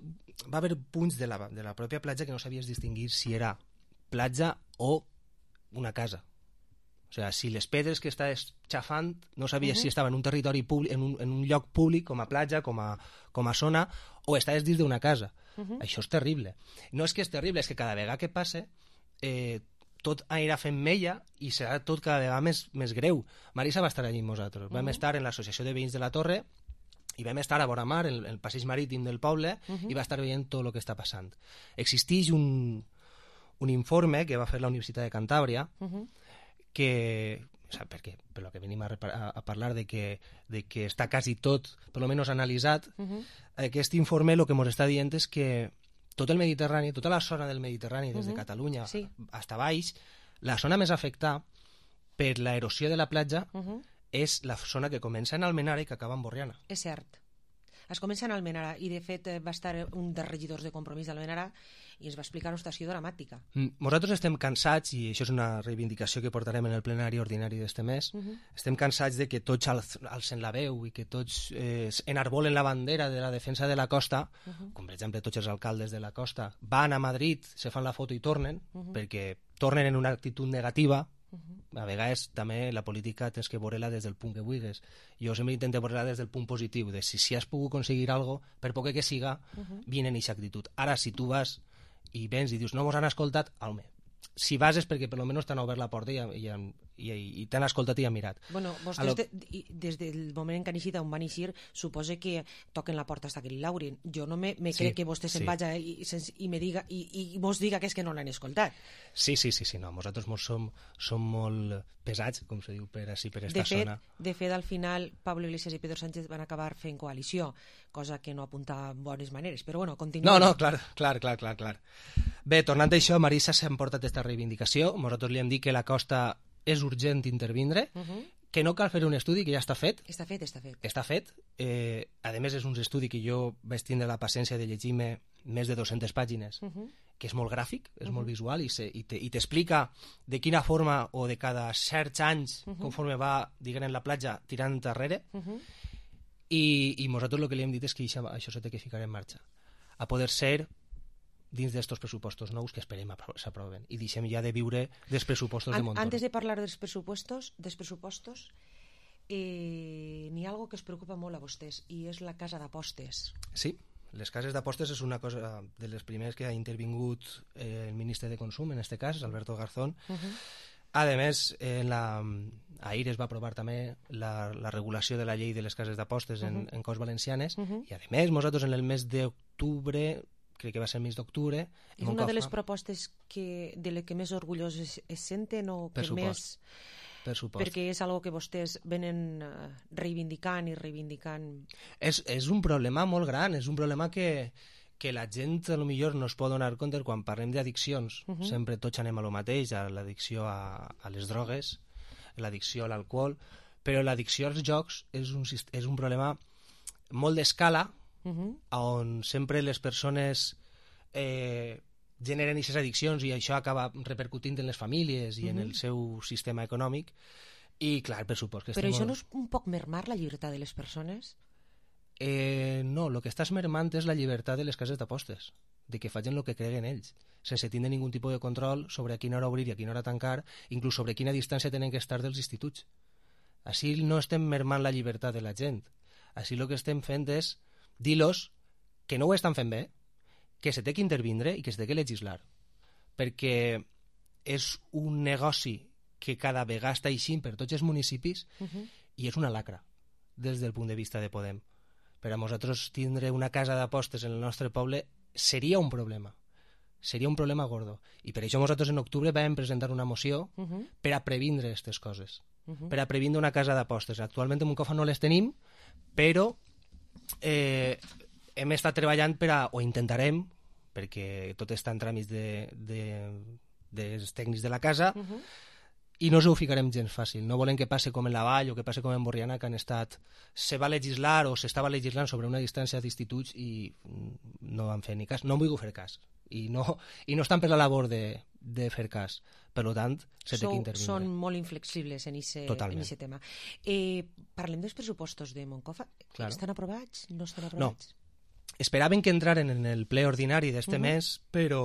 va haver punts de la, de la pròpia platja que no sabies distingir si era platja o una casa. O sigui, si les pedres que estàs xafant no sabies Uh-huh. si estava en un territori públic, en un, en un lloc públic, com a platja, com a, com a zona, o estaves dins d'una casa. Uh-huh. Això és terrible. No és que és terrible, és que cada vegada que passe eh, tot anirà fent mella i serà tot cada vegada més, més greu. Marisa va estar allí amb nosaltres. Uh-huh. Vam estar en l'Associació de Veïns de la Torre i vam estar a vora mar, en el passeig marítim del poble, Uh-huh. i va estar veient tot el que està passant. Existeix un, un informe que va fer la Universitat de Cantàbria Uh-huh. que, o sea, perquè, per lo que venim a, a, a parlar de que, de que està quasi tot, per lo menos analitzat, Uh-huh. aquest informe el que ens està dient és que tot el Mediterrani, tota la zona del Mediterrani, des de Uh-huh. Catalunya Sí. hasta baix, la zona més afectada per la erosió de la platja Uh-huh. és la zona que comença en Almenara i que acaba en Borriana. És cert. Es comença en Almenara i de fet eh, va estar un dels regidors de Compromís d'Almenara i ens va explicar una situació dramàtica. Mm, Nosaltres estem cansats, i això és una reivindicació que portarem en el plenari ordinari d'este mes, Uh-huh. estem cansats de que tots alz- alcen la veu i que tots eh, enarbolen la bandera de la defensa de la costa, Uh-huh. com per exemple tots els alcaldes de la costa van a Madrid, se fan la foto i tornen, Uh-huh. perquè tornen en una actitud negativa. Uh-huh. A vegades també la política tens que veure-la des del punt que vulguis. Jo sempre intento veure-la des del punt positiu, de si, si has pogut aconseguir algo, per poc que siga, Uh-huh. viene en aquesta actitud. Ara, si tu vas i vens i dius no mos han escoltat, home, si vas és perquè per almenys t'han obert la porta i, i, i, i t'han escoltat i han mirat. Bueno, vostès lo... de, i- des del moment en que han eixit on van eixir, suposa que toquen la porta hasta que li laurin. Jo no me, me Sí, crec que vostè se'n sí. vaja i, i, sens- i, me diga, i, i mos diga que és que no l'han escoltat. Sí, sí, sí, sí, no, nosaltres mos som, som molt pesats, com se diu per així, per esta De fet, zona. de fet, al final, Pablo Iglesias i Pedro Sánchez van acabar fent coalició, cosa que no apunta en bones maneres. Però bueno, continuem. No, no, clar, clar, clar, clar, clar. Bé, tornant a això, Marisa s'ha emportat aquesta reivindicació. Nosaltres li hem dit que la costa és urgent intervindre, Uh -huh. que no cal fer un estudi, que ja està fet. Està fet, està fet. Està fet. Eh, a més, és un estudi que jo vaig tindre la paciència de llegir-me més de dues-centes pàgines, Uh -huh. que és molt gràfic, és Uh-huh. molt visual, i, se, i, te, i t'explica de quina forma o de cada certs anys, Uh-huh. conforme va, diguem, en la platja, tirant enrere, Uh -huh. i, i nosaltres el que li hem dit és que això, això s'ha de ficar en marxa. A poder ser dins d'estos pressupostos nous que esperem apro- s'aproven. I deixem ja de viure dels pressupostos de An Montoro. Antes de parlar dels pressupostos, dels pressupostos eh, n'hi ha algo que es preocupa molt a vostès i és la casa d'apostes. Sí, les cases d'apostes és una cosa de les primeres que ha intervingut eh, el ministre de Consum, en este cas, Alberto Garzón. Uh -huh. A més, en la, ahir es va aprovar també la, la regulació de la llei de les cases d'apostes en, Uh-huh. en Corts Valencianes, Uh -huh. i a més, nosaltres en el mes d'octubre, crec que va ser el mes d'octubre, És una de les propostes que, de les que més orgullós es, es senten o Per que supost. més... Per supost. Perquè és algo que vostès venen uh, reivindicant i reivindicant. És, és un problema molt gran, és un problema que, que la gent a lo millor no es pot donar compte quan parlem d'addiccions. Uh-huh. Sempre tots anem a lo mateix, a l'addicció a, a les drogues, l'addicció a l'alcohol, però l'addicció als jocs és un, sist- és un problema molt d'escala, Uh-huh. on sempre les persones eh, generen aquestes addiccions i això acaba repercutint en les famílies i uh-huh. en el seu sistema econòmic. I clar, per supost que Però estem això molt- no és un poc mermar la llibertat de les persones? Eh, no, el que estàs mermant és la llibertat de les cases d'apostes, de que facin el que creguen ells, sense tindre ningun tipus de control sobre a quina hora obrir i a quina hora tancar, inclús sobre quina distància tenen que estar dels instituts. Així no estem mermant la llibertat de la gent. Així el que estem fent és dir-los que no ho estan fent bé, que se té que intervindre i que se té que legislar. Perquè és un negoci que cada vegada està eixint per tots els municipis Uh-huh. i és una lacra des del punt de vista de Podem. Per a nosaltres tindre una casa d'apostes en el nostre poble seria un problema. Seria un problema gordo. I per això nosaltres en octubre vam presentar una moció Uh-huh. per a previndre aquestes coses. Uh-huh. Per a previndre una casa d'apostes. Actualment en Moncofa no les tenim, però eh, hem estat treballant per a, o intentarem, perquè tot està en tràmits de, de, dels tècnics de la casa, Uh-huh. i no us ho ficarem gens fàcil. No volem que passi com en la Vall o que passi com en Borriana, que han estat... Se va legislar o s'estava legislant sobre una distància d'instituts i no van fer ni cas. No en vull fer cas. I no, i no estan per la labor de, de fer cas. Per tant, se té Sou, que intervindre. són molt inflexibles en aquest tema. Eh, parlem dels pressupostos de Moncofa. Claro. Estan aprovats? No estan No. aprovats? esperaven que entraren en el ple ordinari d'este Uh-huh. mes, però,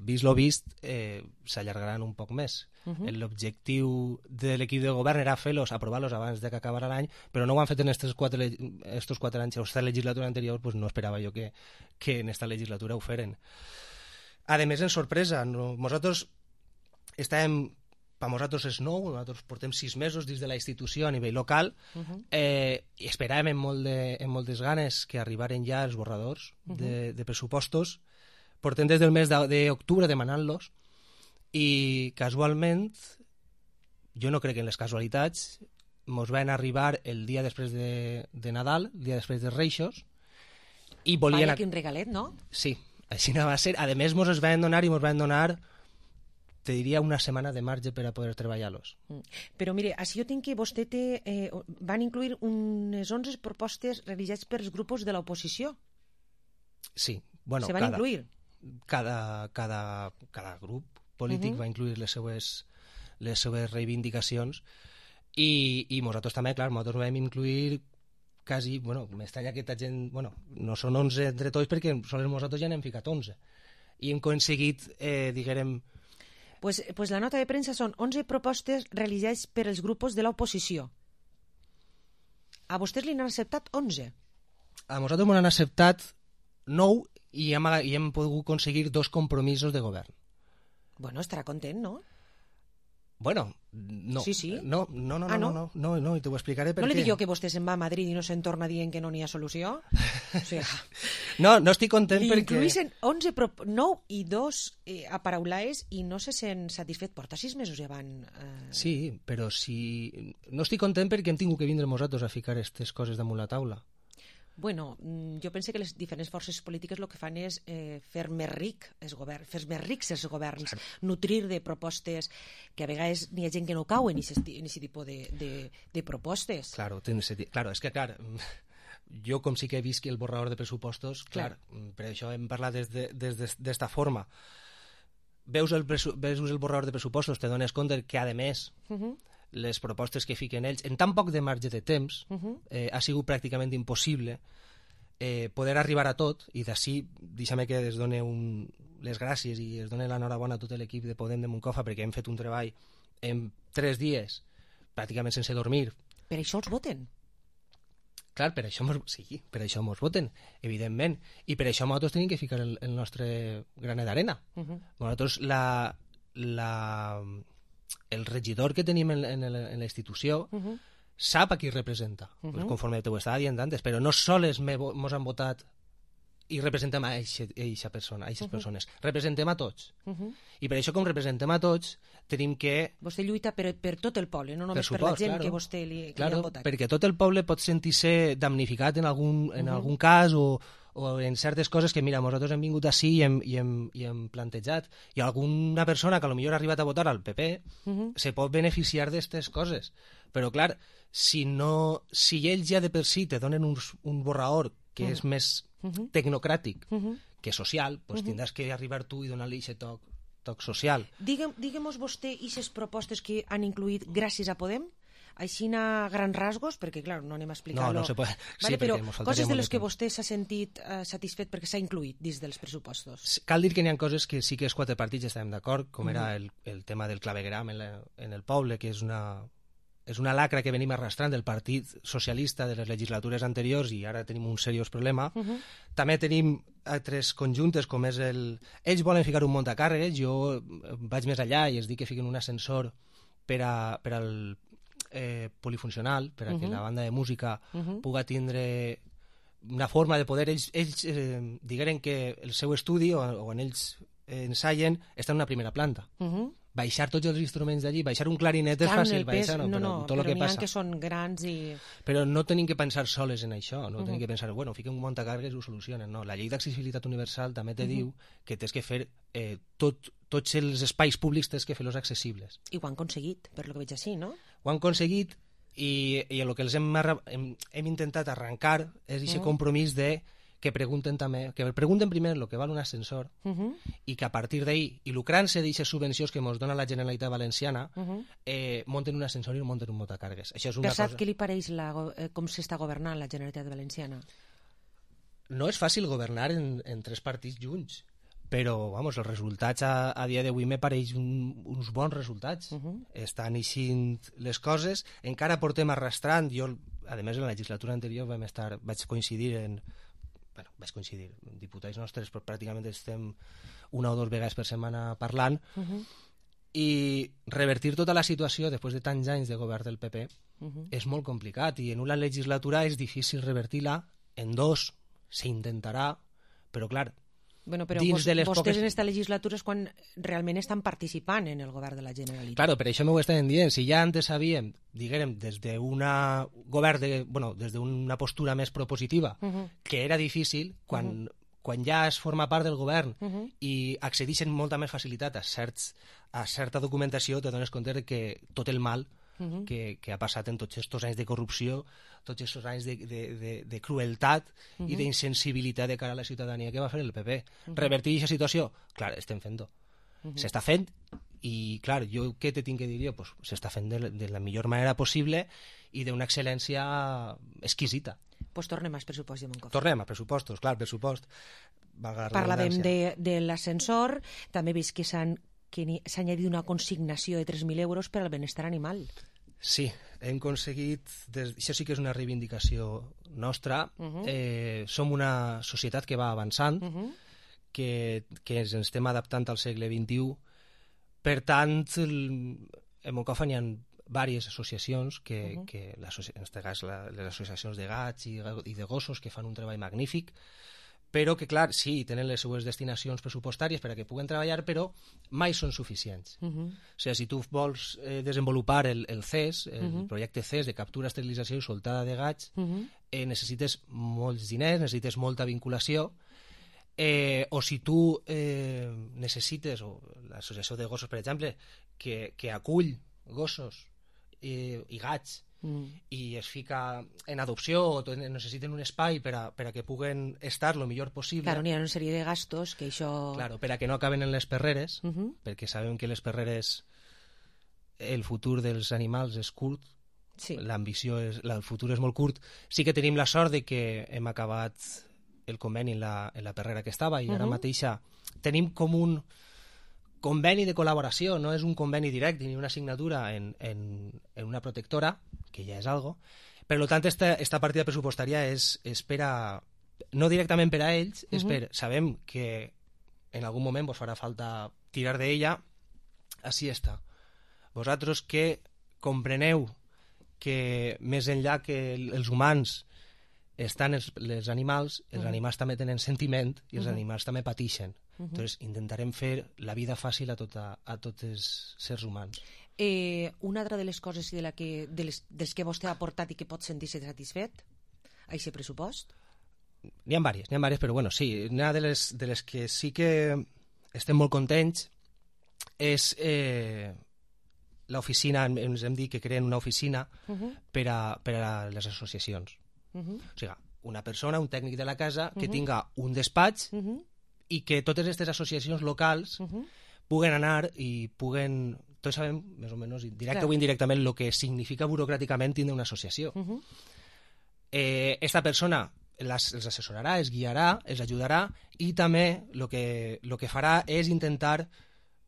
vist lo vist, eh, s'allargaran un poc més. Uh-huh. L'objectiu de l'equip de govern era fer-los, aprovar-los abans de que acabara l'any, però no ho han fet en estos quatre, estos quatre anys, o esta legislatura anterior, pues no esperava jo que, que en esta legislatura ho feren. A més, en sorpresa, no, nosaltres estàvem, per nosaltres és nou, nosaltres portem sis mesos dins de la institució a nivell local, Uh-huh. eh, i esperàvem amb, molt de, amb moltes ganes que arribaren ja els borradors Uh-huh. de, de pressupostos. Portem des del mes d'octubre demanant-los, i casualment, jo no crec en les casualitats, mos van arribar el dia després de, de Nadal, el dia després de Reixos, i volien... Vaya, quin regalet, no? Sí, així no va ser. A més, mos es van donar i mos van donar, te diria, una setmana de marge per a poder treballar-los. Mm. Però mire, així jo tinc que vostè té, eh, van incluir unes onze propostes realitzades pels grups de l'oposició. Sí, bueno, Se van cada, incluir? Cada, cada, cada grup polític Uh-huh. va incluir les seues, les seues reivindicacions, i, i nosaltres també, clar, nosaltres vam incluir quasi, bueno, m'estranya que aquesta gent, bueno, no són onze entre tots perquè sols nosaltres ja n'hem ficat onze. I hem aconseguit, eh, diguem... Pues, pues la nota de premsa són onze propostes realitzades per els grups de l'oposició. A vostès li n'han acceptat onze? A nosaltres m'han acceptat nou i hem, i hem pogut aconseguir dos compromisos de govern. Bueno, estarà content, no? Bueno, no. Sí, sí. No, no, no, Ah, no, no? no, no, no, i t'ho explicaré per No què. li dic jo que vostè se'n va a Madrid i no se'n torna dient que no n'hi ha solució? O sigui, No, no estic content li perquè... incluïssin onze, prop... nou i dos eh, aparaulades i no se sent satisfet. Porta sis mesos ja van... Eh... Sí, però si... No estic content perquè hem tingut que vindre nosaltres a ficar aquestes coses damunt la taula. Bueno, mm, jo penso que les diferents forces polítiques el que fan és eh, fer més ric els governs, fer més rics els governs, nutrir de propostes que a vegades n'hi ha gent que no cauen en aquest tipus de, de, de propostes. Claro, tens sentit. Claro, és que, clar, jo com sí que he vist que el borrador de pressupostos, clar, clar per això hem parlat d'esta de, des de, forma. Veus el, veus el borrador de pressupostos, te dones compte que, a més, Uh-huh. les propostes que fiquen ells, en tan poc de marge de temps, Uh-huh. eh, ha sigut pràcticament impossible eh, poder arribar a tot, i d'ací, deixa'm que es doni un, les gràcies i es doni l'enhorabona a tot l'equip de Podem de Moncofa, perquè hem fet un treball en tres dies, pràcticament sense dormir. Per això els voten. Clar, per això mos, sí, per això mos voten, evidentment, i per això nosaltres tenim que ficar el, el nostre granet d'arena. Uh-huh. Nosaltres, la, la, el regidor que tenim en, en, en la institució Uh-huh. sap a qui representa, Uh-huh. pues conforme t'ho estava dient antes, però no sols mos han votat i representem a eixa persona, a eixes Uh-huh. persones, representem a tots. Uh-huh. I per això, com representem a tots, tenim que... Vostè lluita per, per tot el poble, no només per, suport, la gent claro. que vostè li, que claro, li ha votat. perquè tot el poble pot sentir-se damnificat en algun, en Uh-huh. algun cas o, o en certes coses que, mira, nosaltres hem vingut ací i hem, i hem, i hem plantejat, i alguna persona que potser ha arribat a votar al P P Uh-huh. se pot beneficiar d'aquestes coses. Però, clar, si, no, si ells ja de per si te donen un, un borrador que Uh-huh. és més Uh-huh. tecnocràtic Uh-huh. que social, doncs Uh-huh. tindràs que arribar tu i donar-li aquest toc, toc social. Digue'm, digue'm-nos vostè aquestes propostes que han incluït gràcies a Podem, així a grans rasgos, perquè clar, no anem a explicar-lo. No, no se pot. Vale, Sí, però perquè mos faltaria coses de molt les de que temps. vostè s'ha sentit eh, satisfet perquè s'ha incluït dins dels pressupostos. Cal dir que n'hi ha coses que sí que els quatre partits estàvem d'acord, com era Mhm. el, el tema del clavegram en, la, en el poble, que és una, és una lacra que venim arrastrant del Partit Socialista de les legislatures anteriors i ara tenim un seriós problema. Uh-huh. També tenim altres conjuntes, com és el... Ells volen ficar un muntacàrregues, jo vaig més allà i els dic que fiquen un ascensor per, a, per al eh, polifuncional, per a que Mhm. la banda de música Mhm. puga tindre una forma de poder... Ells, ells eh, digueren que el seu estudi, o, o on ells eh, ensaien, està en una primera planta. Uh-huh. Baixar tots els instruments d'allí, baixar un clarinet és Clar, en fàcil, el pes, baixar, no, no, però no, tot el però que n'hi ha passa. que són grans i... Però no tenim que pensar soles en això, no Uh-huh. tenim que pensar, bueno, fiquem un muntacàrregues i ho solucionen, no. La llei d'accessibilitat universal també te Uh-huh. diu que tens que fer eh, tot, tots els espais públics tens que fer-los accessibles. I ho han aconseguit, per lo que veig així, no? Ho han aconseguit i, i el que els hem, arra- hem, hem intentat arrencar és aquest Uh-huh. compromís de que pregunten també, que pregunten primer el que val un ascensor Uh-huh. i que a partir d'ahí, i lucrant-se d'aquestes subvencions que ens dona la Generalitat Valenciana, Uh-huh. eh, monten un ascensor i monten un muntacàrregues. Això és una Per cert, cosa... què li pareix la, go- eh, com s'està governant la Generalitat Valenciana? no és fàcil governar en, en tres partits junts, però vamos, els resultats a, a dia d'avui me pareix un, uns bons resultats. Uh-huh. Estan eixint les coses, encara portem arrastrant. Jo, a més, en la legislatura anterior vam estar, vaig coincidir en... Bueno, vaig coincidir, diputats nostres, però pràcticament estem una o dues vegades per setmana parlant, uh-huh. i revertir tota la situació després de tants anys de govern del P P uh-huh. és molt complicat, i en una legislatura és difícil revertir-la, en dos s'intentarà, però clar, bueno, però dins vos, de les vostès poques... en esta legislatura és quan realment estan participant en el govern de la Generalitat. Claro, per això m'ho estan dient. Si ja antes sabíem, diguem, des d'una govern de, bueno, des d'una postura més propositiva, uh-huh. que era difícil, quan, uh-huh. quan ja es forma part del govern uh-huh. i accedeixen molta més facilitat a, certs, a certa documentació, te dones compte que tot el mal uh-huh. que, que ha passat en tots aquests anys de corrupció, tots aquests anys de, de, de, de crueltat uh-huh. i d'insensibilitat de cara a la ciutadania que va fer el P P. Uh-huh. Revertir aquesta situació? Clar, estem fent-ho. Uh-huh. S'està fent, i clar, jo què te tinc que dir jo? Pues s'està fent de, de la millor manera possible i d'una excel·lència exquisita. Pues tornem als pressupostos de Moncofa. Tornem a pressupostos, clar, pressupost. Parlàvem de, de l'ascensor, també he vist que s'han que s'ha añadit una consignació de tres mil euros per al benestar animal. Sí, hem aconseguit, des... això sí que és una reivindicació nostra, uh-huh. eh, som una societat que va avançant, uh-huh. que, que ens estem adaptant al segle vint-i-u, per tant, el... en Moncofa n'hi ha diverses associacions, que, uh-huh. que en aquest cas la, les associacions de gats i, i de gossos, que fan un treball magnífic, però que, clar, sí, tenen les seues destinacions pressupostàries per a que puguen treballar, però mai són suficients. Uh-huh. O sigui, si tu vols eh, desenvolupar el, el C E S, el uh-huh. projecte C E S de captura, esterilització i soltada de gats, uh-huh. eh, necessites molts diners, necessites molta vinculació, eh, o si tu eh, necessites, o l'associació de gossos, per exemple, que, que acull gossos eh, i gats, Mm. i es fica en adopció o necessiten un espai per a, per a que puguen estar el millor possible. Claro, n'hi ha una sèrie de gastos que això... Claro, per a que no acaben en les perreres, uh-huh. perquè sabem que les perreres, el futur dels animals és curt, sí. l'ambició és, el futur és molt curt. Sí que tenim la sort de que hem acabat el conveni en la, en la perrera que estava, i uh-huh. ara mateixa tenim com un conveni de col·laboració, no és un conveni directe ni una assignatura en, en, en una protectora, que ja és algo. Per tant, esta, esta partida pressupostària és, és per a, no directament per a ells, uh-huh. és per, sabem que en algun moment vos farà falta tirar d'ella, així està. Vosaltres que compreneu que més enllà que els humans estan els, els animals, els uh-huh. animals també tenen sentiment i els uh-huh. animals també pateixen. Uh-huh. Entonces, intentarem fer la vida fàcil a, tota, a tots els sers humans. Eh, una altra de les coses de, la que, de les, dels que vostè ha aportat i que pot sentir-se satisfet a aquest pressupost? N'hi ha diverses, n'hi ha diverses, però bueno, sí, una de les, de les que sí que estem molt contents és eh, l'oficina, ens hem dit que creen una oficina uh-huh. per, a, per a les associacions. Uh-huh. O sigui, una persona, un tècnic de la casa que uh-huh. tinga un despatx uh-huh. i que totes aquestes associacions locals uh-huh. puguen anar i puguen... Tots sabem, més o menys, directe Clar. o indirectament, el que significa burocràticament tindre una associació. Uh-huh. eh, esta persona les, els assessorarà, els guiarà, els ajudarà, i també el que, lo que farà és intentar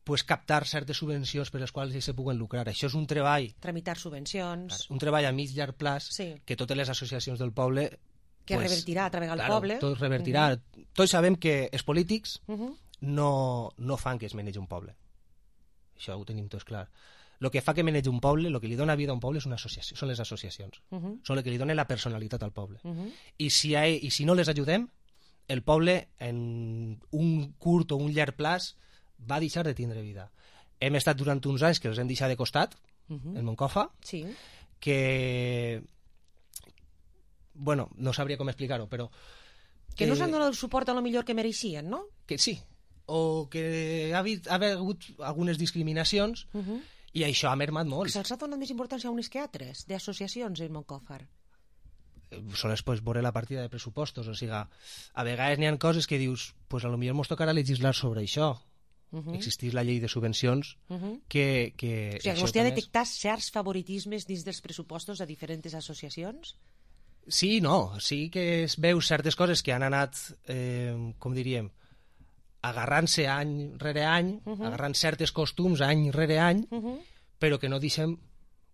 pues, captar certes subvencions per les quals ells se puguen lucrar. Això és un treball... Tramitar subvencions... Un treball a mig llarg plaç sí. que totes les associacions del poble... Que pues, revertirà a través del claro, poble. Tot revertirà. Uh-huh. Tots sabem que els polítics uh-huh. no, no fan que es manegi un poble. Això ho tenim tots clar. El que fa que manegi un poble, el que li dona vida a un poble és una associació, són les associacions. Uh-huh. Són el que li dona la personalitat al poble. Uh-huh. I, si ha, I si no les ajudem, el poble en un curt o un llarg plaç va deixar de tindre vida. Hem estat durant uns anys que els hem deixat de costat, uh-huh. en Moncofa, sí. que... Bueno, no sabria com explicar-ho, però... Que, que no s'han donat el suport a lo millor que mereixien, no? Que sí, o que ha, ha hagut algunes discriminacions uh-huh. i això ha mermat molt. Que se'ls ha donat més importància a unes que a altres, d'associacions en Moncofa. Sols pots veure la partida de pressupostos, o sigui, a vegades n'hi ha coses que dius, pues a lo millor mos tocarà legislar sobre això. Uh-huh. Existís la llei de subvencions uh-huh. que... que o sigui, vostè ha detectat certs favoritismes dins dels pressupostos a diferents associacions? Sí, no, sí que es veus certes coses que han anat, eh, com diríem, agarrant-se any rere any, uh -huh. agarrant certes costums any rere any, uh -huh. però que no deixem,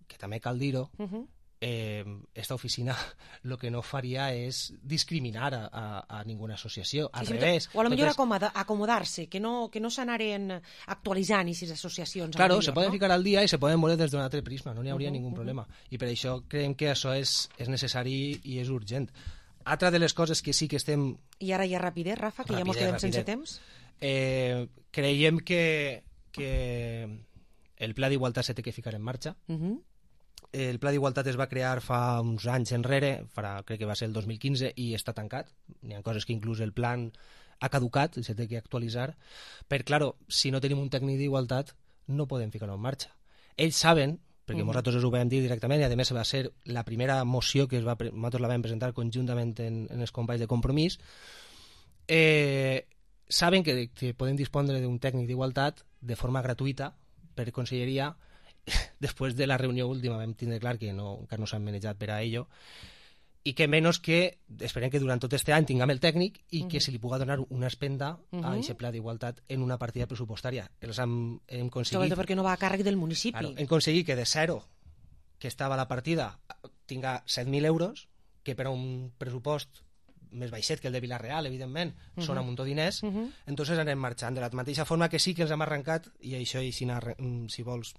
que també cal dir-ho, uh -huh. eh, esta oficina el que no faria és discriminar a, a, a ninguna associació, al sí, revés. O a lo millor acomoda, acomodar-se, que no, que no s'anaren actualitzant aquestes associacions. Claro, millor, se poden no? ficar al dia i se poden veure des d'un altre prisma, no n'hi hauria Uh -huh, ningú uh -huh. problema. I per això creiem que això és, és necessari i és urgent. Altra de les coses que sí que estem... I ara ja rapidet, Rafa, que rapidet, ja mos quedem rapidet. sense temps. Eh, creiem que, que el Pla d'Igualtat se té que ficar en marxa. Uh -huh. El Pla d'Igualtat es va crear fa uns anys enrere, farà, crec que va ser el dos mil quinze, i està tancat. Hi ha coses que inclús el plan ha caducat i se té que actualitzar. Però, claro, si no tenim un tècnic d'igualtat, no podem ficar-ho en marxa. Ells saben, perquè uh -huh. nosaltres ho vam dir directament, i a més va ser la primera moció que es va, nosaltres la vam presentar conjuntament en, en els companys de Compromís, eh, saben que, que podem dispondre d'un tècnic d'igualtat de forma gratuïta per conselleria. Després de la reunió última vam tindre clar que no, encara no s'han manejat per a ello, i que menys que esperem que durant tot aquest any tinguem el tècnic i uh -huh. que se li pugui donar una espenda uh -huh. a aquest pla d'igualtat en una partida pressupostària. Els hem, hem aconseguit... Perquè no va a càrrec del municipi. Claro, hem aconseguit que de zero, que estava la partida, tinga set mil euros, que per a un pressupost més baixet que el de Vila-real, evidentment, uh -huh. són un munt de diners, uh -huh. entonces anem marxant de la mateixa forma que sí que els hem arrencat, i això, i si, si vols...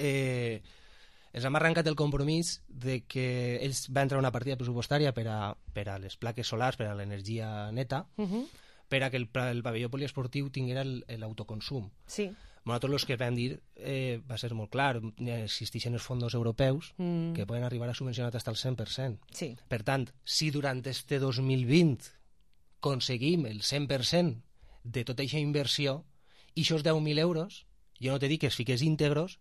Eh, ens hem arrencat el compromís de que ells van entrar una partida pressupostària per a, per a les plaques solars, per a l'energia neta, uh -huh. per a que el, el pavelló poliesportiu tinguera l'autoconsum. Sí. Nosaltres els que vam dir eh, va ser molt clar, existeixen els fons europeus mm. que poden arribar a subvencionar fins al cent per cent. Sí. Per tant, si durant este dos mil vint aconseguim el cent per cent de tota aquesta inversió, i això és deu mil euros, jo no te dic que es fiqués íntegros,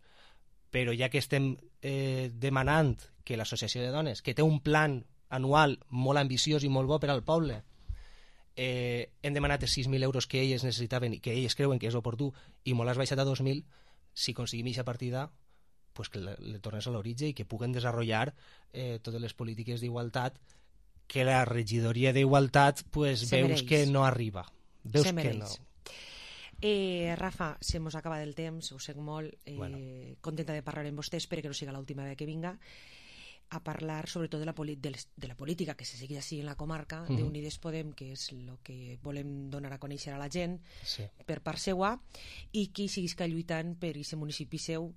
però ja que estem eh, demanant que l'Associació de Dones, que té un plan anual molt ambiciós i molt bo per al poble, eh, hem demanat els sis mil euros que elles necessitaven i que elles creuen que és oportú, i molt has baixat a dos mil, si aconseguim aquesta partida, pues que le, le tornes a l'origen i que puguen desenvolupar eh, totes les polítiques d'igualtat que la regidoria d'igualtat pues, veus que no arriba. Veus que no. Eh, Rafa, se mos acaba el temps, ho sé molt, eh, bueno. contenta de parlar amb vostè, espero que no siga l'última vegada que vinga, a parlar sobretot de la, de, les, de la política que se sigui així en la comarca, uh -huh. d'Unides Podem, que és el que volem donar a conèixer a la gent sí. per part seua, i qui siguisca lluitant per aquest municipi seu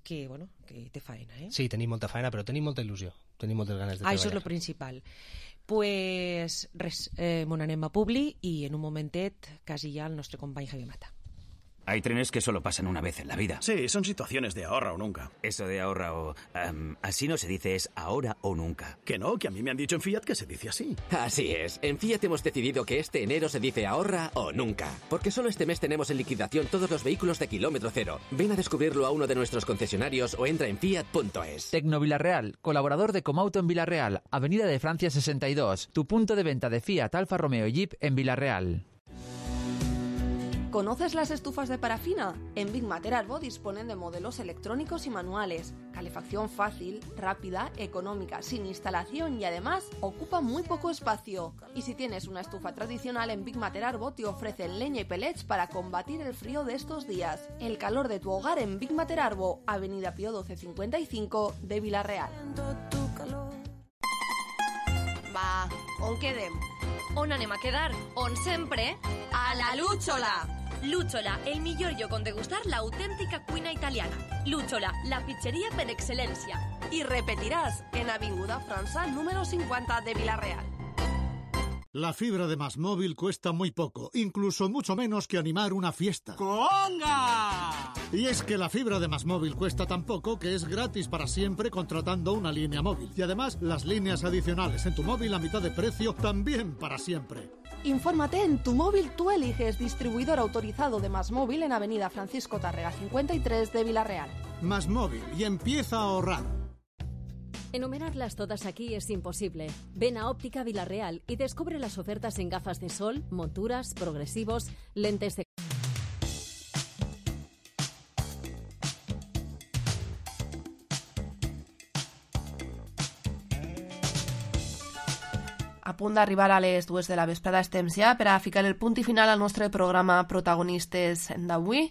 que, bueno, que té faena. Eh? Sí, tenim molta faena, però tenim molta il·lusió, tenim moltes ganes de ah, treballar. Això és el principal. Pues res, eh, mon anem a Publi i en un momentet quasi ja el nostre company Javi Mata. Hay trenes que solo pasan una vez en la vida. Sí, son situaciones de ahorra o nunca. Eso de ahorra o... Um, así no se dice, es ahora o nunca. Que no, que a mí me han dicho en Fiat que se dice así. Así es. En Fiat hemos decidido que este enero se dice ahorra o nunca. Porque solo este mes tenemos en liquidación todos los vehículos de kilómetro cero. Ven a descubrirlo a uno de nuestros concesionarios o entra en fiat punto es. Tecno Villarreal, colaborador de Comauto en Villarreal, Avenida de Francia sesenta y dos. Tu punto de venta de Fiat, Alfa Romeo y Jeep en Villarreal. ¿Conoces las estufas de parafina? En Big Mater Arbo disponen de modelos electrónicos y manuales, calefacción fácil, rápida, económica, sin instalación y además ocupa muy poco espacio. Y si tienes una estufa tradicional, en Big Mater Arbo te ofrecen leña y pellets para combatir el frío de estos días. El calor de tu hogar en Big Mater Arbo, Avenida Pío doce cincuenta y cinco de Vila-real. Va, on quedem? On anem a quedar? On sempre? A la Lúchola! Lúchola, el millor lloc on degustar l'autèntica cuina italiana. Lúchola, la pizzeria per excel·lència. I repetiràs en Avinguda França número cincuenta de Vila-real. La fibra de Más Móvil cuesta muy poco, incluso mucho menos que animar una fiesta. ¡Conga! Y es que la fibra de Más Móvil cuesta tan poco que es gratis para siempre contratando una línea móvil. Y además, las líneas adicionales en tu móvil a mitad de precio también para siempre. Infórmate en Tu Móvil Tú Eliges, distribuidor autorizado de Más Móvil en Avenida Francisco Tárrega cincuenta y tres de Vila-real. Más Móvil, y empieza a ahorrar. Enumerarlas todas aquí es imposible. Ven a Óptica Vila-real y descubre las ofertas en gafas de sol, monturas, progresivos, lentes de... A punt d'arribar a les dues de la vesprada estem ja per a ficar el punt i final al nostre programa Protagonistes d'avui.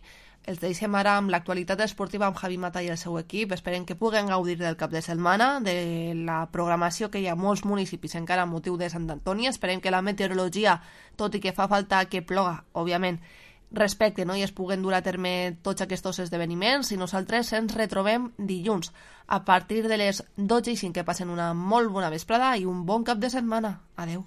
Els deixem ara amb l'actualitat esportiva amb Javi Mata i el seu equip. Esperem que puguen gaudir del cap de setmana, de la programació que hi ha a molts municipis encara amb motiu de Sant Antoni. Esperem que la meteorologia, tot i que fa falta que ploga, òbviament, respecte, no? I es puguen dur a terme tots aquests esdeveniments, i nosaltres ens retrobem dilluns a partir de les dotze i cinc. Que passen una molt bona vesprada i un bon cap de setmana. Adeu.